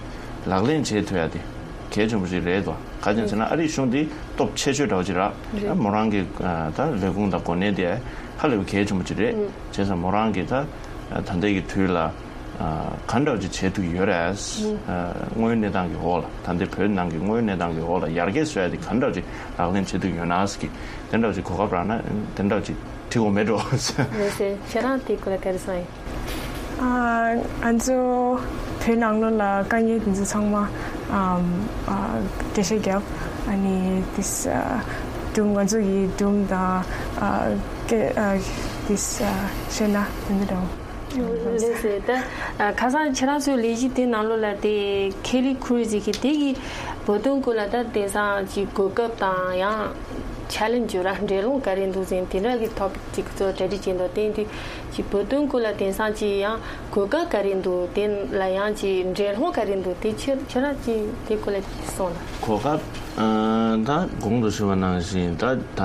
ལག་ལེན་བྱེད་ཐུབ་ཡ་དེ་གལ་ཆེན་པོ་ཞིག་རེད་དོ། ག་ཅི་ཟེར་ན་ཨ་རིའི་གཞུང་འདི་སྟོབས་ཆེ་ཤོས་འདྲ་བོ་ཅིག་རེད། མོ་རང་གི་ད་ལས་ཁུངས་དང་གོ་གནས་དེ་ཧ་ལས་པའི་གལ་ཆེན་པོ་ཅིག་རེད། བྱས་ཙང་མོ་རང་གི་ད་ད་ལྟའི་གི་དུས་ལ་ག་འདྲ་བོ་ཅིག་བྱེད་ཐུབ་ཡོད་རེད། དངོས་ཡོད་གནས་སྟངས་ཀྱི་འོག་ལ་ད་ལྟའི་བོད་ནང་གི་དངོས་ཡོད་གནས་སྟངས་ཀྱི་འོག་ལ་ཡར་རྒྱས་བཟོ་ཡ་དེ་ག་འདྲ་བོ་ཅིག་ལག་ལེན་བྱེད་ཐུབ་ཡོད་ན་ཟེར་གི། དེ་འདྲ་བོ་ཅིག་གོ་སྐབས་རག་ན་དེ་འདྲ་བོ་ཅིག་བྲིས་དགོས་མེད་འགྲོ། ལགས་སེ། ཁྱེད་རང་དེ་སྐོར་ལ་ག་རེ་བསམ་ཡོད། ཨ་ང་ཚོ་བོད་ནང་ལོགས་ལ་དཀའ་ངལ་དེ་ཚོ་ཚང་མ་ཨམ་ཨ་འགྲེལ་བཤད་རྒྱབ། ཨ་ནི་དེ་ཨ་སྒྲུང་ང་ཚོ་ཡི་སྒྲུང་དང་ཨ་སྐད་ཨ་དེ་ཨ་བཤད་ན་དེ་འདྲ་འདྲ་བོ། ལགས་སེ། ད་ཁ་སང་ཁྱེད་རང་ཚོའི་ལས་གཞི་དེ་ནང་ལོགས་ལ་དེ་ཁེ་ལི་ཁུ་རུ་ཟེར་གི་དེ་གི་བོད་དོན་སྐོར་ལ་ད་དེང་སང་ཅིག་གོ་སྐབས་དང་ཡང་ཆ་ལེན་ཇི་ར་འགྲན་སློང་ག་རེ་འདུག་ཟེར་དེ་འདྲ་གི་ཐོ་པིག་ཅིག་ཚོ་གྲ་སྒྲིག་བྱས་འདུག་དེ་དུས་ཅིག་བོད་དོན་སྐོར་ལ་དེང་སང་ཅིག་ཡང་གོ་སྐབས་ག་རེ་འདུག་དེ་ལ་ཡང་ཅིག་འགྲན་སློང་ག་རེ་འདུག་དེ་ཁྱེད་ཁྱེད་རང་ཅིག་དེ་སྐོར་ལ་ཅིག་གསུངས་ན། གོ་སྐབས་ད་གོང་དུ་ཞུས་པ་ནང་བཞིན་ད་ད་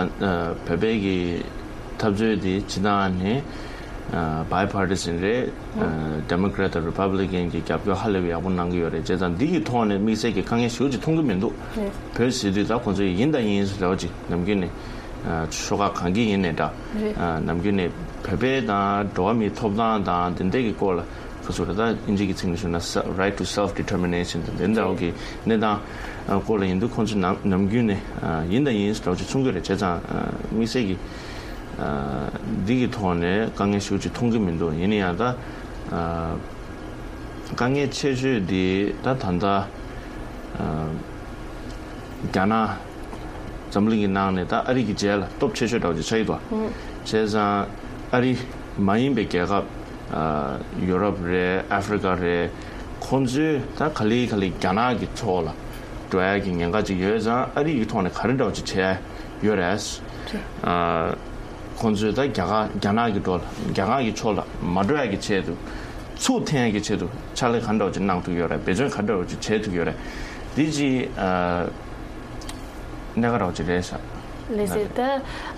བོད་པའི་གི་འཐབ་རྩོད་དེ་སྤྱི་བཏང་ནས། Bipartisan རེད། Democrat དང་Republican གྱི་རྒྱབ་སྐྱོར་ཧ་ལས་པའི་ཡག་པོ་གནང་གི་ཡོད་རེད། བྱས་ཙང་འདི་གི་ཐོག་ནས་དམིགས་བསལ་གྱི་དཀའ་ངལ་ཞེ་པོ་ཅིག་མཐོང་གི་མི་འདུག་བོད་ཟེར་དུས་ད་ཁོང་ཚོས་ཡིན་དང་ཡིན་ཟེར་འདྲ་བོ་ཅིག་ནམ་རྒྱུན་ནས་ཤོག་ཁག་གང་གི་ཡིན་ནས་འདྲ། ནམ་རྒྱུན་ནས་བོད་པའི་དང་འགྲོ་བ་མིའི་ཐོབ་ཐང་དང་དེ་འདྲ་གི་སྐོར་ལ་ཁ་སོ་རེ་ད་ཨིན་ཇི་གི་ཚིག་ནས་ཞུ་ན་right to self determination དང་དེ་འདྲ་བོ་གི་གནས་སྟངས་སྐོར་ལ་ཡིན་དུས་ཁོང་ཚོས་ནམ་ནམ་རྒྱུན་ནས་ཡིན་དང་ཡིན་ཟེར་འདྲ་བོ་ཅིག་གསུང་གི་རེད། བྱས་ཙང་དམིགས་བསལ་གྱི། འདི་གི་ཐོག་ནས་དཀའ་ངལ་ཞེ་པོ་ཅིག་མཐོང་གི་མི་འདུག་ཡིན་ན་ཡང་ད་དཀའ་ངལ་ཆེ་ཤོས་འདི་ད་ད་ལྟ་རྒྱ་ནག་འཛམ་གླིང་གི་ནང་ནས་ད་ཨ་རི་གི་རྗེས་ལ་སྟོབས་ཆེ་ཤོས་འདྲ་བོ་ཅིག་ཆགས་ཀྱི་འདུག་བྱས་ཙང་ཨ་རི་མ་ཡིན་པའི་རྒྱལ་ཁབ་ཡུ་རོབ་རེད། ཨ་ཧྥི་རི་ཀ་རེད། ཁོང་ཚོས་ད་ག་ལེ་ག་ལེ་རྒྱ་ནག་གི་ཕྱོགས་ལ་འགྲོ་ཡ་གི་ཉེན་ཁ་ཅིག་ཡོད་ཙང་ཨ་རི་གི་ཐོག་ནས་ག་རེ་འདྲ་བོ་ཅིག་བྱས་ཡོད་རེད། ཨ། ཁོང་ཚོས་ད་རྒྱ་གར་རྒྱ་ནག་གི་འགྲོ་ལ་རྒྱ་ནག་གི་ཕྱོགས་ལ་མ་འགྲོ་ཡ་གི་ཆེད་དུ། ཚུར་འཐེན་ཡ་གི་ཆེད་དུ་ཕྱག་ལས་ག་འདྲ་བ་ཅིག་གནང་ཐུབ་ཡོད་རེད། འབད་བརྩོན་ག་འདྲ་བ་ཅིག་བྱེད་ཐུབ་ཡོད་རེད། འདི་ཅིག་ཨ། གནད་འགག་འདྲ་བ་ཅིག་རེད་ཤག་ལགས་སེ། ད་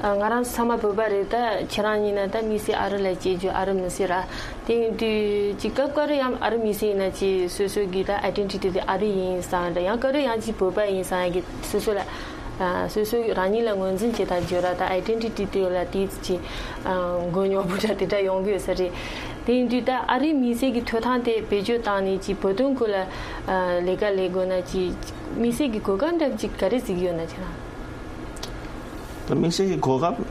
ང་རང་ཚང་མ་བོད་པ་རེད། ད་ཁྱེད་རང་ཡིན་ན་ད་དམིགས་བསལ་ཨ་རི་ལ་སྐྱེས་རྒྱུ་ཨ་རི་མི་སེར་ར། དེ་ཡིན་དུས་ཅིག་སྐབས་འགའ་རེ་ཡང་ཨ་རི་མི་སེར་ཡིན་ན་ཅིག་སོ་སོ་གི་ད་ཨའི་ཌེན་ཊི་ཊི་དེ་ཨ་རི་ཡིན་བསམ་འདྲ། ཡང་འགའ་རེ་ཡང་ཅིག་བོད་པ་ཡིན་བསམ་ཡ་གི་སོ་སོ་ལ། ཨ། སོ་སོ་རང་ཉིད་ལ་ངོས་འཛིན་བྱེད་སྟངས་བརྗོད་ར་དང་ཨའི་ཌེན་ཊི་ཊི་དེ་ལ་དེ་ཅི། ཨ། མགོ་རྙོག་པོ་འདྲ་དེ་འདྲ་ཡོང་གི་ཡོད་ས་རེད། དེ་ཡིན་དུས་ད་ཨ་རིའི་དམིགས་བསལ་གྱི་ཐོབ་ཐང་དེ་བེད་སྤྱོད་བཏང་ནས་ཅི་བོད་དོན་སྐོར་ལ། ཨ། ལས་ཀ་ལས་དགོས་ན་ཅི། དམིགས་བསལ་གྱི་གོ་སྐབས་འདྲ་ཅིག་ག་རེ་གཟིགས་ཡོད་ན་ཁྱེད་རང་། ད་དམིགས་བསལ་གྱི་གོ་སྐབས་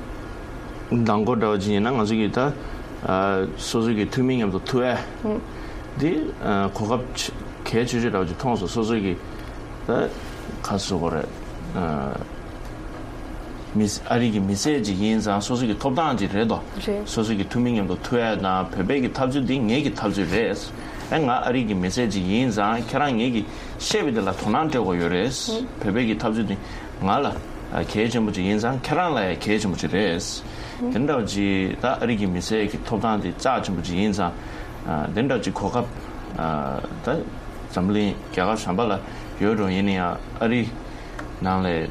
ནང་སྐོར་འདྲ་བ་ཅིག་ཡིན་ན་ང་ཚོ་གི་ད། ཨ། སོ་སོ་གི་འཐུས་མི་མཉམ་དུ་ཐུག་ཡ། ཨུ། འདི། ཨ། གོ་སྐབས་ཆེ་གལ་ཆེ་ཤོས་འདྲ་བ་ཅིག་མཐོང་སོང་། སོ་སོ་གི་ད་ཁ་སོ་གོ་རེད། ཨ། མི་ཨ་རི་གི་མི་སེར་ཅིག་ཡིན་ཙང་སོ་སོ་གི་ཐོབ་ཐང་ཅིག་རེད་དོ། རེད། སོ་སོ་གི་འཐུས་མི་མཉམ་དུ་ཐུག་ཡ་དང་བོད་པའི་གི་འཐབ་རྩོད་འདི་ངེད་ཀྱི་འཐབ་རྩོད་རེད། ཨ། ང་ཨ་རི་གི་མི་སེར་ཅིག་ཡིན་ཙང་ཁྱེད་རང་ངེད་ཀྱི་བཤད་པའི་དེ་ལ་དོ་སྣང་སྤྲད་དགོས་ཡོད་རེད། ཨུ། བོད་པའི་གི་འཐབ་རྩོད་འདི་ང་ལ་གལ་ཆེན་པོ་ཅིག་ཡིན་ཙང་ཁྱེད་རང་ལ་ཡང་གལ་ཆེན་པོ་ཅིག་རེད། དེ་འདྲ་བ་ཅིག་ད་ཨ་རི་གི་མི་སེར་གྱི་ཐོབ་ཐང་དེ་རྩ་ཆེན་པོ་ཅིག་ཡིན་ཙང་། ཨ། དེ་འདྲ་བ་ཅིག་གོ་སྐབས། ཨ། ད་འཛམ་གླིང་རྒྱལ་ཁབ་གཞན་པ་ལ་ཡོད་རུང་ཡིན་ན་ཡང་ཨ་རི་ནང་ལས་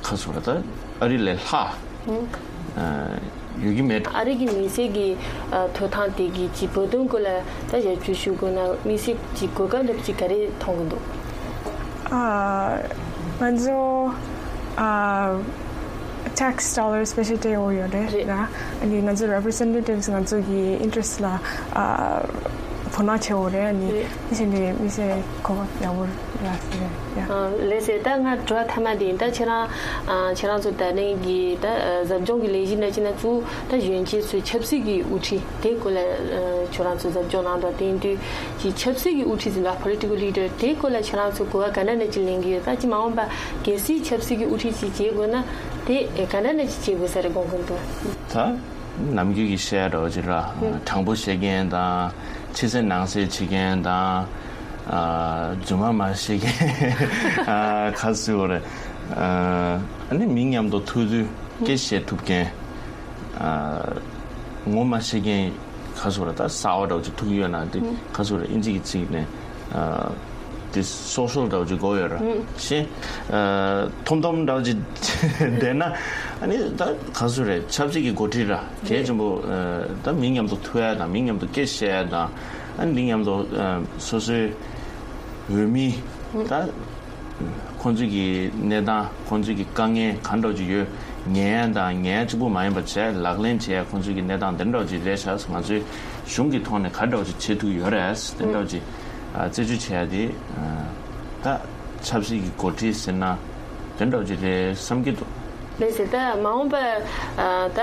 ཁ་སོ་ད་ཨ་རི་ལས་ལྷག་ཨ། ཡོད་ཀྱི་མེད། ཨ་རི་གི་མི་སེར་གྱི། ཨ། ཐོབ་ཐང་དེ་གི་ཅིག་བོད་དོན་སྐོར་ལ་ད་ཞབས་ཞུ་ཞུ་དགོས་ན་དམིགས་བསལ་གྱི་གོ་སྐབས་འདྲ་ཅིག་ག་རེ་མཐོང་གི་འདུག་ཨ། ང་ཚོ། ཨ། tax dollars སྤེ་ཤལ་སྤྲད་ཡོད་ཡོད་རེད་རེད། ར། ཨ་ནི་ང་ཚོ་representatives ང་ཚོ་གི་interest ལ་ཨ་དོ་སྣང་བྱེད་འོ་རེད། ཨ་ནི་རེད། དེ་བཞིན་དུ་མི་སེར་གོ་སྐབས་ཡག་པོ་རག་ཟེར་ཡ། ཨ་ལགས་སེ། ད་ང་དྲི་བ་མཐའ་མ་དེ་ཡིན། ད་ཁྱེད་རང་ཨ་ཁྱེད་རང་ཚོ་ད་ནས་གི་ད་ཨ་ཟབ་སྦྱོང་གི་ལས་གཞི་ནང་ཅི་ན་ཚུ་ད་གཞོན་སྐྱེས་ཚོའི་ཆབ་སྲིད་ཀྱི་དབུ་ཁྲིད་དེ་སྐོར་ལ་ཨ་ཁྱོད་རང་ཚོ་ཟབ་སྦྱོང་གནང་དང་། དེ་ཡིན་དུས་ཀྱི་ཆབ་སྲིད་ཀྱི་དབུ་ཁྲིད་ཟེར་ན་political leader དེ་སྐོར་ལ་ཁྱེད་རང་ཚོ་གོ་བ་ག་འདྲ་ནས་ཅི་ལེན་གི་ཡོད། ད་ཅི་མ་འོངས་པ་གལ་སྲིད་ཆབ་སྲིད་ཀྱི་དབུ་ཁྲིད་ཅིག་བྱེད་དགོས་ན་དེ་ག་འདྲ་ནས་ཅི་བྱེད་དགོས་ས་རེད་དགོངས་ཀྱི་འདུག་ད་ནམ་རྒྱུན་གྱི་བཤད་འདྲ་བོ་ཅིག་ར། ཨ་དྲང་པོ་བཤད་མཁན་དང་། ཕྱི་གསལ་ནང་གསལ་བྱེད་མཁན་དང་། ཨ་རྫུན་མ་མ་བཤད་མཁན། ཨ་ག་ཟེར་བ་རེད། ཨ་ནི་མི་མཉམ་དུ་ཐུག་དུས་སྐད་བཤད་ཐུབ་མཁན། ཨ་ངོ་མ་བཤད་མཁན། ག་ཟེར་ར། ད་གསར་པ་འདྲ་བོ་ཅིག་ཐུག་ཡོད་ན་དེ་ག་ཟེར་ར། ཨིན་ཇི་གི་ཚིག་ནས་ཨ་དེ་social འདྲ་བོ་ཅིག་དགོས་ཡོད་ར། ཤེས། ཨ་ཐོམ་ཐོམ་འདྲ་བོ་ཅིག་བསྡད་ན། ཨ་ནི་ད་ག་ཟེར་ར། ཆབ་སྲིད་ཀྱི་འགོ་ཁྲིད་ར་གལ་ཆེན་པོ། ཨ་ད་མི་མཉམ་དུ་ཐུག་ཡ་དང་། མི་མཉམ་དུ་སྐད་བཤད་ཡ་དང་། ཨ་ནི་མི་མཉམ་དུ་ཨ་སོ་སོའི་འོས་མི་ད་ཁོང་ཚོའི་གི་གནས་སྟངས། ཁོང་ཚོའི་གི་དཀའ་ངལ་གང་འདྲ་ཅིག་ཡོད། ཉན་ཡ་དང་ཉན་ཡ་གཅིག་པུ་མ་ཡིན་པ་བྱས། ལག་ལེན་བྱས། ཁོང་ཚོའི་གི་གནས་སྟངས་དེ་འདྲ་ཅིག་རེད་ཤག་ང་ཚོའི་གཞུང་གི་ཐོག་ནས་ག་འདྲ་ཅིག་བྱེད་ཐུབ་ཡོད་རེད། དེ་འདྲ་ཅིག་ཨ་རྩད་གཅོད་བྱེད་ཡ་དེ་ཨ་ད་ཆབ་སྲིད་ཀྱི་འགོ་ཁྲིད་ཟེར་ན་དེ་འདྲ་ཅིག་རེད་བསམ་གྱི་འདུག་ལགས་སེ། ད་མ་འོངས་པ་ཨ་ད་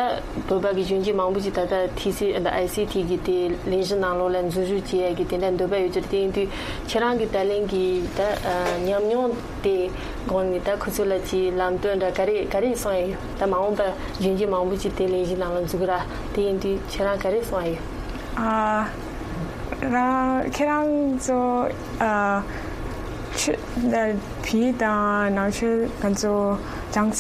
བོད་པ་གི་གཞོན་སྐྱེས་མང་པོ་ཅིག་ད་ལྟ་ཐི་སི་ཨ་ད་ཨའི་སི་ཐི་གི་དེ་ལས་གཞི་ནང་ལོགས་ལ་འཛུལ་ཞུགས་བྱེད་ཡ་གི་དེ་འདྲ་འདོད་པ་ཡོད་ཚུལ། དེ་ཡིན་དུས་ཁྱེད་རང་གི་ད་ལན་གྱི་ད་ཨ་ཉམས་མྱོང་དེ་སྒང་ནས་ད་ཁོ་ཚོ་ལ་ཅིག་ལམ་སྟོན་འདྲ་ག་རེ་ག་རེ་གསུང་ཡ་ཡོད། ད་མ་འོངས་པ་གཞོན་སྐྱེས་མང་པོ་ཅིག་དེ་ལས་གཞི་ནང་ལ་འཛུལ་གི་ར། དེ་ཡིན་དུས་ཁྱེད་རང་ག་རེ་གསུང་ཡ་ཡོད། ཨ་རང་ཁྱེད་རང་ཚོ་ཨ་ཆུ་ད་བི་དང་ནང་ཆོས་ང་ཚོ་ཅང་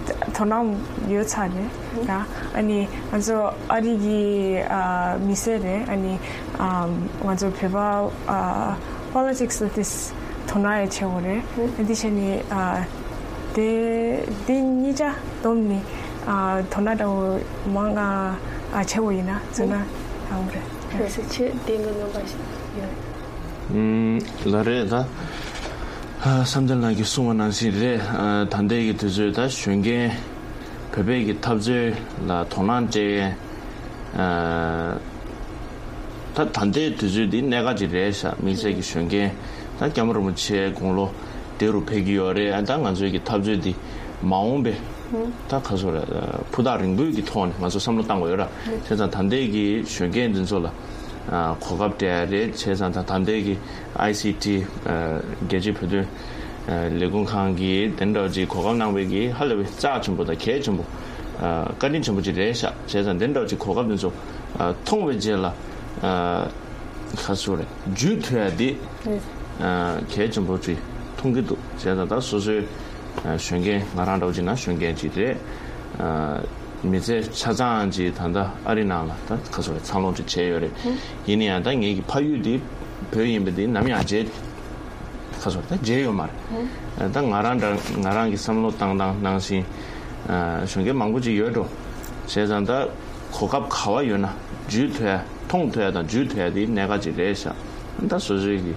དོ་སྣང་ཡོད་ཚར་རེད་ར། ཨ་ནི་ང་ཚོ་ཨ་རི་གི་ཨ་མི་སེར་རེད། ཨ་ནི་ཨ་ང་ཚོ་བོད་པ་ཨ་politics ལ་དེ་དོ་སྣང་ཡང་ཆེ་བོ་རེད། ཨ་འདི་བྱས་ནི་ཨ་དེ་དེ་གཉིས་ཆ་བསྡོམས་ནི་ཨ་དོ་སྣང་འདྲ་བོ་མང་ང་ཨ་ཆེ་བོ་ཡིན་ན་བཟོས་ན་ཡག་པོ་རེད། ལགས་སེ། ཆེས་བདེན་གི་རྣམ་པ་ཞིག་ཡོད། ཨུམ། ལགས་རེད། ད་ཨ་བསམ་གཏན་ལགས་ཀྱིས་གསུངས་པ་ནང་བཞིན་རེད། ཨ་ད་ལྟའི་གི་དུས་ཚོད་ད་གཞོན་སྐྱེས་བོད་པའི་གི་འཐབ་རྩོད་ལ་དོ་སྣང་སྤྲད་ཡས། ཨ་ད་ད་ལྟའི་དུས་ཚོད་འདི་གནད་འགག་ཅིག་རེད་ཤག་དམིགས་བསལ་གྱི་གཞོན་སྐྱེས་ད་སྐྱབས་མགོན་རིན་པོ་ཆེ་དགུང་ལོ་བདེ་རུ་ཕེབས་ཀྱི་ཡོད་རེད། ཨ་ད་ང་ཚོའི་གི་འཐབ་རྩོད་འདི་མ་འོངས་པའི་ད་ག་ཟེར་ར། ཕུ་ཐག་རིང་པོའི་གི་ཐོག་ནས་ང་ཚོ་བསམ་བློ་བཏང་དགོས་ཡོད་ར། བྱས་ཙང་ད་ལྟའི་གི་གཞོན་སྐྱེས་འདི་ཚོ་ལ་ཨ་གོ་སྐབས་སྤྲད་ཡ་རེད། བྱས་ཙང་ད་ད་ལྟའི་གི་ཨའི་སི་ཊི་ཨ་རྒྱལ་སྤྱིའི་བོད་དོན་ཨ་ལས་ཁུངས་ཁང་གིས་དེ་འདྲ་ཅིག་གོ་སྐབས་གནང་བའི་གི་ཧ་ལས་པའི་རྩ་ཆེན་པོ་དང་གལ་ཆེན་པོ་ཨ་བཀའ་དྲིན་ཆེན་པོ་ཅིག་རེད་ཤག་བྱས་ཙང་དེ་འདྲ་ཅིག་གོ་སྐབས་འདི་ཚོ་ཨ་མཐོང་བའི་རྗེས་ལ་ཨ་ག་ཟེར་རེད། འཇུས་ཐུབ་ཡ་འདི་ཨ་གལ་ཆེན་པོ་ཅིག་མཐོང་གི་འདུག་བྱས་ཙང་ད་སོ་སོའི་ཨ་གཞོན་སྐྱེས། ང་རང་འདྲ་བོ་ཅིག་ན་གཞོན་སྐྱེས་ཅིག་རེད། ཨ་མི་ཚེ་ཆ་ཚང་ཅིག་ད་ལྟ་ཨ་རི་ནང་ལ་ད་ག་ཟེར་རེད། འཚར་ལོངས་ཅིག་བྱས་ཡོད་རེད། ཡིན་ན་ཡང་ད་ངེད་ཀྱི་ཕ་ཡུལ་འདི་བོད་ཡིན་པ་འདི་ནམ་ཡང་བརྗེད་ག་ཟེར་རེད། ད་བརྗེད་ཡོད་མ་རེད། ད་ང་རང་འདྲ་ང་རང་གི་བསམ་བློ་བཏང་སྟངས་ནང་བཞིན་ཨ་གཞོན་སྐྱེས་མང་པོ་ཅིག་ཡོད་འགྲོ། བྱས་ཙང་ད་གོ་སྐབས་ག་བ་ཡོད་ན་འཇུས་ཐུབ་ཡ། མཐོང་ཐུབ་ཡ་དང་འཇུས་ཐུབ་ཡ་དེ་གནད་འགག་ཅིག་རེད་ཤག་ད་སོ་སོའི་གི་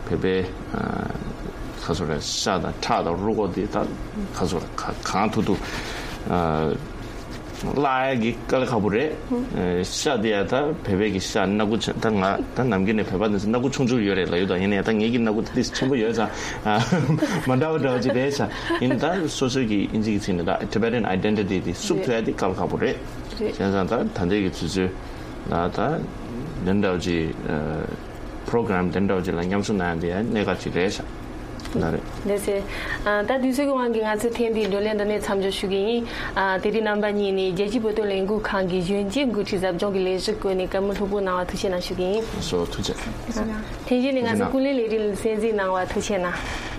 བོད་པའི་ཨ་ག་ཟེར་རེད། ཤ་དང་ཁྲག་དང་རུས་ཁོག་དེ་ད་ག་ཟེར་རེད། ག་གང་ཐུབ་ཐུབ་ཨ་བརླག་ཡ་གི་དཀའ་ལས་ཁག་པོ་རེད། ཨ་ཤ་དེ་ཡ་ད་བོད་པའི་གི་ཤ་སྣ་ཁུག་ཆེ། ད་ང་ད་ནམ་རྒྱུན་ནས་བོད་པ་དེ་ཚོ་སྣ་ཁུག་ཆུང་ཆུང་ཡོད་རེད་ལབ་ཡོད། ད་ཡིན་ན་ཡང་ད་ངེད་ཀྱི་སྣ་ཁུག་དེ་ཆེན་པོ་ཡོད་ཙང་ཨ་མ་འདྲ་བ་འདྲ་བ་ཅིག་རེད་ཤག་ཡིན་ད་སོ་སོའི་གི་ཨིན་ཇི་གི་ཚིག་ནས་ད་Tibetan identity དེ་བསུབ་ཐུབ་ཡ་དེ་དཀའ་ལས་ཁག་པོ་རེད། རེད། བྱས་ཙང་ད་ད་ལྟའི་གི་དུས་ཚོད་ལ་ད་དེ་འདྲ་བ་ཅིག་ཨ་པྲོ་གྷ་རམ་དེ་འདྲ་བ་ཅིག་ལ་མཉམ་ཞུགས་གནང་ཡ་དེ་ཡང་གནད་འགག་ཅིག་རེད་ཤག་ལགས་རེད། ལགས་སེ། ཨ་ད་དུས་ཚོད་ཀྱི་དབང་གིས་ང་ཚོས་ཐེངས་འདིའི་བགྲོ་གླེང་འདི་ནས་མཚམས་འཇོག་ཞུ་གི་ཡིན། ཨ་དེ་རིང་རྣམ་པ་གཉིས་ནས་རྒྱལ་སྤྱིའི་བོད་དོན་ལས་འགུལ་ཁང་གི་གཞོན་སྐྱེས་འགོ་ཁྲིད་ཟབ་སྦྱོང་གི་ལས་གཞི་བཀོད་ནས་བཀའ་མོལ་ལྷུག་པོ་གནང་བ་ཐུགས་རྗེ་གནང་ཞུ་གི་ཡིན། སོ་ཐུགས་རྗེ་ཆེ། ཐེངས་གཞན་ནས་ང་ཚོའི་ཀུན་གླེང་ལས་རིམ་ལ་གསན་གཟིགས་གནང་བ་ཐུགས་རྗེ་གནང་།